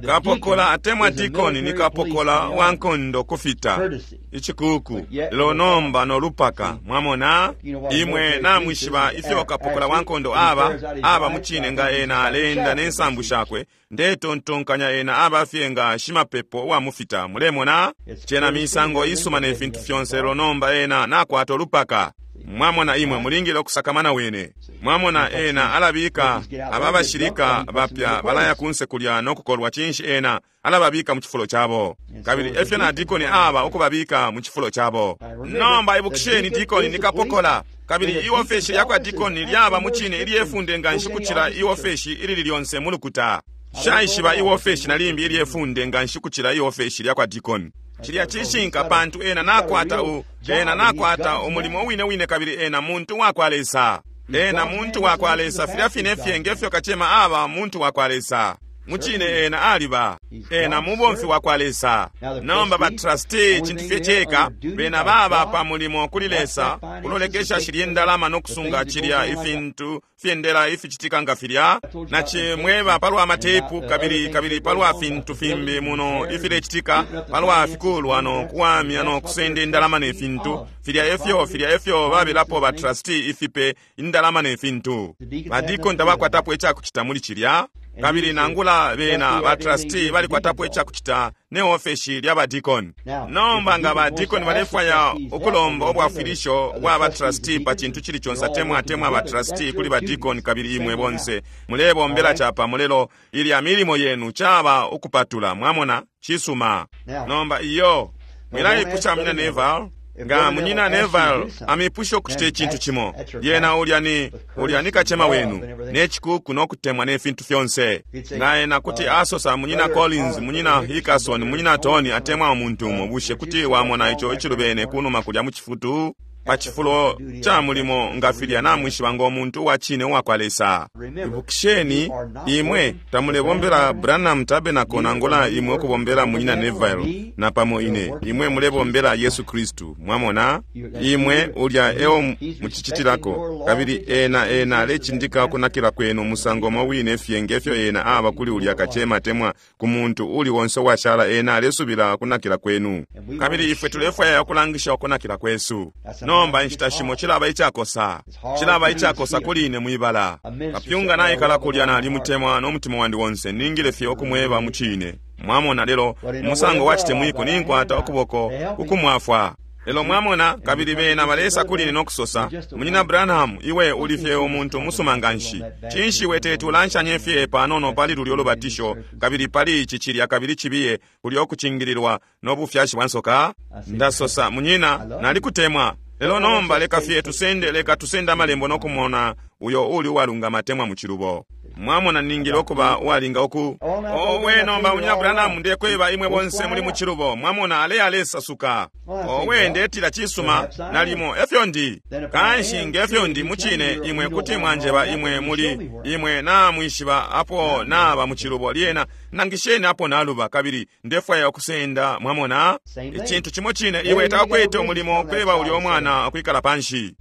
Kapokola atemwa dikoni ni kapokola wa nkondo kufita icikuku, lelo nomba no lupaka. Mwamona, imwe namwishiba ifyo kapokola wa nkondo aba aba mucine nga ena aleenda ne nsambu shakwe. Ndetontonkanya ena aba fye nga shimapepo wa mufita. Mulemona, cena misango isuma ne fintu fyonse, lelo nomba ena nakwata olupaka. Mwamona, imwe mulingile ukusakamana wene. Mwamona, ena alabika aba bashilika bapya balaya kunse kulya no kukolwa. Cinshi? Ena alababika mu cifulo cabo, kabili efyo na dikoni aba ukubabika mu cifulo cabo. Nomba ibukisheni, dikoni ni kapokola, kabili iofeshi lya kwa dikoni lyaba mu cine ilyefunde nganshi kucila iofeshi ilili lyonse mu lukuta. Shaishiba iofeshi na limbi ilyefunde nganshi kucila iofeshi lya kwa dikoni. Cilya cishinka, pantu ena nakwata ena nakwata umulimo wine wine, kabili ena muntu wa kwa Lesa. Ena muntu wa kwa Lesa filya fine fye ngefyo kacema aba muntu wa kwa Lesa. Mucine ena aliba ena mubomfi wa kwa Lesa. Nomba ba trustee cintu fye ceka bena baba pa mulimo kuli Lesa kulolekesha shilye ndalama no kusunga cilya ifintu fyendela ificitika nga filya. Na cimweba palwa matepu kabili kabili palwa fintu fimbi muno ifilecitika palwa fikulwa no kuwamya no kusenda indalama ne fintu filya efyo filya efyo babilapo ba trustee ifipe indalama ne fintu. Badikoni tabakwatapo icakucita muli cilya, kabili nangula bena ba trustee balikwatapo icakucita ne ofeshi lya badikoni. Nomba nga badikoni balefwaya ukulomba ubwafwilisho bwa ba trustee pa cintu cili conse atemwa atemwa ba trustee kuli badikoni, kabili imwe bonse mulebombela capamo, lelo ilya milimo yenu caba ukupatula. Mwamona, cisuma. Nomba iyo mwilaipusha munyina Neville. Nga munyina Neville amipusha ukucita icintu cimo, lyena ulya ni ulya ni kacema wenu ne cikuku no kutemwa ne fintu fyonse. Nga ena kuti asosa munyina Collins, munyina Hickerson, munyina Tony atemwa umuntu umo, bushe kuti wamona ico icilubene kunuma kulya mu cifutu pa cifulo ca mulimo nga filya namwishiba ngo muntu uwa cine uwa kwa Lesa? Ibukisheni, imwe tamulebombela Branham Tabernacle nangula imwe ukubombela munyina Neville na pamo ine. Imwe mulebombela Yesu Kristu. Mwamona, imwe ulya eo mucicitilako, kabili ena ena alecindika ukunakila kwenu musango mo wine fye ngefyo ena aba kuli ulya kacema atemwa ku muntu uli wonse uwashala. Ena alesubila ukunakila kwenu, kabili ifwe tulefwaya ukulangisha ukunakila kwesu. Nomba inshita shimo cilaba icakosa, cilaba icakosa kuli ine mwibala. Kapyunga naikala kulya, nalimutemwa no mutima wandi wonse, ningile fye ukumweba mucine. Mwamona, lelo umusango wa citemwiko ninkwata ukuboko ukumwafwa. Lelo mwamona, kabili bena balesa kuli ine no kusosa, munyina Branham, iwe uli fye umuntu umusuma nganshi. Cinshi iwe teti ulanshanye fye panono pali lulyo lubatisho, kabili pali ici cilya kabili cibiye kulyo kucingililwa no bufyashi bwa nsoka? Ndasosa, munyina, nalikutemwa. Lelo nomba leka fye tusende, leka tusende amalembo no kumona uyo uli uwalungama atemwa mu cilubo. Mwamona, ningile ukuba uwalinga uku. Owe, nomba munyina Branham, ndekweba imwe bonse muli mu cilubo. Mwamona, ale alesasuka. Owe, ndetila cisuma, nalimo efyo ndi. Kanshi ngefyo ndi mucine, imwe kuti mwanjeba imwe muli imwe namwishiba apo naba mu cilubo. Lyena nangisheni apo naluba, kabili ndefwaya ukusenda. Mwamona, icintu cimo cine, iwe takwete umulimo kweba ulyo mwana ukwikala panshi.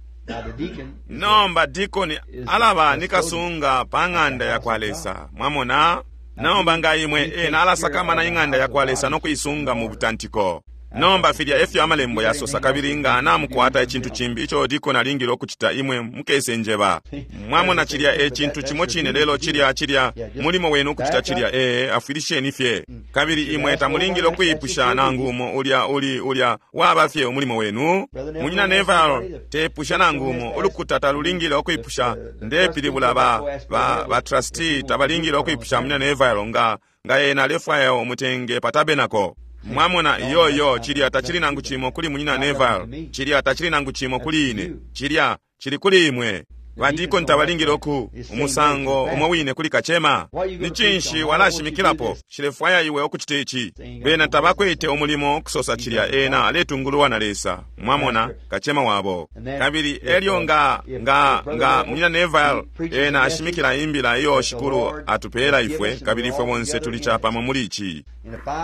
Nomba dikoni alaba ni kasunga pa ng'anda ya kwa Lesa. Mwamona, nomba nga imwe ena alasakamana ing'anda ya kwa Lesa no kuisunga mu butantiko. Nomba filya efyo Amalembo yasosa, kabili nga namukwata icintu cimbi ico dikoni alingile ukucita, imwe mukese njeba. Mwamona, cilya e cintu cimo cine, lelo cilya, cilya mulimo wenu ukucita cilya. Ee, afwilisheni fye. Kabili imwe tamulingile ukuipusha nangu umo, ulya uli, ulya waba fye umulimo wenu. Munyina Neville tepusha nangu umo, ulukuta talulingile ukuipusha, ndepilibula ba, ba, ba trustee tabalingile ukuipusha Munyina Neville nga, nga ena alefwaya umutenge pa tabernacle. Mwamona, iyo, iyo, cilya tacili nangu cimo kuli Munyina Neville, cilya tacili nangu cimo kuli ine, cilya cili kuli imwe. Badikoni tabalingile uku umusango umo wine kuli kacema. Ni cinshi walashimikilapo? Nshilefwaya iwe ukucita ici. Bena tabakwete umulimo ukusosa cilya, ena aletungululwa na Lesa, mwamona, kacema wabo. Kabili elyo nga, nga, nga Munyina Neville ena ashimikila imbila iyo Shikulu atupela ifwe, kabili ifwe bonse tuli capamo muli ici.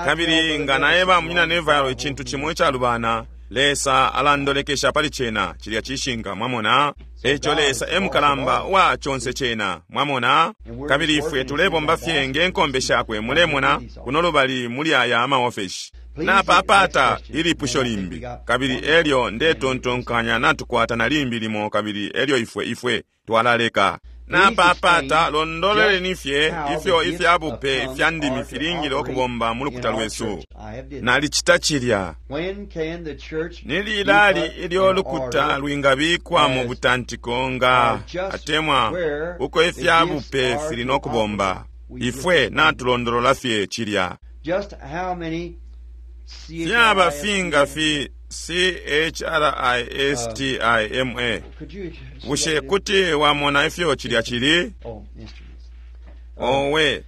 Kabili nga naeba Munyina Neville icintu cimo icalubana, Lesa alandolekesha pali cena. Cilya cishinka, mwamona. Eco Lesa e mukalamba wa conse cena, mwamona. Kabili ifwe tulebomba fye nge nkombe shakwe, mulemona, kuno lubali muli aya amaofeshi. Napapata ilipusho limbi, kabili elyo ndetontonkanya natukwata na limbi limo, kabili elyo ifwe, ifwe twalaleka. Napapata londololeni fye ifyo ifyabupe fya ndimi filingile ukubomba mu lukuta lwesu. Nalicita cilya. Ni lilali ilyo lukuta lwingabikwa mu butantiko nga atemwa uko ifyabupe fili no kubomba? Ifwe natulondolola fye cilya. Fyaba finga fi C-H-R-I-S-T-I-M-A. Bushe kuti wamona ifyo cilya cili? Owe,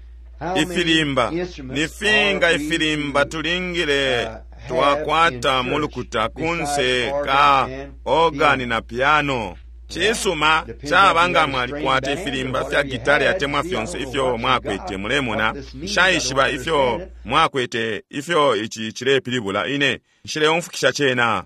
ifilimba ni finga ifilimba tulingile twakwata mu lukuta kunse ka organi na piano? Cisuma, caba nga mwalikwata ifilimba fya gitari atemwa fyonse ifyo mwakwete, mulemona. Nshaishiba ifyo mwakwete, ifyo ici cilepilibula. Ine nshileumfukisha cena.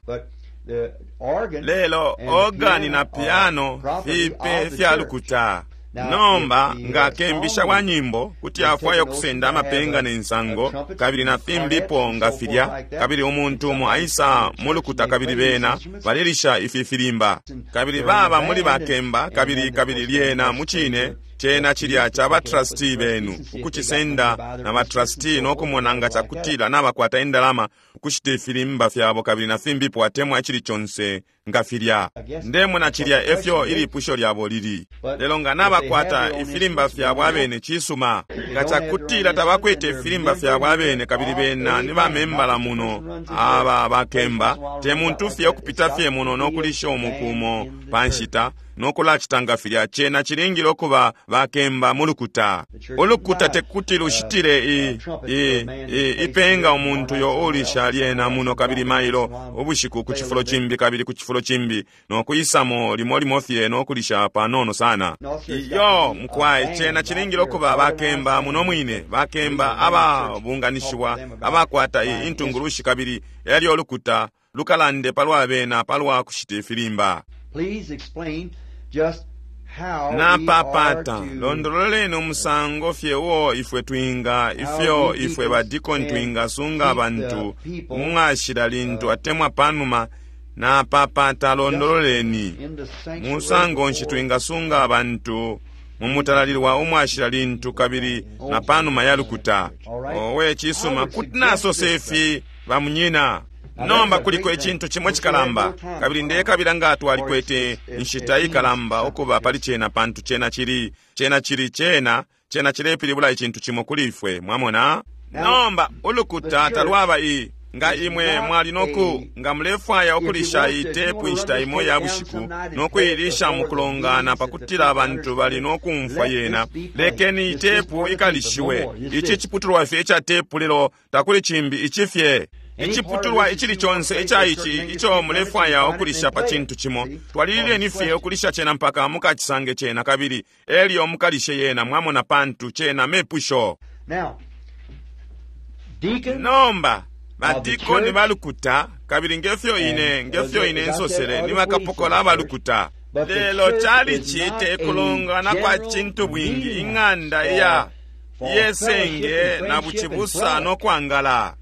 Lelo organi na piano fipe fya lukuta. Nomba nga kembisha wa nyimbo kuti afwaya ukusenda amapenga ne nsango kabili na fimbipo nga filya, kabili umuntu umo aisa mu lukuta kabili bena balelisha ifi filimba kabili baba muli bakemba, kabili, kabili lyena mucine cena cilya ca batrustee benu ukucisenda na batrustee no kumona nga cakutila nabakwata indalama ukushita ifilimba fyabo kabili na fimbipo atemwa icili conse nga filya. Ndemona cilya efyo ilipusho lyabo lili. Lelo nga nabakwata ifilimba fyabo abene, cisuma. Nga cakutila tabakwete ifilimba fyabo abene kabili bena ni bamembala muno aba bakemba, te muntu fye ukupita fye muno no kulisha umukumo pa nshita no kulacita nga filya, cena cilingile ukuba bakemba mu lukuta. Ulukuta tekuti lushitile i, i, i, ipenga umuntu yo ulisha lyena muno kabili mailo ubushiku ku cifulo cimbi kabili ku cifulo cimbi no kuisamo limo limo fye no kulisha panono sana. Iyo mukwai, cena cilingile ukuba bakemba muno mwine, bakemba ababunganishiwa abakwata intungulushi, kabili elyo ulukuta lukalande palwa bena palwa kushita ifilimba. Please explain just how Napapata londololeni umusango fye uo ifwe twinga, ifyo ifwe badikoni twingasunga abantu mumwashila lintu atemwa panuma. Napapata londololeni musango nshi twingasunga abantu mumutalalilwa umwashila lintu kabili na panuma ya lukuta. Owe, cisuma, kuti nasose ifi bamunyina. Nomba kuliko icintu cimo cikalamba, kabili ndekabila nga twalikwete inshita ikalamba ukuba pali cena, pantu cena cili, cena cili, cena, cena cilepilibula icintu cimo kuli ifwe, mwamona. Nomba ulukuta talwaba i, nga imwe mwali noku, nga mulefwaya ukulisha itepu inshita imo ya bushiku no kuilisha mukulongana pakutila abantu bali no kumfwa yena, lekeni itepu ikalishiwe. Ici ciputulwa fye ica tepu, lelo takuli cimbi ici fye. Iciputulwa icili conse ica ici ico mulefwaya ukulisha pa cintu cimo, twalilileni fye ukulisha cena mpaka mukacisange cena, kabili elyo mukalishe yena, mwamona, pantu cena mepusho. Nomba badikoni balukuta, kabili ngefyo ine, ngefyo ine nsosele, ni bakapokola abalukuta. Lelo calici te kulongana kwa cintu bwingi, ing'anda iya yesenge na bucibusa no kwangala.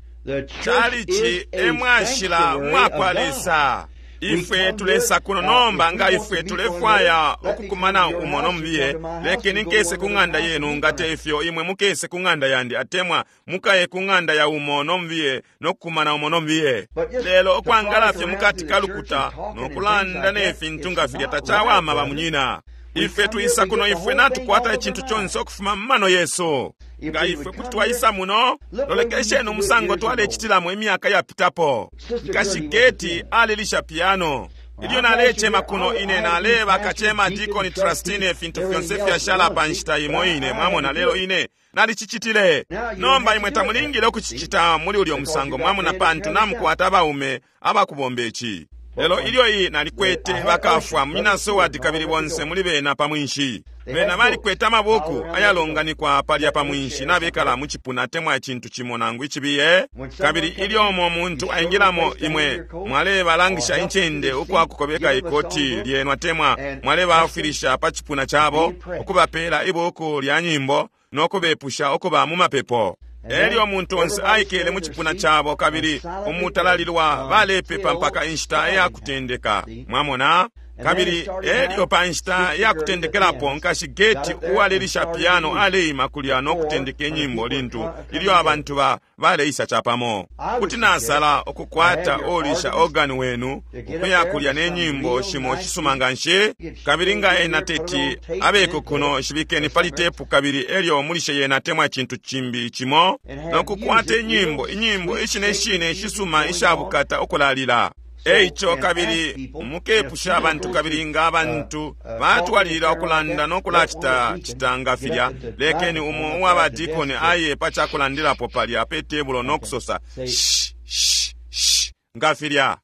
Chalichi emwashila mwakwa Lesa. Ifwe tulesa kuno nomba nga ifwe tulefwaya ukukumana umo nomubiye, lekeni nkese ku ng'anda yenu, nga te ifyo imwe mukese ku ng'anda yandi, atemwa mukaye ku ng'anda ya umo nomubiye nokukumana umo nomubiye. Lelo ukwangala fye mukati ka lukuta nokulanda ne fintu nga filya tacawama bamunyina. Ifwe tuisa kuno, ifwe natukwata icintu conse ukufuma mu mano yesu. Nga ifwe kuti twaisa muno, lolekesheni umusango twalecitilamo imyaka yapitapo. Nkashi Geti alilisha piano. Ilyo nalecema kuno ine naleba kacema, dikoni, trustee, ifintu fyonse fyashala pa nshita imo ine, mwamona. Lelo ine nalicicitile. Nomba imwe tamulingile ukucicita muli ulyo musango, mwamona, pantu namukwata abaume abakubomba ici. Lelo ilyo iyi nalikwete bakafwa munyina Seward kabili bonse muli bena pa mwinshi. Bena balikwete amabuku ayalonganikwa palya pa mwinshi, nabekala mu cipuna atemwa icintu cimo nangu icibiye. Kabili ilyo umo muntu aingilamo, imwe mwalebalangisha incende ukwakukobeka ikoti lyenu atemwa mwalebafwilisha pa cipuna cabo, ukubapela ibuku lya nyimbo no kubepusha ukuba mu mapepo. Elyo umuntu onse aikele mu cipuna cabo kabili umutalalilwa balepepa mpaka inshita ya kutendeka, mwamona. Kabili elyo pa nshita ya kutendekelapo, nkashi Geti uwalelisha piano aleima kulya no kutendeka inyimbo lintu ilyo abantu ba baleisa capamo. Kuti nasala ukukwata ulisha organ wenu ukuya kulya ne nyimbo shimo shisuma nga nshi, kabili nga ena teti abeko kuno, shibikeni pali tepu kabili elyo mulishe yena atemwa icintu cimbi cimo, no kukwata inyimbo inyimbo ishine shine shisuma ishabukata ukulalila. Eico kabili mukepusha abantu, kabili nga abantu batwalilila ukulanda no kulacita cita nga filya, lekeni umo uwa badikoni aye pa cakulandilapo palya pe tebulo no kusosa shh shh shh nga filya.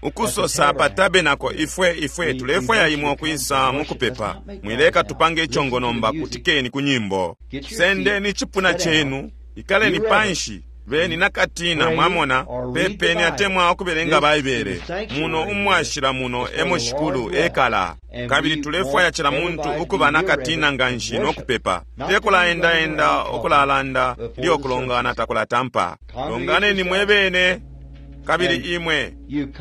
Ukusosa pa tabenako, ifwe ifwe tulefwaya imwe ukwisa mukupepa. Mwileka tupange icongo nomba, kutikeni ku nyimbo. Sendeni icipuna cenu, ikaleni panshi, beni nakatina, mwamona, pepeni atemwa ukubelenga Baibele. Muno umwashila muno emo Shikulu ekala. Kabili tulefwaya cila muntu ukuba nakatina nganshi no kupepa. Te kulaendaenda ukulalanda ilyo kulongana takulatampa. Longaneni mwe bene, kabili imwe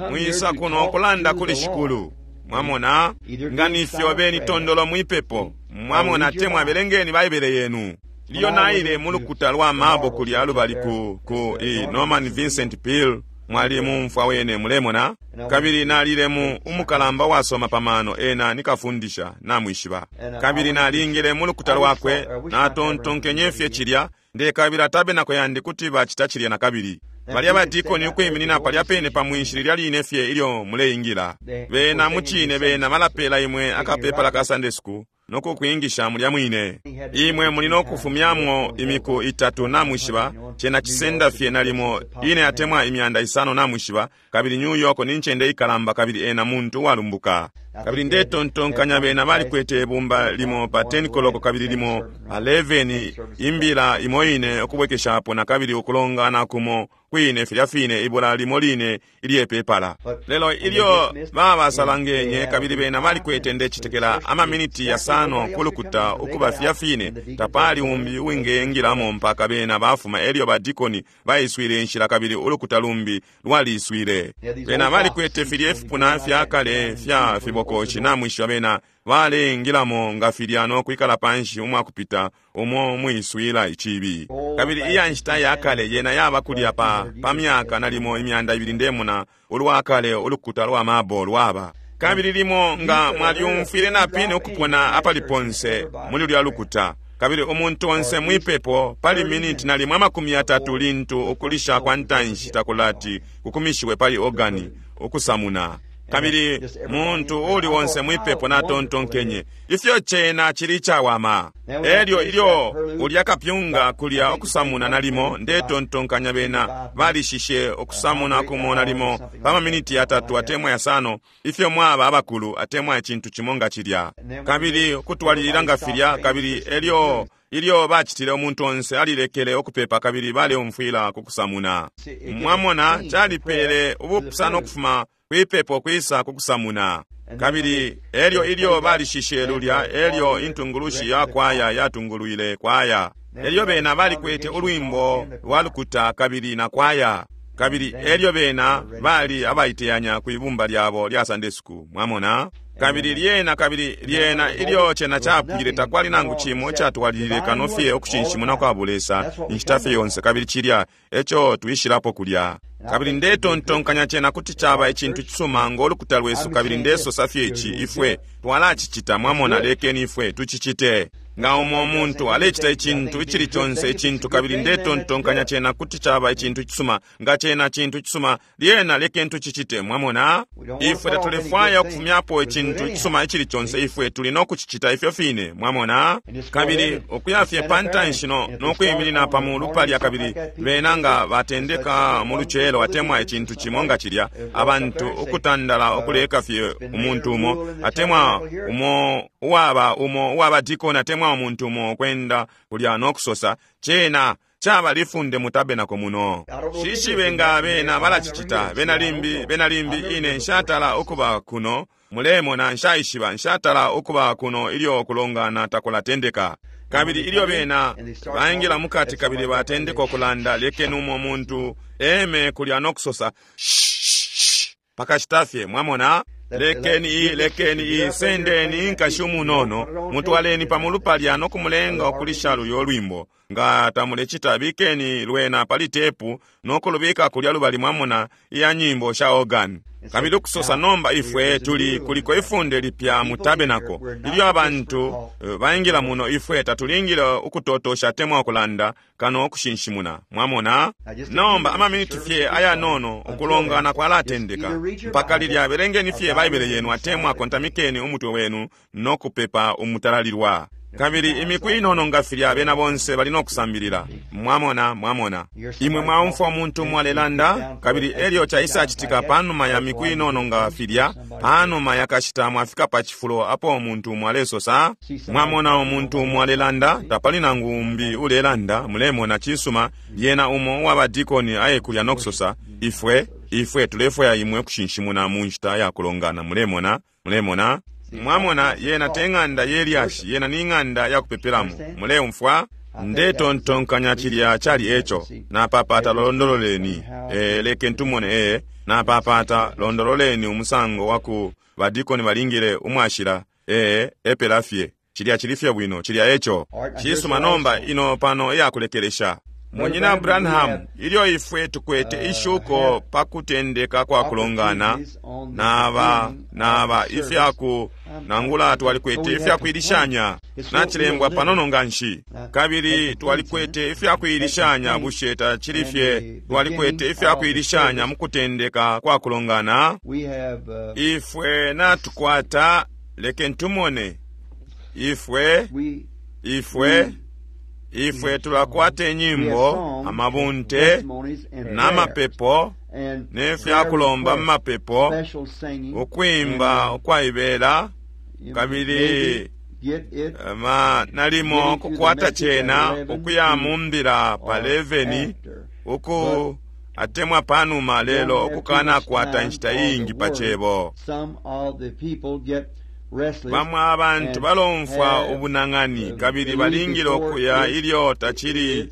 mwisa kuno kulanda kuli Shikulu. Mwamona, nga nifyo beni tondolo mwipepo. Mwamona, atemwa belengeni Baibele yenu. Ilyo naile mu lukuta lwa mabo kulya lubali ku ku i Norman Vincent Peale, mwali mumfwa wene, mulemona. Kabili nalile mu umukalamba wasoma pa mano, ena nikafundisha, namwishiba. Kabili nalingile mu lukuta lwakwe, natontonkenye fye cilya, ndekabila tabenako yandi kuti bacita cilya nakabili. Balya badikoni ukwiminina palya pene pa mwinshi lilya line fye ilyo muleingila. Bena mucine bena balapela imwe akapepala ka Sunday school nokukwingisha mulya mwine. Imwe muli nokufumyamo imiku itatu, namwishiba, cena cisenda fye nalimo ine atemwa 500 namwishiba, kabili New York ni ncende ikalamba kabili ena muntu uwalumbuka. Kabili ndetontonkanya bena balikwete ibumba limo pa 10 koloko kabili limo 11, imbila imo ine ukubwekeshapo na kabili ukulongana kumo kwine filya fine ibula limo line ilyepepala. Lelo ilyo babasalangenye kabili bena balikwete ndecitekela amaminiti yasano kulukuta ukuba filya fine, tapali umbi uwingengilamo mpaka bena bafuma. Elyo badikoni baiswile inshila kabili ulukuta lumbi lwaliswile. Bena balikwete filya ifipuna fya kale fya fibokoshi, namwishiba, bena baleingilamo nga filya no kwikala panshi umwakupita umo mwiswila icibi. Kabili iya nshita ya kale yena yaba kulya pa pa myaka nalimo 200 ndemona ulwakale ulukuta lwa mabo lwaba. Kabili limo nga mwalyumfwile napine ukupona apali ponse muli lulya lukuta, kabili umuntu onse mwipepo pali miniti nalimo 30 lintu ukulisha kwa ntanshi takulati kukumishiwe pali organi ukusamuna. Kabili muntu uli onse mwipepo natontonkenye ifyo cena cili cawama. Elyo ilyo ulya kapyunga kulya ukusamuna nalimo ndetontonkanya bena balishishe ukusamuna kumo nalimo pa maminiti 3 atemwa 5, ifyo mwaba abakulu atemwa icintu cimo nga cilya. Kabili kutwalilila nga filya, kabili elyo ilyo bacitile umuntu onse alilekele ukupepa kabili baleumfwila kukusamuna. Mwamona, calipele ubupusano ukufuma kwipepo kwisa kukusamuna. Kabili elyo ilyo balishishe lulya, elyo intungulushi ya kwaya yatungulwile kwaya. Elyo bena balikwete ulwimbo lwa lukuta kabili na kwaya, kabili elyo bena bali abaiteyanya ku ibumba lyabo lya Sunday school, mwamona. Kabili lyena, kabili lyena ilyo cena capwile, takwali nangu cimo icatwalilile kano fye ukushinshimuna kwa bulesa inshita fye yonse, kabili cilya eco twishilapo kulya. Kabili ndetontonkanya cena kuti caba icintu cisuma ngo lukuta lwesu, kabili ndesosa fye ici, ifwe twalacicita, mwamona, lekeni ifwe tucicite. Nga umo muntu alecita icintu icili conse icintu, kabili ndetontonkanya cena kuti caba icintu cisuma, nga cena cintu cisuma, lyena lekeni tucicite, mwamona. Ifwe tatulefwaya ukufumyapo icintu icisuma icili conse, ifwe tuli no kucicita ifyo fine, mwamona. Kabili ukuya fye pa ntanshi no kwiminina pa mulu palya, kabili bena nga batendeka mu lucelo atemwa icintu cimo nga cilya, abantu ukutandala ukuleka fye umuntu umo atemwa umo uwaba umo uwaba dikoni atemwa umuntu umo ukwenda kulya no kusosa, cena caba lifunde mu tabenako muno. Shishibe nga bena balacicita, bena limbi, bena limbi ine nshatala ukuba kuno, mulemona, nshaishiba, nshatala ukuba kuno ilyo kulongana takulatendeka. Kabili ilyo bena baingila mukati kabili batendeka ukulanda, lekeni umo muntu eme kulya no kusosa, shh, pakashita fye, mwamona. Lekeni i, lekeni i, sendeni inkashi umunono, mutwaleni pamulu palya no kumulenga ukulisha luyo lwimbo. Nga tamulecita, bikeni lwena pali tepu no kulubika kulya lubali, mwamona, iya nyimbo sha organ. Kabili ukusosa, nomba ifwe tuli kuliko ifunde lipya mu tabenako. Ilyo abantu baingila muno, ifwe tatulingile ukutotosha atemwa ukulanda kano ukushinshimuna, mwamona. Nomba amaminiti fye ayanono ukulongana kwalatendeka. Mpaka lilya, belengeni fye Baibele yenu atemwa kontamikeni umutwe wenu no kupepa umutalalilwa. Kabili imiku inono nga filya bena bonse bali no kusambilila, mwamona, mwamona. Imwe mwaumfwa umuntu umo alelanda, kabili elyo caisacitika panuma ya miku inono nga filya, panuma yakashita mwafika pa cifulo apo umuntu umo alesosa, mwamona umuntu umo alelanda, tapali nangu umbi ulelanda, mulemona, cisuma, lyena umo uwaba dikoni aye kulya no kusosa, ifwe, ifwe tulefwaya imwe kushinshimuna mu nshita ya kulongana, mulemona, mulemona. Mwamona, yena te ng'anda ye lyashi, yena ni ng'anda ya kupepelamo. Muleumfwa? Ndetontonkanya cilya cali eco. Napapata londololeni. Leken tumone, Napapata londololeni umusango waku badikoni balingile umwashila. Epela fye. Cilya cili fye bwino, cilya eco. Cisuma, nomba ino pano iyakulekelesha. Munyina Branham, ilyo ifwe tukwete ishuko pa kutendeka kwa kulongana, naba ifyaku nangula twalikwete ifyakuilishanya, nacilembwa panono nganshi, kabili twalikwete ifyakuilishanya, bushe tacili fye twalikwete ifyakuilishanya mu kutendeka kwa kulongana? Ifwe natukwata, leken tumone, ifwe, ifwe, ifwe tulakwata inyimbo, amabunte, n'amapepo, n'efyakulomba mu mapepo, ukwimba ukwaibela, kabili nalimo kukwata cena ukuya mu mbila pa 11 uku atemwa panuma, lelo ukukanakwata inshita iingi pa cebo. Bamwe abantu balomfwa ubunang'ani kabili balingile ukuya ilyo tacili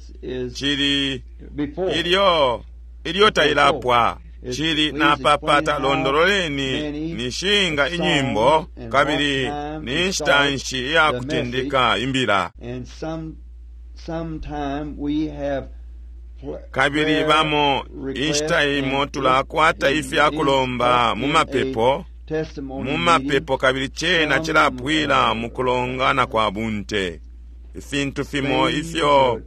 cili ilyo ilyo tailapwa cili. Napapata londololeni nishinga inyimbo kabili ni nshita nshi iyakutendeka imbila. Kabili bamo inshita imo tulakwata ifyakulomba mu mapepo, mu mapepo, kabili cena cilapwila mu kulongana kwa bunte. Ifintu fimo ifyo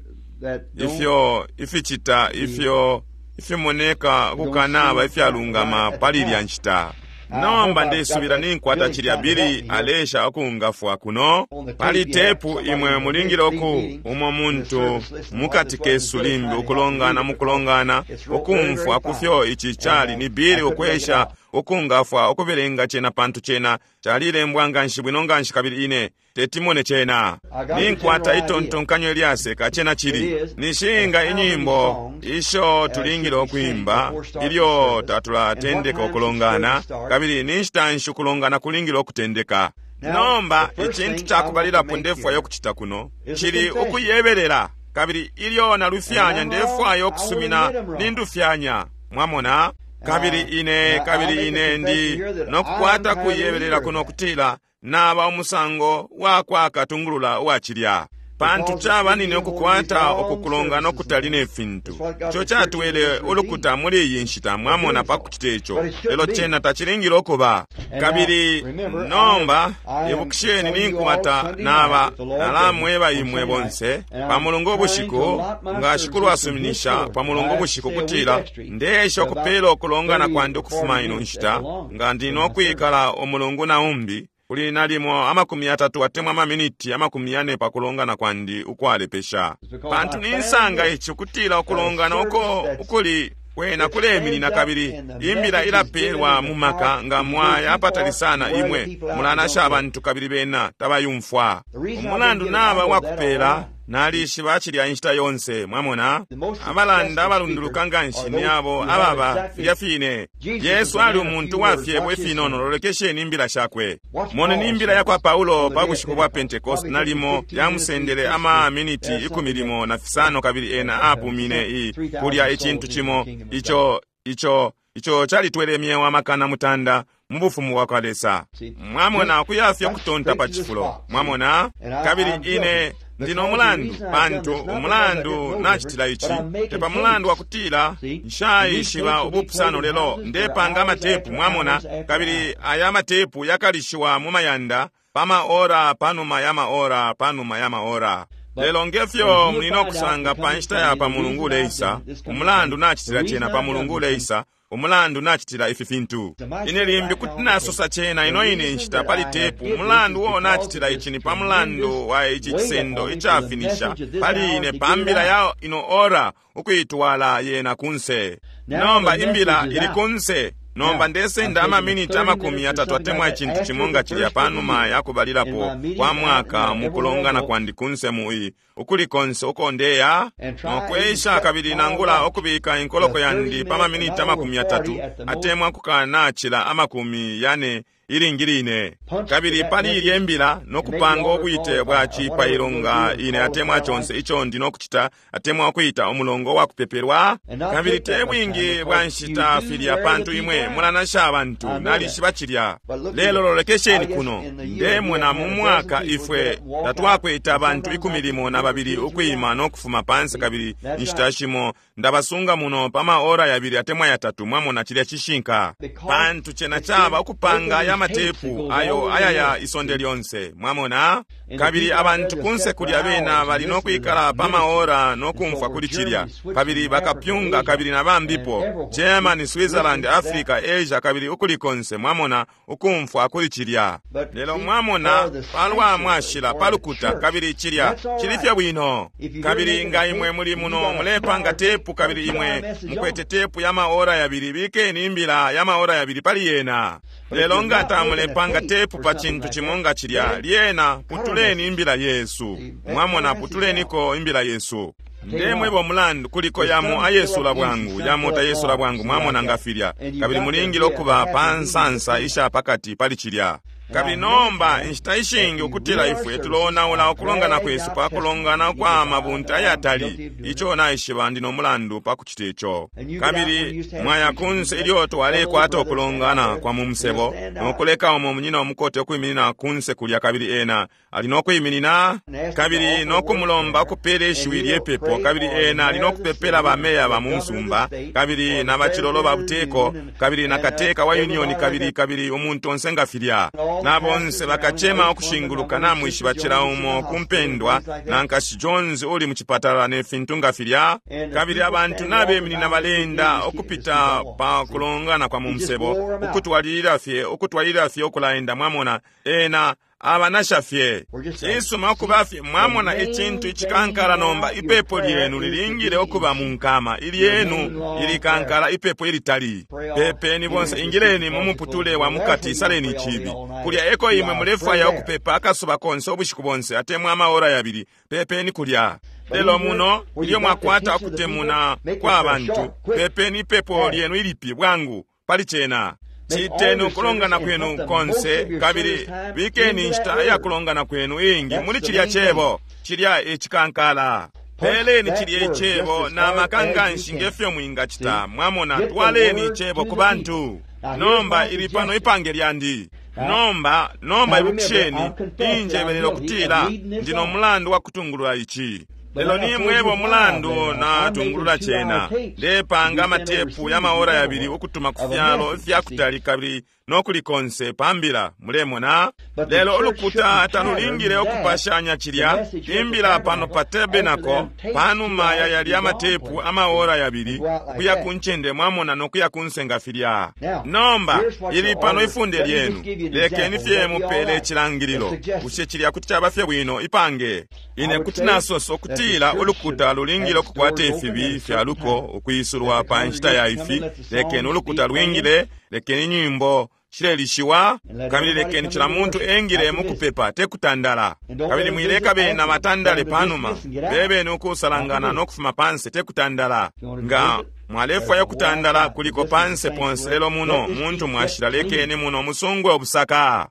ifyo ificita ifyo ifimoneka kukanaba ifyalungama pali ilya nshita. Nomba ndesubila ninkwata cilya Billy alesha ukungafwa kuno pali tepu. Imwe mulingile uku umo muntu mukati kesu limbi ukulongana mukulongana ukumfwa kufyo ici cali ni Billy ukwesha ukungafwa ukubelenga cena, pantu cena calilembwa nganshi bwino nganshi, kabili ine tetimone cena. Ninkwata itontonkanyo ilyaseka cena cili nishinga inyimbo isho tulingile ukwimba ilyo tatulatendeka ukulongana, kabili ni nshita nshi ukulongana kulingile ukutendeka. Nomba icintu cakubalilapo ndefwayo kucita kuno cili ukuyebelela. Kabili ilyo nalufyanya, ndefwaya ukusumina nindufyanya. Mwamona? Kabili ine, kabili ine ndi nokukwata kuyebelela kuno kutila naba umusango wakwa katungulula uwacilya, pantu caba nine ukukwata ukukulongana ukutali ne fintu. Ico catwele ulukuta muli iyi nshita, mwamona, pa kucita ico, lelo cena tacilingile ukuba. Kabili nomba ibukisheni, ninkwata naba nalamweba imwe bonse pa Mulungu ubushiku, nga Shikulu asuminisha, pa Mulungu ubushiku, kutila ndeesha ukupela ukulongana kwandi ukufuma ino nshita, nga ndi nokwikala umulungu na umbi, kuli nalimo 30 atemwa amaminiti 40 pakulongana kwandi ukwalepesha, pantu ninsanga ici kutila ukulongana uko ukuli kwena kuleminina kabili imbila ilapelwa mu maka. Nga mwaya apatali sana, imwe mulanasha abantu kabili bena tabayumfwa. Umulandu naba wakupela, nalishiba cilya inshita yonse. Mwamona, abalanda abalunduluka nganshi ni abo ababa filya fine. Yesu ali umuntu wa fyebo ifinono. Lolekesheni imbila shakwe. Moneni imbila yakwa Paulo pa bushiku bwa Pentecost, nalimo yamusendele ama miniti 15, kabili ena apumine i kulya icintu cimo ico ico ico calitwele imyeo 9,000 mu bufumu bwa kwa Lesa. Mwamona, ukuyafye kutonta pa cifulo. Mwamona? Kabili ine ndino mulandu, pantu umulandu nacitila ici te pa mulandu wakutila nshaishiba ubupusano, lelo ndepanga amatepu, mwamona, kabili aya matepu yakalishiwa mu mayanda pa maora panuma ya maora panuma ya maora. Lelo ngefyo muli nokusanga pa nshita ya pa Mulungu uleisa, umulandu nacitila cena pa Mulungu uleisa, umulandu nacitila ifi fintu. Ine limbi kuti nasosa cena ino ine nshita pali tepu. Umulandu wo nacitila ici ni pa mulandu wa ici cisendo icafinisha pali ine pa mbila ya ino ora, ukuitwala yena kunse. Nomba imbila ili kunse. Nomba ndesenda amaminiti 30 atemwa icintu cimo nga cilya panuma yakubalilapo kwa mwaka mu kulongana kwandi kunse mu ukuli konse uko ndeya nokwesha, kabili nangula ukubika inkoloko yandi pa maminiti 30 atemwa kukanacila 40 ilingi line. Kabili pali ilye mbila nokupanga ubwite bwa cipailo nga ine atemwa conse ico ndi nokucita atemwa ukuita umulongo wa kupepelwa. Kabili te bwingi bwa nshita filya, pantu imwe mulanasha abantu, nalishiba cilya. Lelo lolekesheni kuno, ndemona mu mwaka ifwe tatwakweta abantu 12 ukwima nokufuma pansi, kabili inshita shimo ndabasunga muno pa maora 2 atemwa 3. Mwamona, cilya cishinka, pantu cena caba ukupanga ya matepu ayo ayaya isonde lyonse. Mwamona? Kabili abantu kunse kulya bena bali nokwikala pa maora nokumfwa kuli cilya, kabili bakapyunga kabili na bambipo, Germany, Switzerland, Africa, Asia, kabili ukuli konse, mwamona, ukumfwa kuli cilya. Lelo mwamona, palwa mwashila palukuta, kabili cilya cili fye bwino. Kabili nga imwe muli muno mulepanga tepu, kabili imwe mukwete tepu ya maora 2, bikeni imbila ya maora 2 pali yena. Lelo nga tamulepanga tepu pa cintu cimo nga cilya, lyena putuleni imbila yesu. Mwamona, putuleniko imbila yesu. Ndemweba umulandu kuliko yamo ayesula bwangu, yamo tayesula bwangu, mwamona, nga filya. Kabili mulingile ukuba pa nsansa isha pakati pali cilya. Kabili nomba inshita ishingi ukutila ifwe tulonaula ukulongana kwesu pa kulongana kwa mabunta ayatali. Ico naishiba ndi no mulandu pa kucita ico. Kabili mwaya kunse ilyo twalekwata ukulongana kwa mu musebo, nokuleka umo munyina umukote ukwiminina kunse kulya, kabili ena ali nokwiminina, kabili nokumulomba ukupela ishiwi lyepepo, kabili ena ali nokupepela bameya ba mu musumba, kabili na bacilolo ba buteko, kabili na kateka wa union, kabili kabili umuntu onse nga filya. Na bonse bakacema ukushinguluka, namwishiba cila umo kumpendwa, na Nkashi Jones uli mu cipatala ne fintu nga filya. Kabili abantu nabeminina balenda ukupita pa kulongana kwa mu musebo, ukutwalilila fye, ukutwalilila fye ukulaenda. Mwamona, ena abanasha fye. Cisuma ukuba fye, mwamona, icintu icikankala. Nomba ipepo lyenu lilingile ukuba mu nkama, ilyenu ilikankala, ipepo ilitali. Pepeni bonse, ingileni mu muputule wa mukati, isaleni icibi. Kulya eko imwe mulefwaya ukupepa akasuba konse, ubushiku bonse, atemwa amaora 2, pepeni kulya. Lelo muno ilyo mwakwata ukutemuna kwa bantu, pepeni ipepo lyenu ilipi bwangu pali cena. Citeni ukulongana kwenu konse, kabili bikeni inshita ya kulongana kwenu ingi muli cilya cebo, cilya icikankala. Peleni cilye Icebo na maka nganshi nge fyo mwingacita. Mwamona, twaleni Icebo ku bantu. Nomba ili pano ipange lyandi. Nomba, nomba ibukisheni, ninjebelela ukutila ndi no mulandu wa kutungulula ici. Lelo nimwebo mulandu natungulula cena. Ndepanga amatepu ya maora yabili ukutuma ku fyalo ifyakutali kabili nokulikonse pambila, mulemona. Lelo ulukuta talulingile ukupashanya cilya imbila pano pa tabernacle panuma ya yalya amatepu amaora yabili kuya ku ncende, mwamona, nokuya ku nsenga filya. Nomba ili pano ifunde lyenu. Lekeni fye mupele icilangililo. Bushe cilya kuti caba fye bwino ipange? Ine kuti nasosa ukutila ulukuta lulingile ukukwata ifibi fya luko ukwisulwa pa nshita ya ifi. Lekeni ulukuta lwingile, lekeni nyimbo shilelishiwa, kabili lekeni cila muntu engile mukupepa, te kutandala. Kabili mwileka bena batandale panuma, bebeni ukusalangana no kufuma panse, te kutandala. Nga mwalefwaya kutandala kuliko panse ponse, lelo muno muntu mwashila, lekeni muno musungwe obusaka.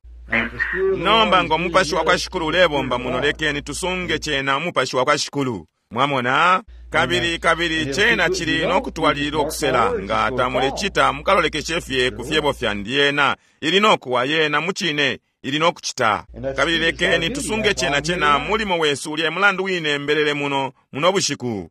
Nomba ngo mupashi wa kwa Shikulu ulebomba muno, lekeni tusunge cena umupashi wa kwa Shikulu. Mwamona? Kabili kabili cena cili no kutwalilila ukusela. Nga tamulecita, mukalolekeshe fye ku fyebo fyandi. Yena ili no kuwa, yena mucine ili no kucita. Kabili lekeni tusunge cena cena mulimo wesu ulya mulandu wine mbelele muno muno bushiku.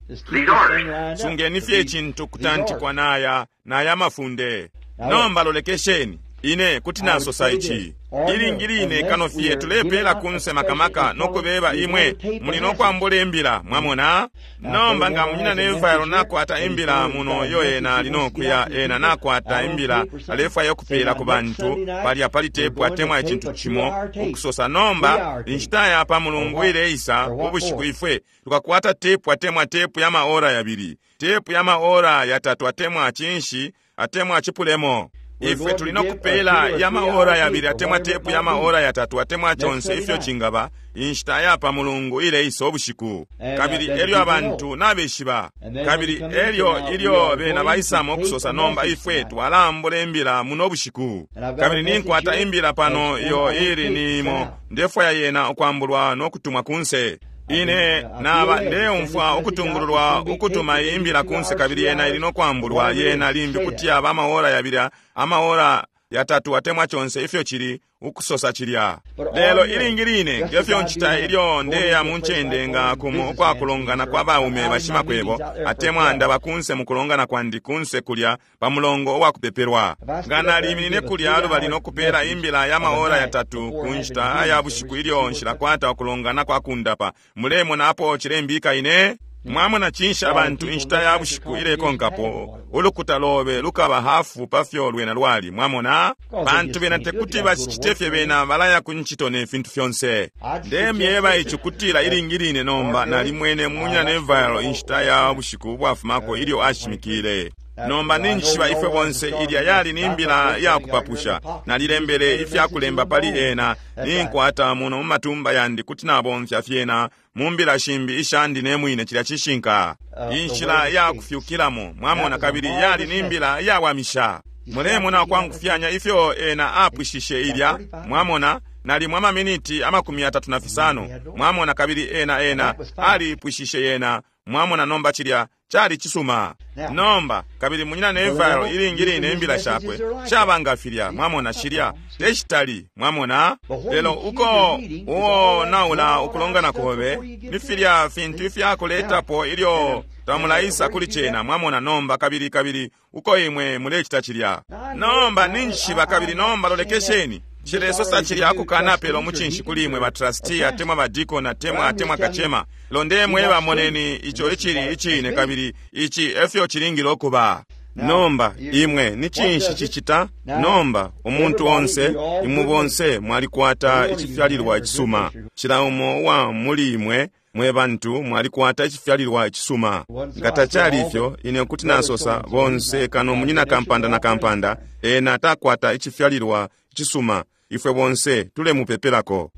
Sungeni fye icintu kutantikwa naya naya mafunde. Nomba lolekesheni. Ine kuti nasosa ici. Ilingi line kano fye tulepela kunse makamaka nokubeba imwe muli nokwambula imbila, mwamona. Nomba nga munyina Neville nakwata imbila muno iyo ena ali nokuya, ena nakwata imbila alefwaya ukupela ku bantu palya pali tepu atemwa icintu cimo ukusosa. Nomba inshita ya pa Mulungu ileisa ubushiku ifwe tukakwata tepu atemwa tepu ya maora yabili, tepu ya maora yatatu atemwa cinshi atemwa cipulemo. Ifwe tuli nokupela ya maora yabili atemwa tepu ya maora yatatu atemwa conse ifyo cingaba inshita ya pa Mulungu ileisa ubushiku. Kabili elyo abantu nabeshiba, kabili elyo ilyo bena baisamo ukusosa, nomba ifwe twalambula imbila muno bushiku. Kabili ninkwata imbila pano iyo ili nimo ndefwaya yena ukwambulwa nokutumwa kunse. Ine naba ndeumfwa ukutungululwa ukutuma imbila kunse, kabili yena ili nokwambulwa yena limbi kuti yaba amaora yabili amaora yatatu atemwa conse ifyo cili ukusosa cilya. Lelo ilingi line ngefyo ncita ilyo ndeya mu ncende nga kumo ukwakulongana kwa baume bashimakwebo atemwa ndaba kunse mukulongana kwandi kunse kulya pa mulongo uwakupepelwa. Nga naliminine kulya lubali nokupela imbila ya maora yatatu ku nshita ya bushiku ilyo nshilakwata ukulongana kwa kundapa, mulemona apo cilembika ine? Mwamona cinshi abantu inshita ya bushiku ilekonkapo ulukuta lobe lukaba hafu pafyo lwena lwali. Mwamona, bantu bena tekuti bacicite fye, bena balaya ku ncito ne fintu fyonse. Ndemyeba ici kutila ilingi line nomba nalimwene munyina Neville inshita ya bushiku bwafumako ilyo ashimikile. Nomba ninjishiba ifwe bonse ilya yali ni mbila ya kupapusha. Nalilembele ifyakulemba pali ena, ninkwata muno mu matumba yandi kuti nabomfya fyena mu mbila shimbi ishandi ne mwine. Cilya cishinka inshila ya kufyukilamo, mwamona, kabili yali ni mbila yawamisha. Mulemona kwangufyanya ifyo ena apwishishe ilya, mwamona, nalimwa amaminiti 35, mwamona, kabili ena ena alipwishishe yena, mwamona. Nomba cilya cali cisuma. Nomba kabili munyina Neville ilingi line imbila shakwe shaba nga filya, mwamona, shilya teshitali, mwamona. Lelo uko uo naula ukulongana kobe ni filya fintu ifyakuletapo ilyo tamulaisa kuli cena, mwamona. Nomba kabili kabili uko imwe mulecita cilya. Nomba ninjishiba kabili nomba lolekesheni. Cilesosa cilya akukanapela omucinshi kuli imwe ba trustee atemwa ba deacon atemwa atemwa kacema. Londe mweba moneni ico icili icine kabili ici efyo cilingile okuba. Nomba imwe ni cinshi cicita? Nomba umuntu onse imwe bonse mwalikwata icifyalilwa icisuma. Cila umo uwa muli imwe mwe bantu mwalikwata icifyalilwa icisuma. Nga tacali ifyo, ine kuti nasosa bonse kano munyina kampanda na kampanda ena takwata icifyalilwa icisuma. Ifwe bonse tulemupepelako.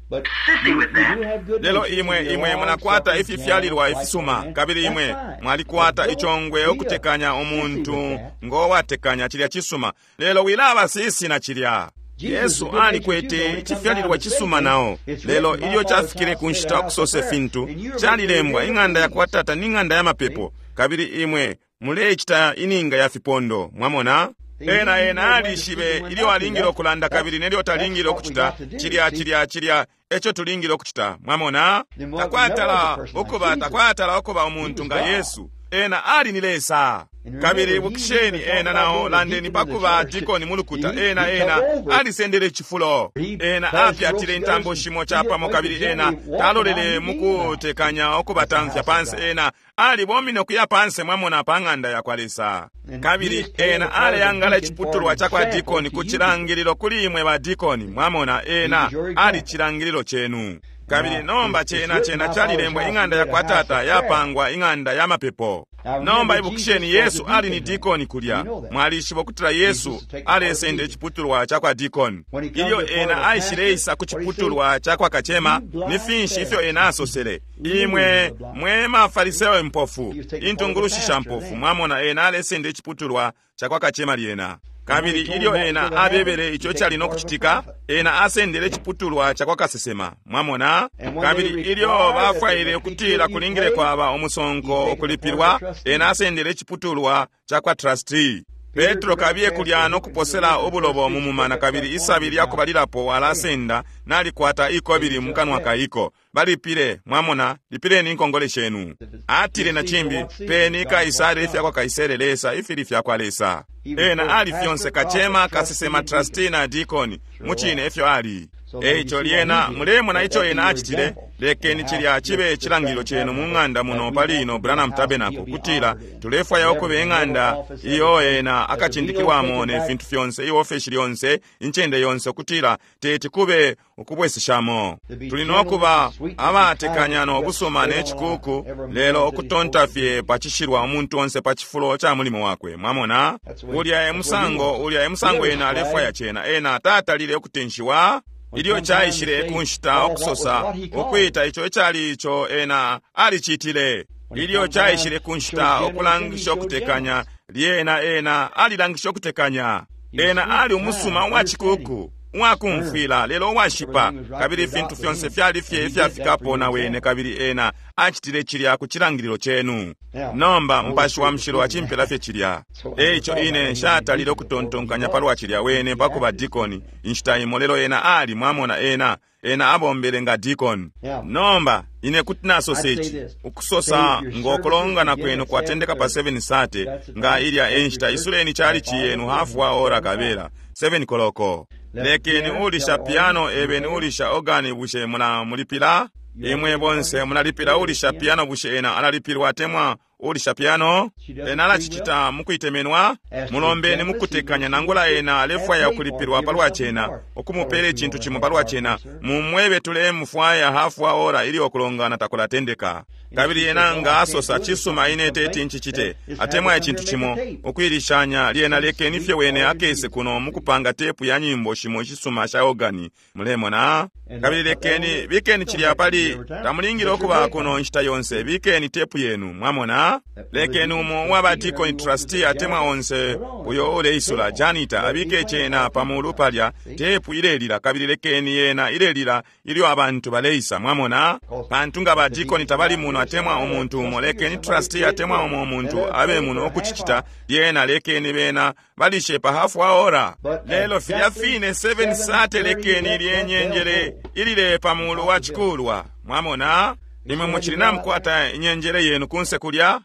Lelo imwe imwe munakwata ififyalilwa ifisuma, kabili imwe mwalikwata icongwe ukutekanya umuntu ngo watekanya cilya cisuma. Lelo wilaba sisi na cilya. Yesu alikwete icifyalilwa cisuma nao, lelo ilyo cafikile ku nshita ukusose fintu, calilembwa ing'anda yakwa Tata ni ng'anda ya mapepo, kabili imwe mulecita ininga ya fipondo. Mwamona? Ena ena alishibe ilyo alingile ukulanda kabili nelyo talingile ukucita cilya cilya cilya eco tulingile ukucita. Mwamona? Takwatala ukuba takwatala ukuba umuntu nga Yesu. Ena ali ni Lesa. Kabili ibukisheni ena nao landeni pakuba dikoni mulukuta. Ena ena alisendele icifulo. Ena apyatile intambo shimo chapamo kabili ena talolele mukutekanya ukubatamfya pansi. Ena alibomine ukuya pansi, mwamona, pa ng'anda yakwa Lesa. Kabili ena aleyangala iciputulwa cakwa dikoni ku cilangililo kuli imwe ba dikoni. Mwamona, ena ali cilangililo chenu. Kabili nomba chena chena chalilembwa ing'anda yakwa Tata yapangwa ing'anda ya mapepo. Nomba ibukisheni Yesu ali ni dikoni kulya. Mwalishiba ukutila Yesu alesenda iciputulwa cakwa dikoni. Ilyo ena aishileisa ku ciputulwa cakwa kacema, ni finshi ifyo ena asosele? Imwe mwe mafariseo impofu, intungulushi sha mpofu. Mwamona, ena alesenda iciputulwa cakwa kacema lyena. Kabili ilyo ena abebele ico cali no kucitika, ena asendele iciputulwa cakwa kasesema. Mwamona? Kabili ilyo bafwaile ukutila kulingile kwaba umusonko ukulipilwa, ena asendele iciputulwa cakwa trustee. Petro kabiye kulya no kuposela ubulobo mu mumana, kabili isabi lyakubalilapo alasenda nalikwata ikobili mu kanwa kaiko. Balipile, mwamona, lipileni inkongole shenu. Atile na chimbi, peni Kaisare ifyakwa Kaisere Lesa ifili fyakwa Lesa. Ena ali fyonse kachema, kasesema, trustee na dikoni. Muchine efyo ali. Eico lyena mulemona ico ena acitile. Lekeni cilya chibe cilangililo chenu mu ng'anda muno pali ino Branham Tabernacle, kutila tulefwaya ukuba ing'anda iyo ena akacindikilwamo ne fintu fyonse, iofeshi lyonse, incende yonse, kutila teti kube ukubweseshamo. Tuli nokuba abatekanya no busuma ne cikuku, lelo ukutonta fye pacishilwa umuntu onse pa cifulo ca mulimo wakwe. Mwamona? Ulya e musango, ulya e musango ena alefwaya cena. Ena tatalile ukutenshiwa. Ilyo caishile kunshita ukusosa ukwita ico icali ico ena alicitile. Ilyo caishile kunshita ukulangisha ukutekanya, lyena ena alilangisha ukutekanya. Ena ali umusuma uwa cikuku, uwakumfwila, lelo uwashipa, kabili ifintu fyonse fyali fye ifyafikapo na wene, kabili ena acitile cilya ku cilangililo chenu. Nomba Mupashi wa Mushilo acimpela fye cilya. Eico ine nshatalile ukutontonkanya palwa cilya wene pakuba dikoni inshita imo, lelo ena ali, mwamona, ena ena abombele nga dikoni. Nomba ine kuti nasosa ici, ukusosa ngokulongana kwenu kwatendeka pa 7:30, nga ilya enshita isuleni chalichi yenu hafu wa ora kabela 7 koloko. Lekeni ulisha piano ebeni ulisha organi bushe muna mulipila? Imwe bonse munalipila ulisha piano bushe ena alalipilwa atemwa ulisha piano? Ena alacicita mukuitemenwa? Mulombeni mukutekanya nangula ena alefwaya ukulipilwa palwa cena, ukumupela icintu cimo palwa cena. Mumwebe tulemufwaya hafu wa ora ilyo ukulongana takulatendeka. Kabili ena nga asosa cisuma ine teti nchicite atemwa icintu cimo ukuilishanya, lyena lekeni fye wene akese kuno mukupanga tepu ya nyimbo shimo ishisuma sha organi. Mulemona? Kabili lekeni bikeni cilya pali tamulingile ukuba kuno nshita yonse, bikeni tepu yenu. Mwamona? Lekeni umo uwaba deacon trustee atemwa onse uyo uleisula janita abike cena pamulu palya tepu ilelila, kabili lekeni yena ilelila ilyo abantu baleisa. Mwamona? Pantu nga ba deacon tabali muno atemwa umuntu umo, lekeni trustee atemwa umo umuntu abe muno okucicita, lyena lekeni bena balishe pa hafu wa ora. Lelo filya fine 7:30 lekeni lyenyenjele ilile pamulu wa chikulwa. Mwamona? Imwe muchili namukwata inyenjele yenu kunse kulya?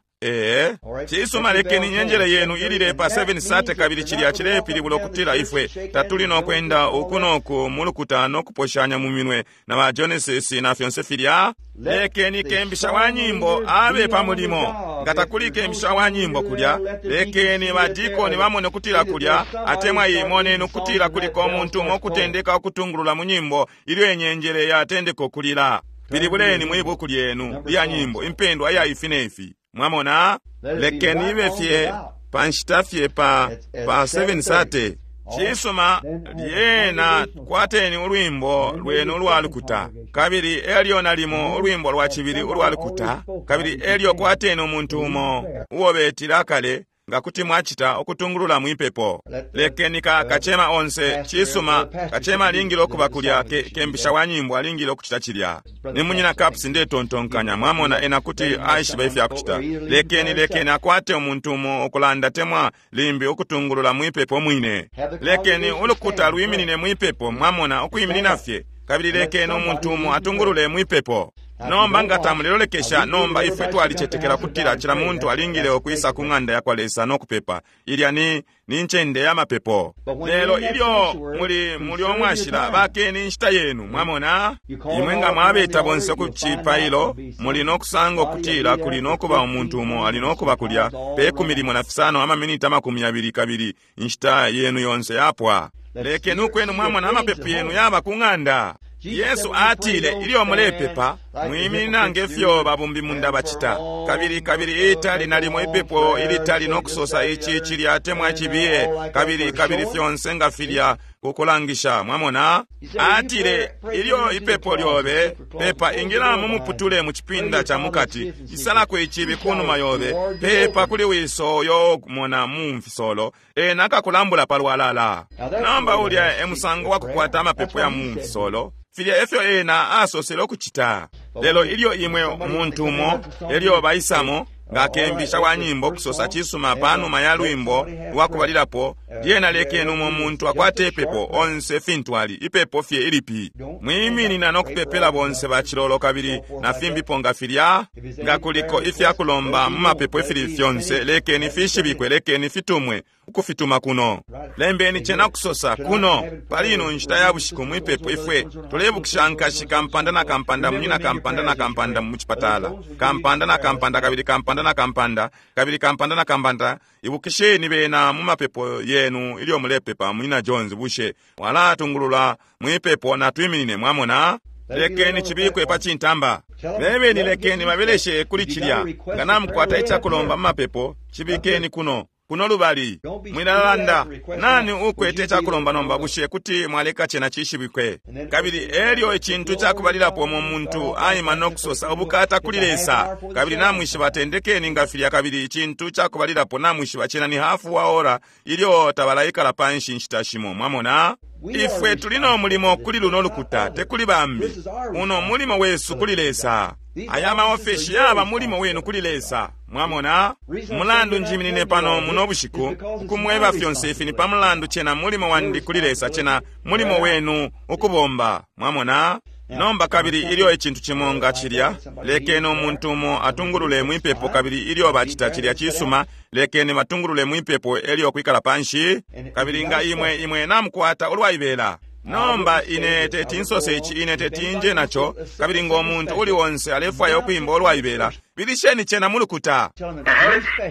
Cisuma lekeni inyenjele yenu ilile pa 7:30, kabili cilya cilepilibula ukutila ifwe tatuli nokwenda uku noku mulukuta nokuposhanya mu minwe na ba Genesis na fyonse filya. Lekeni kembisha wa nyimbo abe pa mulimo. Nga takuli kembisha wa nyimbo kulya, lekeni badikoni bamone kutila kulya atemwa imoneni ukutila kuliko umuntu umo okutendeka okutungulula mu nyimbo ilyo inyenjele yatendeka okulila. Pilibuleni mwi buku lyenu lya nyimbo impendwa ya ifi nefi. Mwamona? Lekeni ibe fye panshita fye pa 7:30. Cisuma lyena kwateni ulwimbo lwenu ulwalukuta, kabili elyo nalimo ulwimbo lwa cibili ulwalukuta, kabili elyo kwateni umuntu umo uo betila kale Nga kuti mwacita ukutungulula mwipepo. Lekeni kacema onse, cisuma, kacema alingile ukuba kulya, kembisha wa nyimbo alingile ukucita cilya. Ni munyina Caps ndetontonkanya, mwamona, ena kuti aishiba ifya kucita. Lekeni akwate umuntu umo ukulanda temwa limbi ukutungulula mwipepo mwine. Lekeni ulukuta lwiminine mwipepo, mwamona, ukwiminina fye. Kabili lekeni umuntu umo atungulule mwipepo. Nomba nga tamulelolekesha, nomba ifwe twalicetekela kutila cila muntu alingile ukwisa ku ng'anda ya kwa Lesa no kupepa. Ilya ni ncende ya mapepo. Lelo ilyo muli omwashila, bakeni inshita yenu, mwamona? Imwe nga mwabeta bonse ku cipailo, muli no kusanga ukutila kuli no kuba umuntu umo ali no kuba kulya pe 15 amaminiti 20 kabili inshita yenu yonse yapwa. Lekeni ukwenu mwamona amapepo yenu yaba ku ng'anda. Yesu atile ilyo mulepepa mwiminina ngefyo babumbi munda bacita. Kabili itali nalimo ipepo ilitali no kusosa ici cilya temwa cibiye kabili fyonse nga filya kukulangisha, mwamona. Atile ilyo ipepo lyobe pepa, ingila mu muputule mu cipinda ca mukati, isalako icibi kunuma yobe, pepa kuli wiso yo mona mu mfisolo, ena akakulambula palwalala. Nomba ulya e musango wa kukwata amapepo ya mu mfisolo. Filya efyo ena asosele ukucita. Lelo ilyo imwe umuntu umo elyo baisamo nga kembisha wa nyimbo kusosa cisuma panuma ya lwimbo lwakubalilapo, lyena lekeni umo muntu akwate ipepo onse fintu ali ipepo fye ilipi. Mwiminina no kupepela bonse bacilolo kabili na fimbipo nga filya. Nga kuliko ifya kulomba mu mapepo ifili fyonse, lekeni fishibikwe, lekeni fitumwe ukufituma kuno. Lembeni cena kusosa kuno pali ino nshita ya bushiku mwipepo ifwe tulebukisha nkashi kampanda na kampanda, munyina kampanda na kampanda mu cipatala, kampanda na kampanda, kabili kampanda na kampanda, kabili kampanda na kampanda. Ibukisheni bena mu mapepo yenu ilyo mulepepa. Munyina Jones, bushe walatungulula mwipepo na twiminine, mwamona? Lekeni chibikwe pa cintamba. Bebeni lekeni babeleshe kuli cilya. Nga namukwata icakulomba mu mapepo, chibikeni kuno. Kuno lubali mwilalanda nani ukwete icakulomba nomba, bushe kuti mwaleka cena cishibikwe. Kabili elyo icintu cakubalilapo mu muntu aima no kusosa ubukata kuli Lesa, kabili namwishiba tendekeni nga filya. Kabili icintu cakubalilapo namwishiba cena ni hafu wa ora ilyo tabalaikala panshi nshita shimo, mwamona. Ifwe tuli no mulimo kuli luno lukuta, te kuli bambi. Uno mulimo wesu kuli Lesa. Aya maofeshi yaba mulimo wenu kuli Lesa, mwamona. Mulandu njiminine pano muno bushiku ukumweba fyonse ifi ni pa mulandu cena mulimo wandi kuli Lesa, cena mulimo wenu ukubomba, mwamona. Nomba kabili ilyo icintu cimo nga cilya, lekeni umuntu umo atungulule mwipepo, kabili ilyo bacita cilya cisuma, lekeni batungulule mwipepo elyo kwikala panshi. Kabili nga imwe namukwata ulwaibela. Nomba ine teti nsose ici, ine teti nje naco. Kabili ngo muntu uli onse alefwaya ukuimba olwaibela, bilisheni cena mulukuta.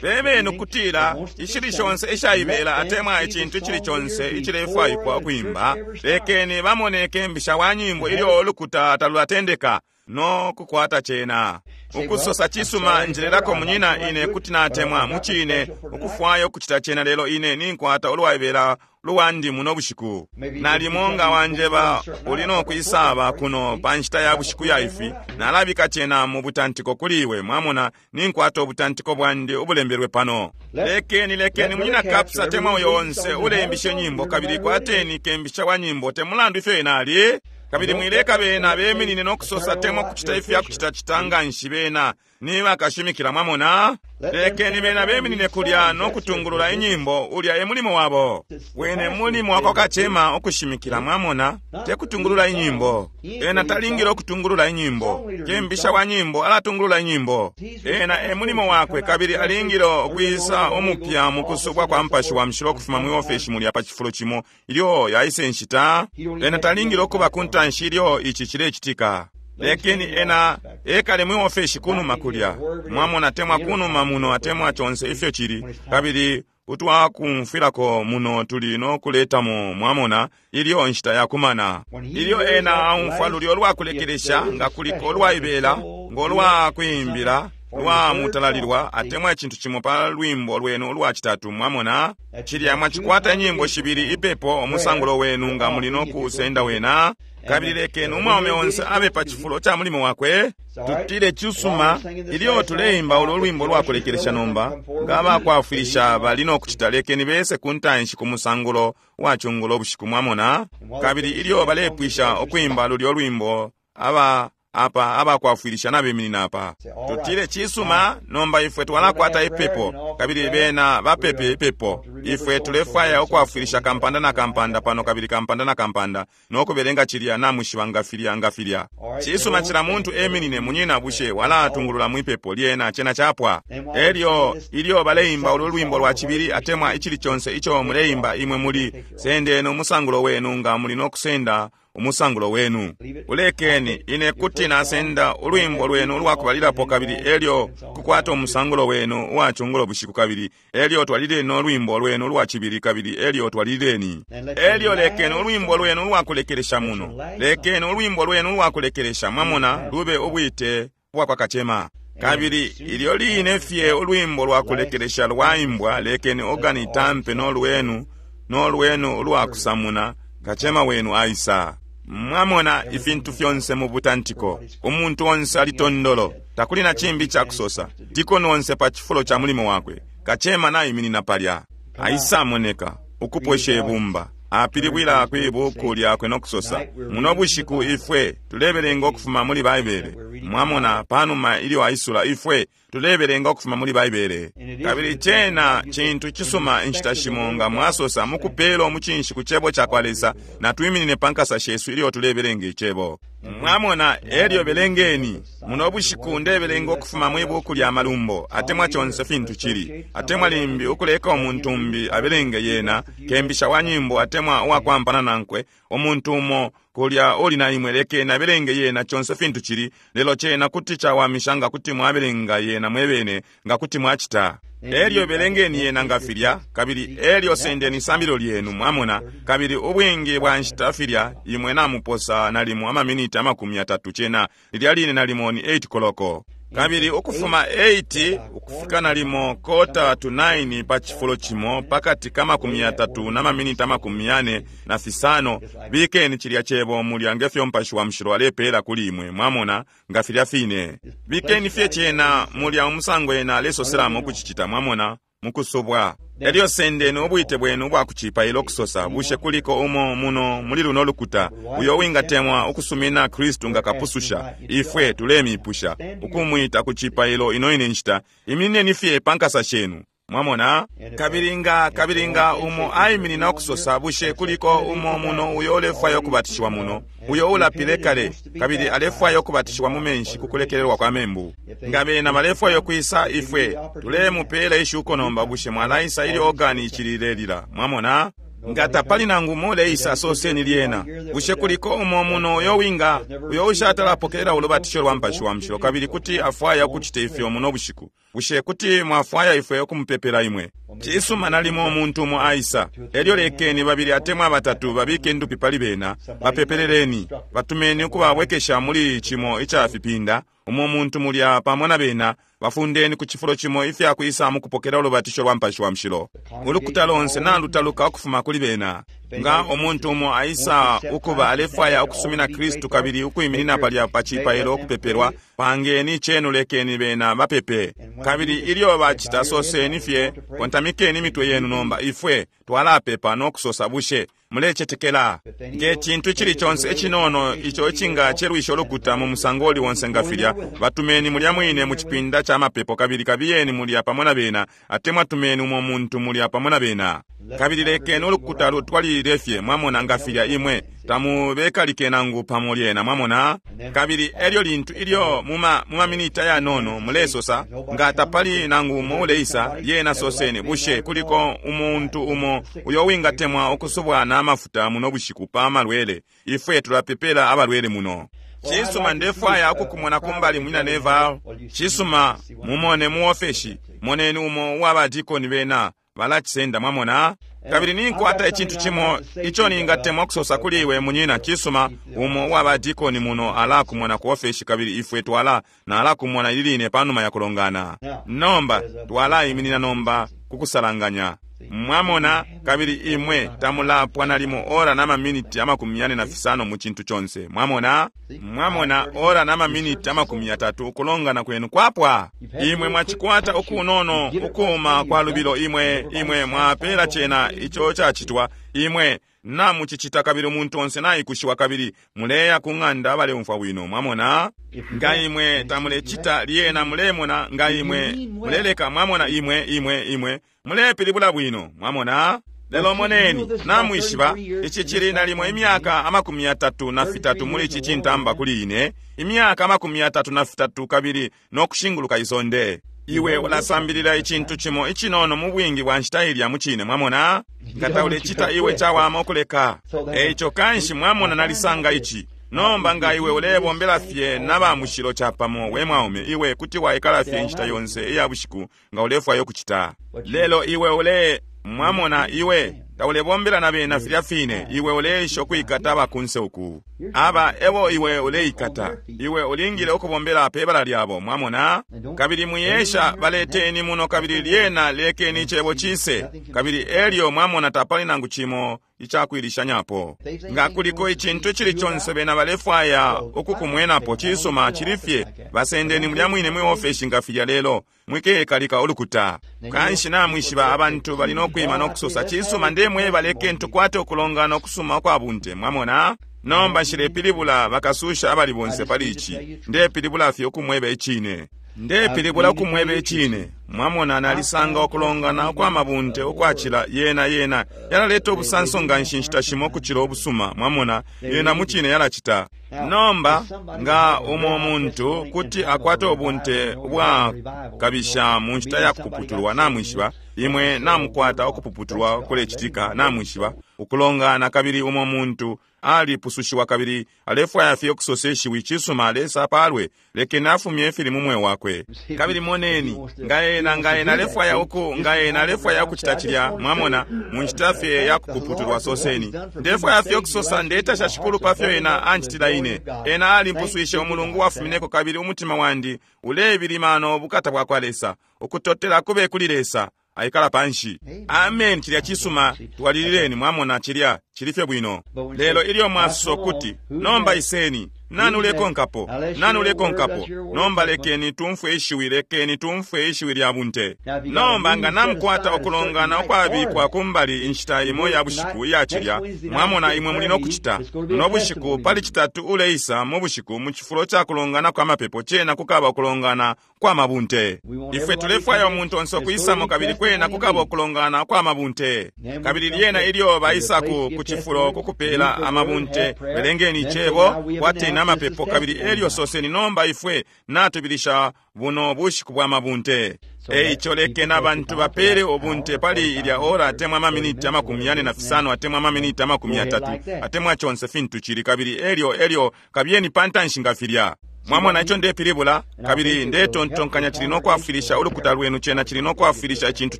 Bebeni ukutila ishili shonse ishaibela atemwa icintu icili conse icilefwaikwa ukuimba, lekeni bamoneke mbisha wa nyimbo ilyo ulukuta talulatendeka no kukwata cena. Ukusosa cisuma, njelelako munyina, ine kuti natemwa mucine ukufwaya ukucita cena, lelo ine ninkwata ulwaibela luwandi muno bushiku. Nalimo nga wanjeba uli no kwisaba kuno pa nshita ya bushiku ya ifi, nalabika cena mu butantiko kuli iwe, mwamona, ninkwata ubutantiko bwandi ubulembelwe pano. Lekeni munyina Kapsa temwa uyo onse ulembishe nyimbo, kabili kwateni kembisha wa nyimbo te mulandu ifyo ena ali. Kabili mwileka bena beminine no kusosa temwa kucita ifya kucita citanga nshi bena ni bakashimikila, mwamona. Lekeni bena beminine kulya no kutungulula inyimbo, ulya e mulimo wabo. Wene mulimo wako kacema ukushimikila, mwamona, te kutungulula inyimbo. Ena talingile ukutungulula inyimbo. Kembisha wa nyimbo alatungulula inyimbo. Ena e mulimo wakwe, kabili alingile ukwisa umupya mu kusubwa kwa mpashi wa mshilo kufuma mu ofeshi mulya pa cifulo cimo ilyo yaise nshita. Ena talingile ukuba ku ntanshi ilyo ici cilecitika. Lekeni ena ekale mwi ofeshi kunuma kulya, mwamona, temwa kunuma muno atemwa conse ifyo cili, kabili utwakumfwilako muno tuli no kuletamo, mwamona, ilyo nshita yakumana. Ilyo ena aumfwa lulyo lwakulekelesha nga kuliko lwaibela ngo lwakwimbila lwa mutalalilwa atemwa icintu cimo pa lwimbo lwenu ulwa citatu, mwamona, cilya mwacikwata inyimbo shibili ipepo umusangulo wenu nga muli no kusenda wena. Kabili lekeni umwaume onse abe pa cifulo ca mulimo wakwe. Tutile cisuma ilyo tuleimba ulo lwimbo lwa kulekelesha nomba, nga abakwafwilisha bali no kucita, lekeni bese ku ntanshi ku musangulo wa cungulo bushiku, mwamona. Kabili ilyo balepwisha ukwimba lulyo lwimbo, aba apa abakwafwilisha nabeminina apa. Tutile cisuma nomba ifwe twalakwata ipepo, kabili bena bapepe ipepo. Ifwe tulefwaya ukwafwilisha kampanda na kampanda pano, kabili kampanda na kampanda, no kubelenga cilya namwishiba nga filya nga filya. Cisuma, cila muntu eminine. Munyina, bushe walatungulula mwipepo? Lyena cena capwa. Elyo ilyo baleimba ulo lwimbo lwa cibili atemwa icili conse ico muleimba, imwe muli sendeni umusangulo wenu nga muli no kusenda umusangulo wenu. Ulekeni ine kuti nasenda ulwimbo lwenu ulwakubalilapo, kabili elyo kukwata umusangulo wenu uwacungulo bushiku, kabili elyo twalileni no lwimbo lwenu ulwa cibili, kabili elyo twalileni. Elyo lekeni ulwimbo lwenu ulwakulekelesha muno, lekeni ulwimbo lwenu ulwakulekelesha, mwamona, lube ubwite bwa kwa kacema. Kabili ilyo line fye ulwimbo lwakulekelesha lwaimbwa, lekeni organi itampe no lwenu, no lwenu ulwakusamuna, kacema wenu aisa. Mwamona ifintu fyonse mu butantiko. Umuntu onse ali tondolo, takuli na cimbi cakusosa. Dikoni onse pa cifulo ca mulimo wakwe, kacema naiminina palya. Aisamoneka ukupwesha ibumba, apilibwila kwi buku lyakwe no kusosa, muno bushiku ifwe tulebelenga ukufuma muli Baibele. Mwamona, panuma ilyo aisula, ifwe tulebelenga ukufuma muli Baibele. Kabili cena cintu cisuma inshita shimo nga mwasosa mukupela umucinshi ku cebo ca kwa Lesa, natwiminine pa nkasa shesu ilyo tulebelenga icebo. Mwamona, elyo belengeni. Muno bushiku ndebelenga ukufuma mwi buku lya Malumbo, atemwa conse fintu cili, atemwa limbi ukuleka umuntu umbi abelenge yena, kembisha wa nyimbo atemwa uwakwampana nankwe, umuntu umo kulya uli na imwe, lekeni abelenge yena conse fintu cili. Lelo cena kuti cawamisha nga kuti mwabelenga yena mwebene, nga kuti mwacita. Elyo belengeni yena nga filya, kabili elyo sendeni isambililo lyenu, mwamona. Kabili ubwingi bwa nshita filya imwe namuposa nalimo amaminiti 30, cena lilya line nalimo ni 8 koloko. Kabili ukufuma 8 ukufika nalimo 8:45 pa cifulo cimo pakati ka 30 na maminiti 45, bikeni cilya cebo mulya ngefyo Mupashi wa Mushilo alepela kuli imwe, mwamona, nga filya fine. Bikeni fye cena mulya umusango ena alesoselamo ukucicita, mwamona, mukusubwa. Elyo sendeni ubwite bwenu ubwa kucipaila, ukusosa, bushe kuliko umo muno muli luno lukuta uyo wingatemwa ukusumina Kristu nga kapususha? Ifwe tulemipusha ukumwita ku cipailo ino ine nshita. Iminineni fye pa nkasa shenu, mwamona. Kabili nga, kabili nga umo aiminina ukusosa, bushe kuliko umo muno uyo ulefwaya ukubatishiwa muno, uyo ulapile kale kabili alefwaya ukubatishiwa mu menshi ku kulekelelwa kwa membu? Nga bena balefwaya ukwisa, ifwe tulemupela ishuko nomba. Bushe mwalaisa ilyo organi icililelila? Mwamona, nga tapali nangu umo uleisa, soseni lyena. Bushe kuliko umo muno uyo winga, uyo ushatalapokelela ulubatisho lwa Mupashi wa Mushilo kabili kuti afwaya ukucita ifyo muno bushiku? Bushe kuti mwafwaya ifwe ukumupepela imwe? Cisuma, nalimo umuntu umo aisa. Elyo lekeni babili atemwa batatu babike ndupi pali bena, bapepeleleni, batumeni ukubabwekesha muli cimo ica fipinda, umo muntu mulya pamo na bena, bafundeni ku cifulo cimo ifya kwisa mukupokela ulubatisho lwa Mupashi wa Mushilo. Ulukuta lonse nalutaluka ukufuma kuli bena. Nga umuntu umo aisa ukuba alefwaya ukusumina Kristu kabili ukwiminina palya pa cipailo ukupepelwa, pangeni cenu, lekeni bena bapepe. Kabili ilyo bacita, soseni fye, kontamikeni imitwe yenu nomba, ifwe twalapepa no kusosa, bushe mulecetekela? Nge cintu icili conse icinono ico icingacelwisha ulukuta mu musango uli onse nga filya, batumeni mulya mwine mu cipinda ca mapepo, kabili kabiyeni mulya pamo na bena, atemwa tumeni umo muntu mulya pamo na bena. Kabili lekeni ulukuta lutwalilile fye, mwamona, nga filya, imwe tamubekalike nangu pamo lyena, mwamona. Kabili elyo lintu ilyo muma maminiti ayanono mulesosa, nga tapali nangu umo uleisa, lyena soseni, bushe kuliko umuntu umo uyo wingatemwa ukusubwa na mafuta muno bushiku pa malwele? Ifwe tulapepela abalwele muno. Cisuma, ndefwaya ukukumona kumbali, munyina Neville. Cisuma, mumone mu ofeshi, moneni umo uwa badikoni bena balacisenda, mwamona. Kabili ninkwata icintu cimo ico ningatemwa kusosa kuli iwe, munyina. Cisuma, umo uwa badikoni muno alakumona ku ofeshi, kabili ifwe twala nalakumona ili line panuma ya kulongana. Nomba twalaiminina nomba kukusalanganya. Mwamona, kabili imwe tamulapwa nalimo ora na maminiti 45 mu cintu conse. Mwamona? Mwamona, ora na maminiti 30 ukulongana kwenu kwapwa. Imwe mwacikwata ukunono ukuma kwa lubilo, imwe imwe mwapela cena ico cacitwa, imwe namucicita kabili umuntu onse naikushiwa kabili muleya ku ng'anda baleumfwa bwino. Mwamona? Nga imwe tamulecita lyena mulemona, nga imwe muleleka, mwamona, imwe imwe imwe mulepilibula bwino. Mwamona? Lelo moneni, namwishiba ici cili nalimo imyaka 33 muli ici cintamba kuli ine, imyaka 33 kabili nokushinguluka isonde. Iwe ulasambilila icintu cimo icinono mu bwingi bwa nshita ilya mucine. Mwamona? Nga taulecita iwe cawama ukuleka. Eico kanshi mwamona nalisanga ici. Nomba nga iwe ulebombela fye na ba mushilo capamo, we mwaume, iwe kuti waikala fye inshita yonse iya bushiku nga ulefwaya ukucita. Lelo iwe ule mwamona iwe taulebombela na bena filya fine, iwe uleisha ukwikata abakunse uku. Aba ebo iwe uleikata, iwe ulingile ukubombela pe bala lyabo. Mwamona? Kabili mwiyesha baleteni muno kabili lyena lekeni icebo cise. Kabili elyo mwamona tapali nangu cimo icakwilishanyapo. Nga kuliko icintu icili conse bena balefwaya ukukumwenapo, cisuma cili fye basendeni mulya mwine mwi ofeshi nga filya, lelo mwikekalika ulukuta. Kanshi namwishiba abantu bali nokwima nokusosa, cisuma ndemweba lekeni tukwate ukulongana ukusuma ukwa bunte. Mwamona? Nomba nshilepilibula bakasusha abali bonse pali ici, ndepilibula fye ukumweba icine. Ndepilibula ukumweba icine. Mwamona, nalisanga ukulongana ukwa mabunte ukwacila yena yena yalaleta ubusanso nga nshi nshita shimo ukucila ubusuma. Mwamona, yena mucine yalacita. Nomba nga umo muntu kuti akwata ubunte ubwakabisha mu nshita ya kupuputulwa, namwishiba imwe namukwata ukupuputulwa kulecitika, namwishiba ukulongana, kabili umo muntu alipusushiwa kabili alefwaya fye ukusosa ishiwi, cisuma Lesa apalwe, lekeni afumye ifili mu mweo wakwe. Kabili moneni nga ena nga ena alefwaya uku nga ena alefwaya ukucita cilya. Mwamona, mu nshita fye ya kupuputulwa, soseni, ndefwaya fye ukusosa, ndetasha Shikulu pa fyo ena ancitila ine. Ena alimpuswishe umulungu wafumineko, kabili umutima wandi ulebilima no bukata bwa kwa Lesa. Ukutotela kube kuli Lesa. Aikala panshi. Amen. Cilya cisuma, twalilileni. Mwamona, cilya cili fye bwino. Lelo ilyo mwasosa ukuti, nomba iseni, nani ulekonkapo? Nani ulekonkapo? Nomba lekeni tumfwe ishiwi, lekeni tumfwe ishiwi lya bunte. Nomba nga namukwata ukulongana ukwabikwa kumbali inshita imo ya bushiku iya cilya, mwamona imwe muli nokucita no bushiku pali citatu uleisa mu bushiku mu cifulo ca kulongana kwa mapepo, cena kukaba ukulongana kwa mabunte. Ifwe tulefwaya umuntu onse ukwisamo, kabili kwena kukaba ukulongana kwa mabunte. Kabili lyena ilyo baisa ku cifulo kukupela amabunte, belengeni icebo, kwateni amapepo, kabili elyo soseni, nomba ifwe natubilisha buno bushiku bwa mabunte. Eico lekeni abantu bapele ubunte pali ilya ora atemwa amaminiti 45 atemwa amaminiti 30 atemwa conse fintu cili, kabili elyo elyo kabiyeni pantanshi nga filya. Mwamona ico ndepilibula? Kabili ndetontonkanya cili nokwafwilisha ulukuta lwenu, cena cili nokwafwilisha icintu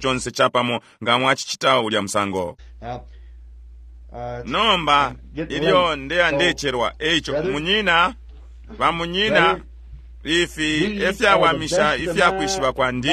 conse capamo nga mwacicita ulya musango. Nomba ilyo ndeya ndecelwa, eico munyina, bamunyina, ifi efyawamisha ifyakwishiba kwandi,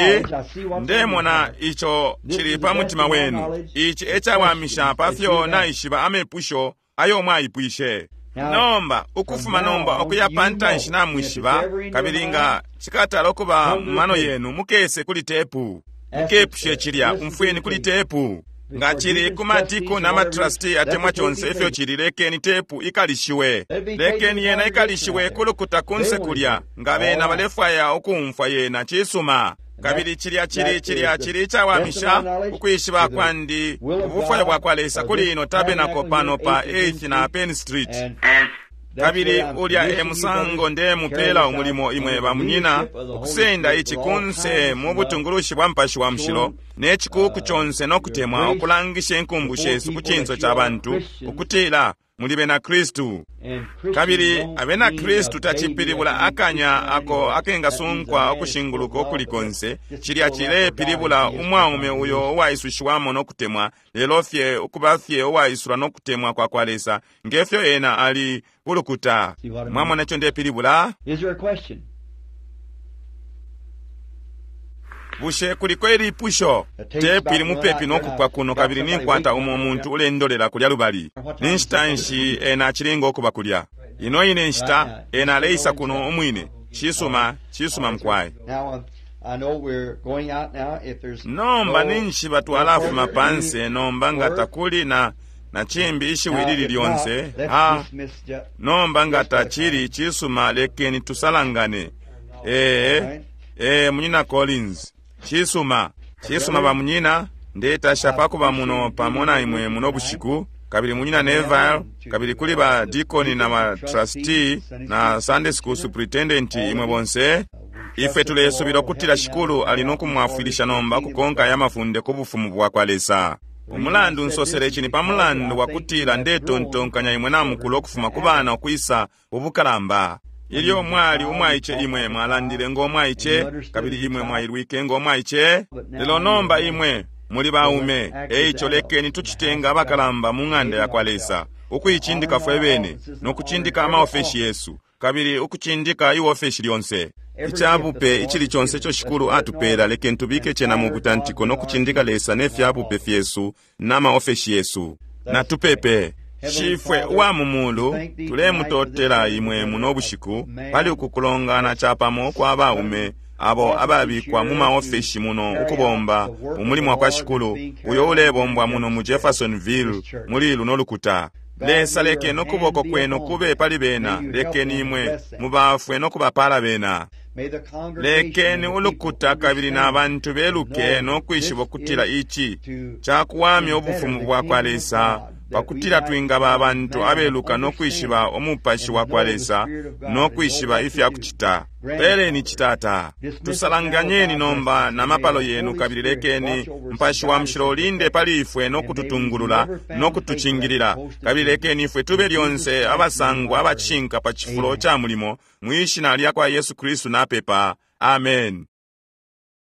ndemona ico cili pa mutima wenu. Ici ecawamisha pafyo naishiba amepusho ayo mwaipwishe. Nomba ukufuma nomba ukuya pantanshi namwishiba, kabili nga cikatala ukuba mu mano yenu, mukese kuli tepu, mukepushe cilya, umfweni kuli tepu. Nga cili ku matiko na matrasti atemwa conse ifyo cili, lekeni tepu ikalishiwe, lekeni yena ikalishiwe kulukuta kunse kulya, nga bena balefwaya ukumfwa yena, cisuma. Kabili cilya cili cilya cili icawamisha ukwishiba kwandi ubufwayo bwa kwa Lesa kuli ino tabernacle pano pa 8th na Penn Street. Kabili ulya e musango ndemupela umulimo imwe bamunyina, ukusenda ici kunse mu butungulushi bwa Mupashi wa Mushilo ne cikuku conse no kutemwa, ukulangisha inkumbu shesu ku cinso ca bantu ukutila muli bena Kristu. Kabili abena Kristu tacipilibula akanya ako akengasunkwa ukushinguluka ukuli konse. Cilya cilepilibula umwaume uyo uwaisushiwamo no kutemwa, lelo fye ukuba fye uwaisula no kutemwa kwa kwa Lesa ngefyo ena ali kulukuta. Mwamona ico ndepilibula? Is there a question? Bushe kuliko ilipusho? Tepu ili mupepi no kupwa kuno kabili ninkwata umo muntu ulendolela kulya lubali. Ni nshita nshi ena acilinga ukuba kulya? Ino ine nshita ena aleisa kuno umwine. Cisuma, cisuma mukwai. Nomba ninshi twalafuma panse nomba nga takuli na na cimbi ishiwi lili lyonse ha nomba nga tacili cisuma lekeni tusalangane. Ee, ee, munyina Collins, cisuma, cisuma ba munyina, ndetasha pakuba muno pamo na imwe muno bushiku, kabili munyina Neville, kabili kuli ba deacon na ba trustee na Sunday school superintendent imwe bonse. Ifwe tulesubila ukutila Shikulu ali no kumwafwilisha nomba kukonka aya mafunde ku bufumu bwa kwa Lesa. Umulandu nsosele ici ni pa mulandu wa kutila ndetontonkanya imwe namukula ukufuma ku bana ukwisa ubukalamba. Ilyo mwali umwaice imwe mwalandile ngo mwaice, kabili imwe mwailwike ngo mwaice, lelo nomba imwe muli baume. Eico lekeni tucite nga abakalamba mu ng'anda ya kwa Lesa, ukuicindika fwe bene no kucindika amaofeshi yesu, kabili ukucindika iofeshi lyonse. Icabupe icili conse ico Shikulu atupela, lekeni tubike cena mu butantiko no kucindika Lesa ne fyabupe fyesu na maofeshi yesu. Natupepe. Shifwe uwa mu mulu, tulemutotela imwe muno bushiku pali uku kulongana capamo kwa baume abo ababikwa mu maofeshi muno ukubomba umulimo wa kwa Shikulu uyo ulebombwa muno mu Jeffersonville muli luno lukuta. Lesa, lekeni ukuboko kwenu kube pali bena, lekeni imwe mubafwe no kubapala bena. Lekeni ulukuta kabili na bantu beluke no kwishiba ukutila ici cakuwamya ubufumu bwa kwa Lesa, pakutila twingaba abantu abeluka no kwishiba umupashi wa kwa Lesa no kwishiba ifya kucita. Peleni citata. Tusalanganyeni nomba na mapalo yenu, kabili lekeni Mupashi wa Mushilo ulinde pali ifwe no kututungulula no kutucingilila, kabili lekeni ifwe tube lyonse abasangwa abacishinka pa cifulo ca mulimo, mwi shina lya kwa Yesu Kristu napepa. Amen.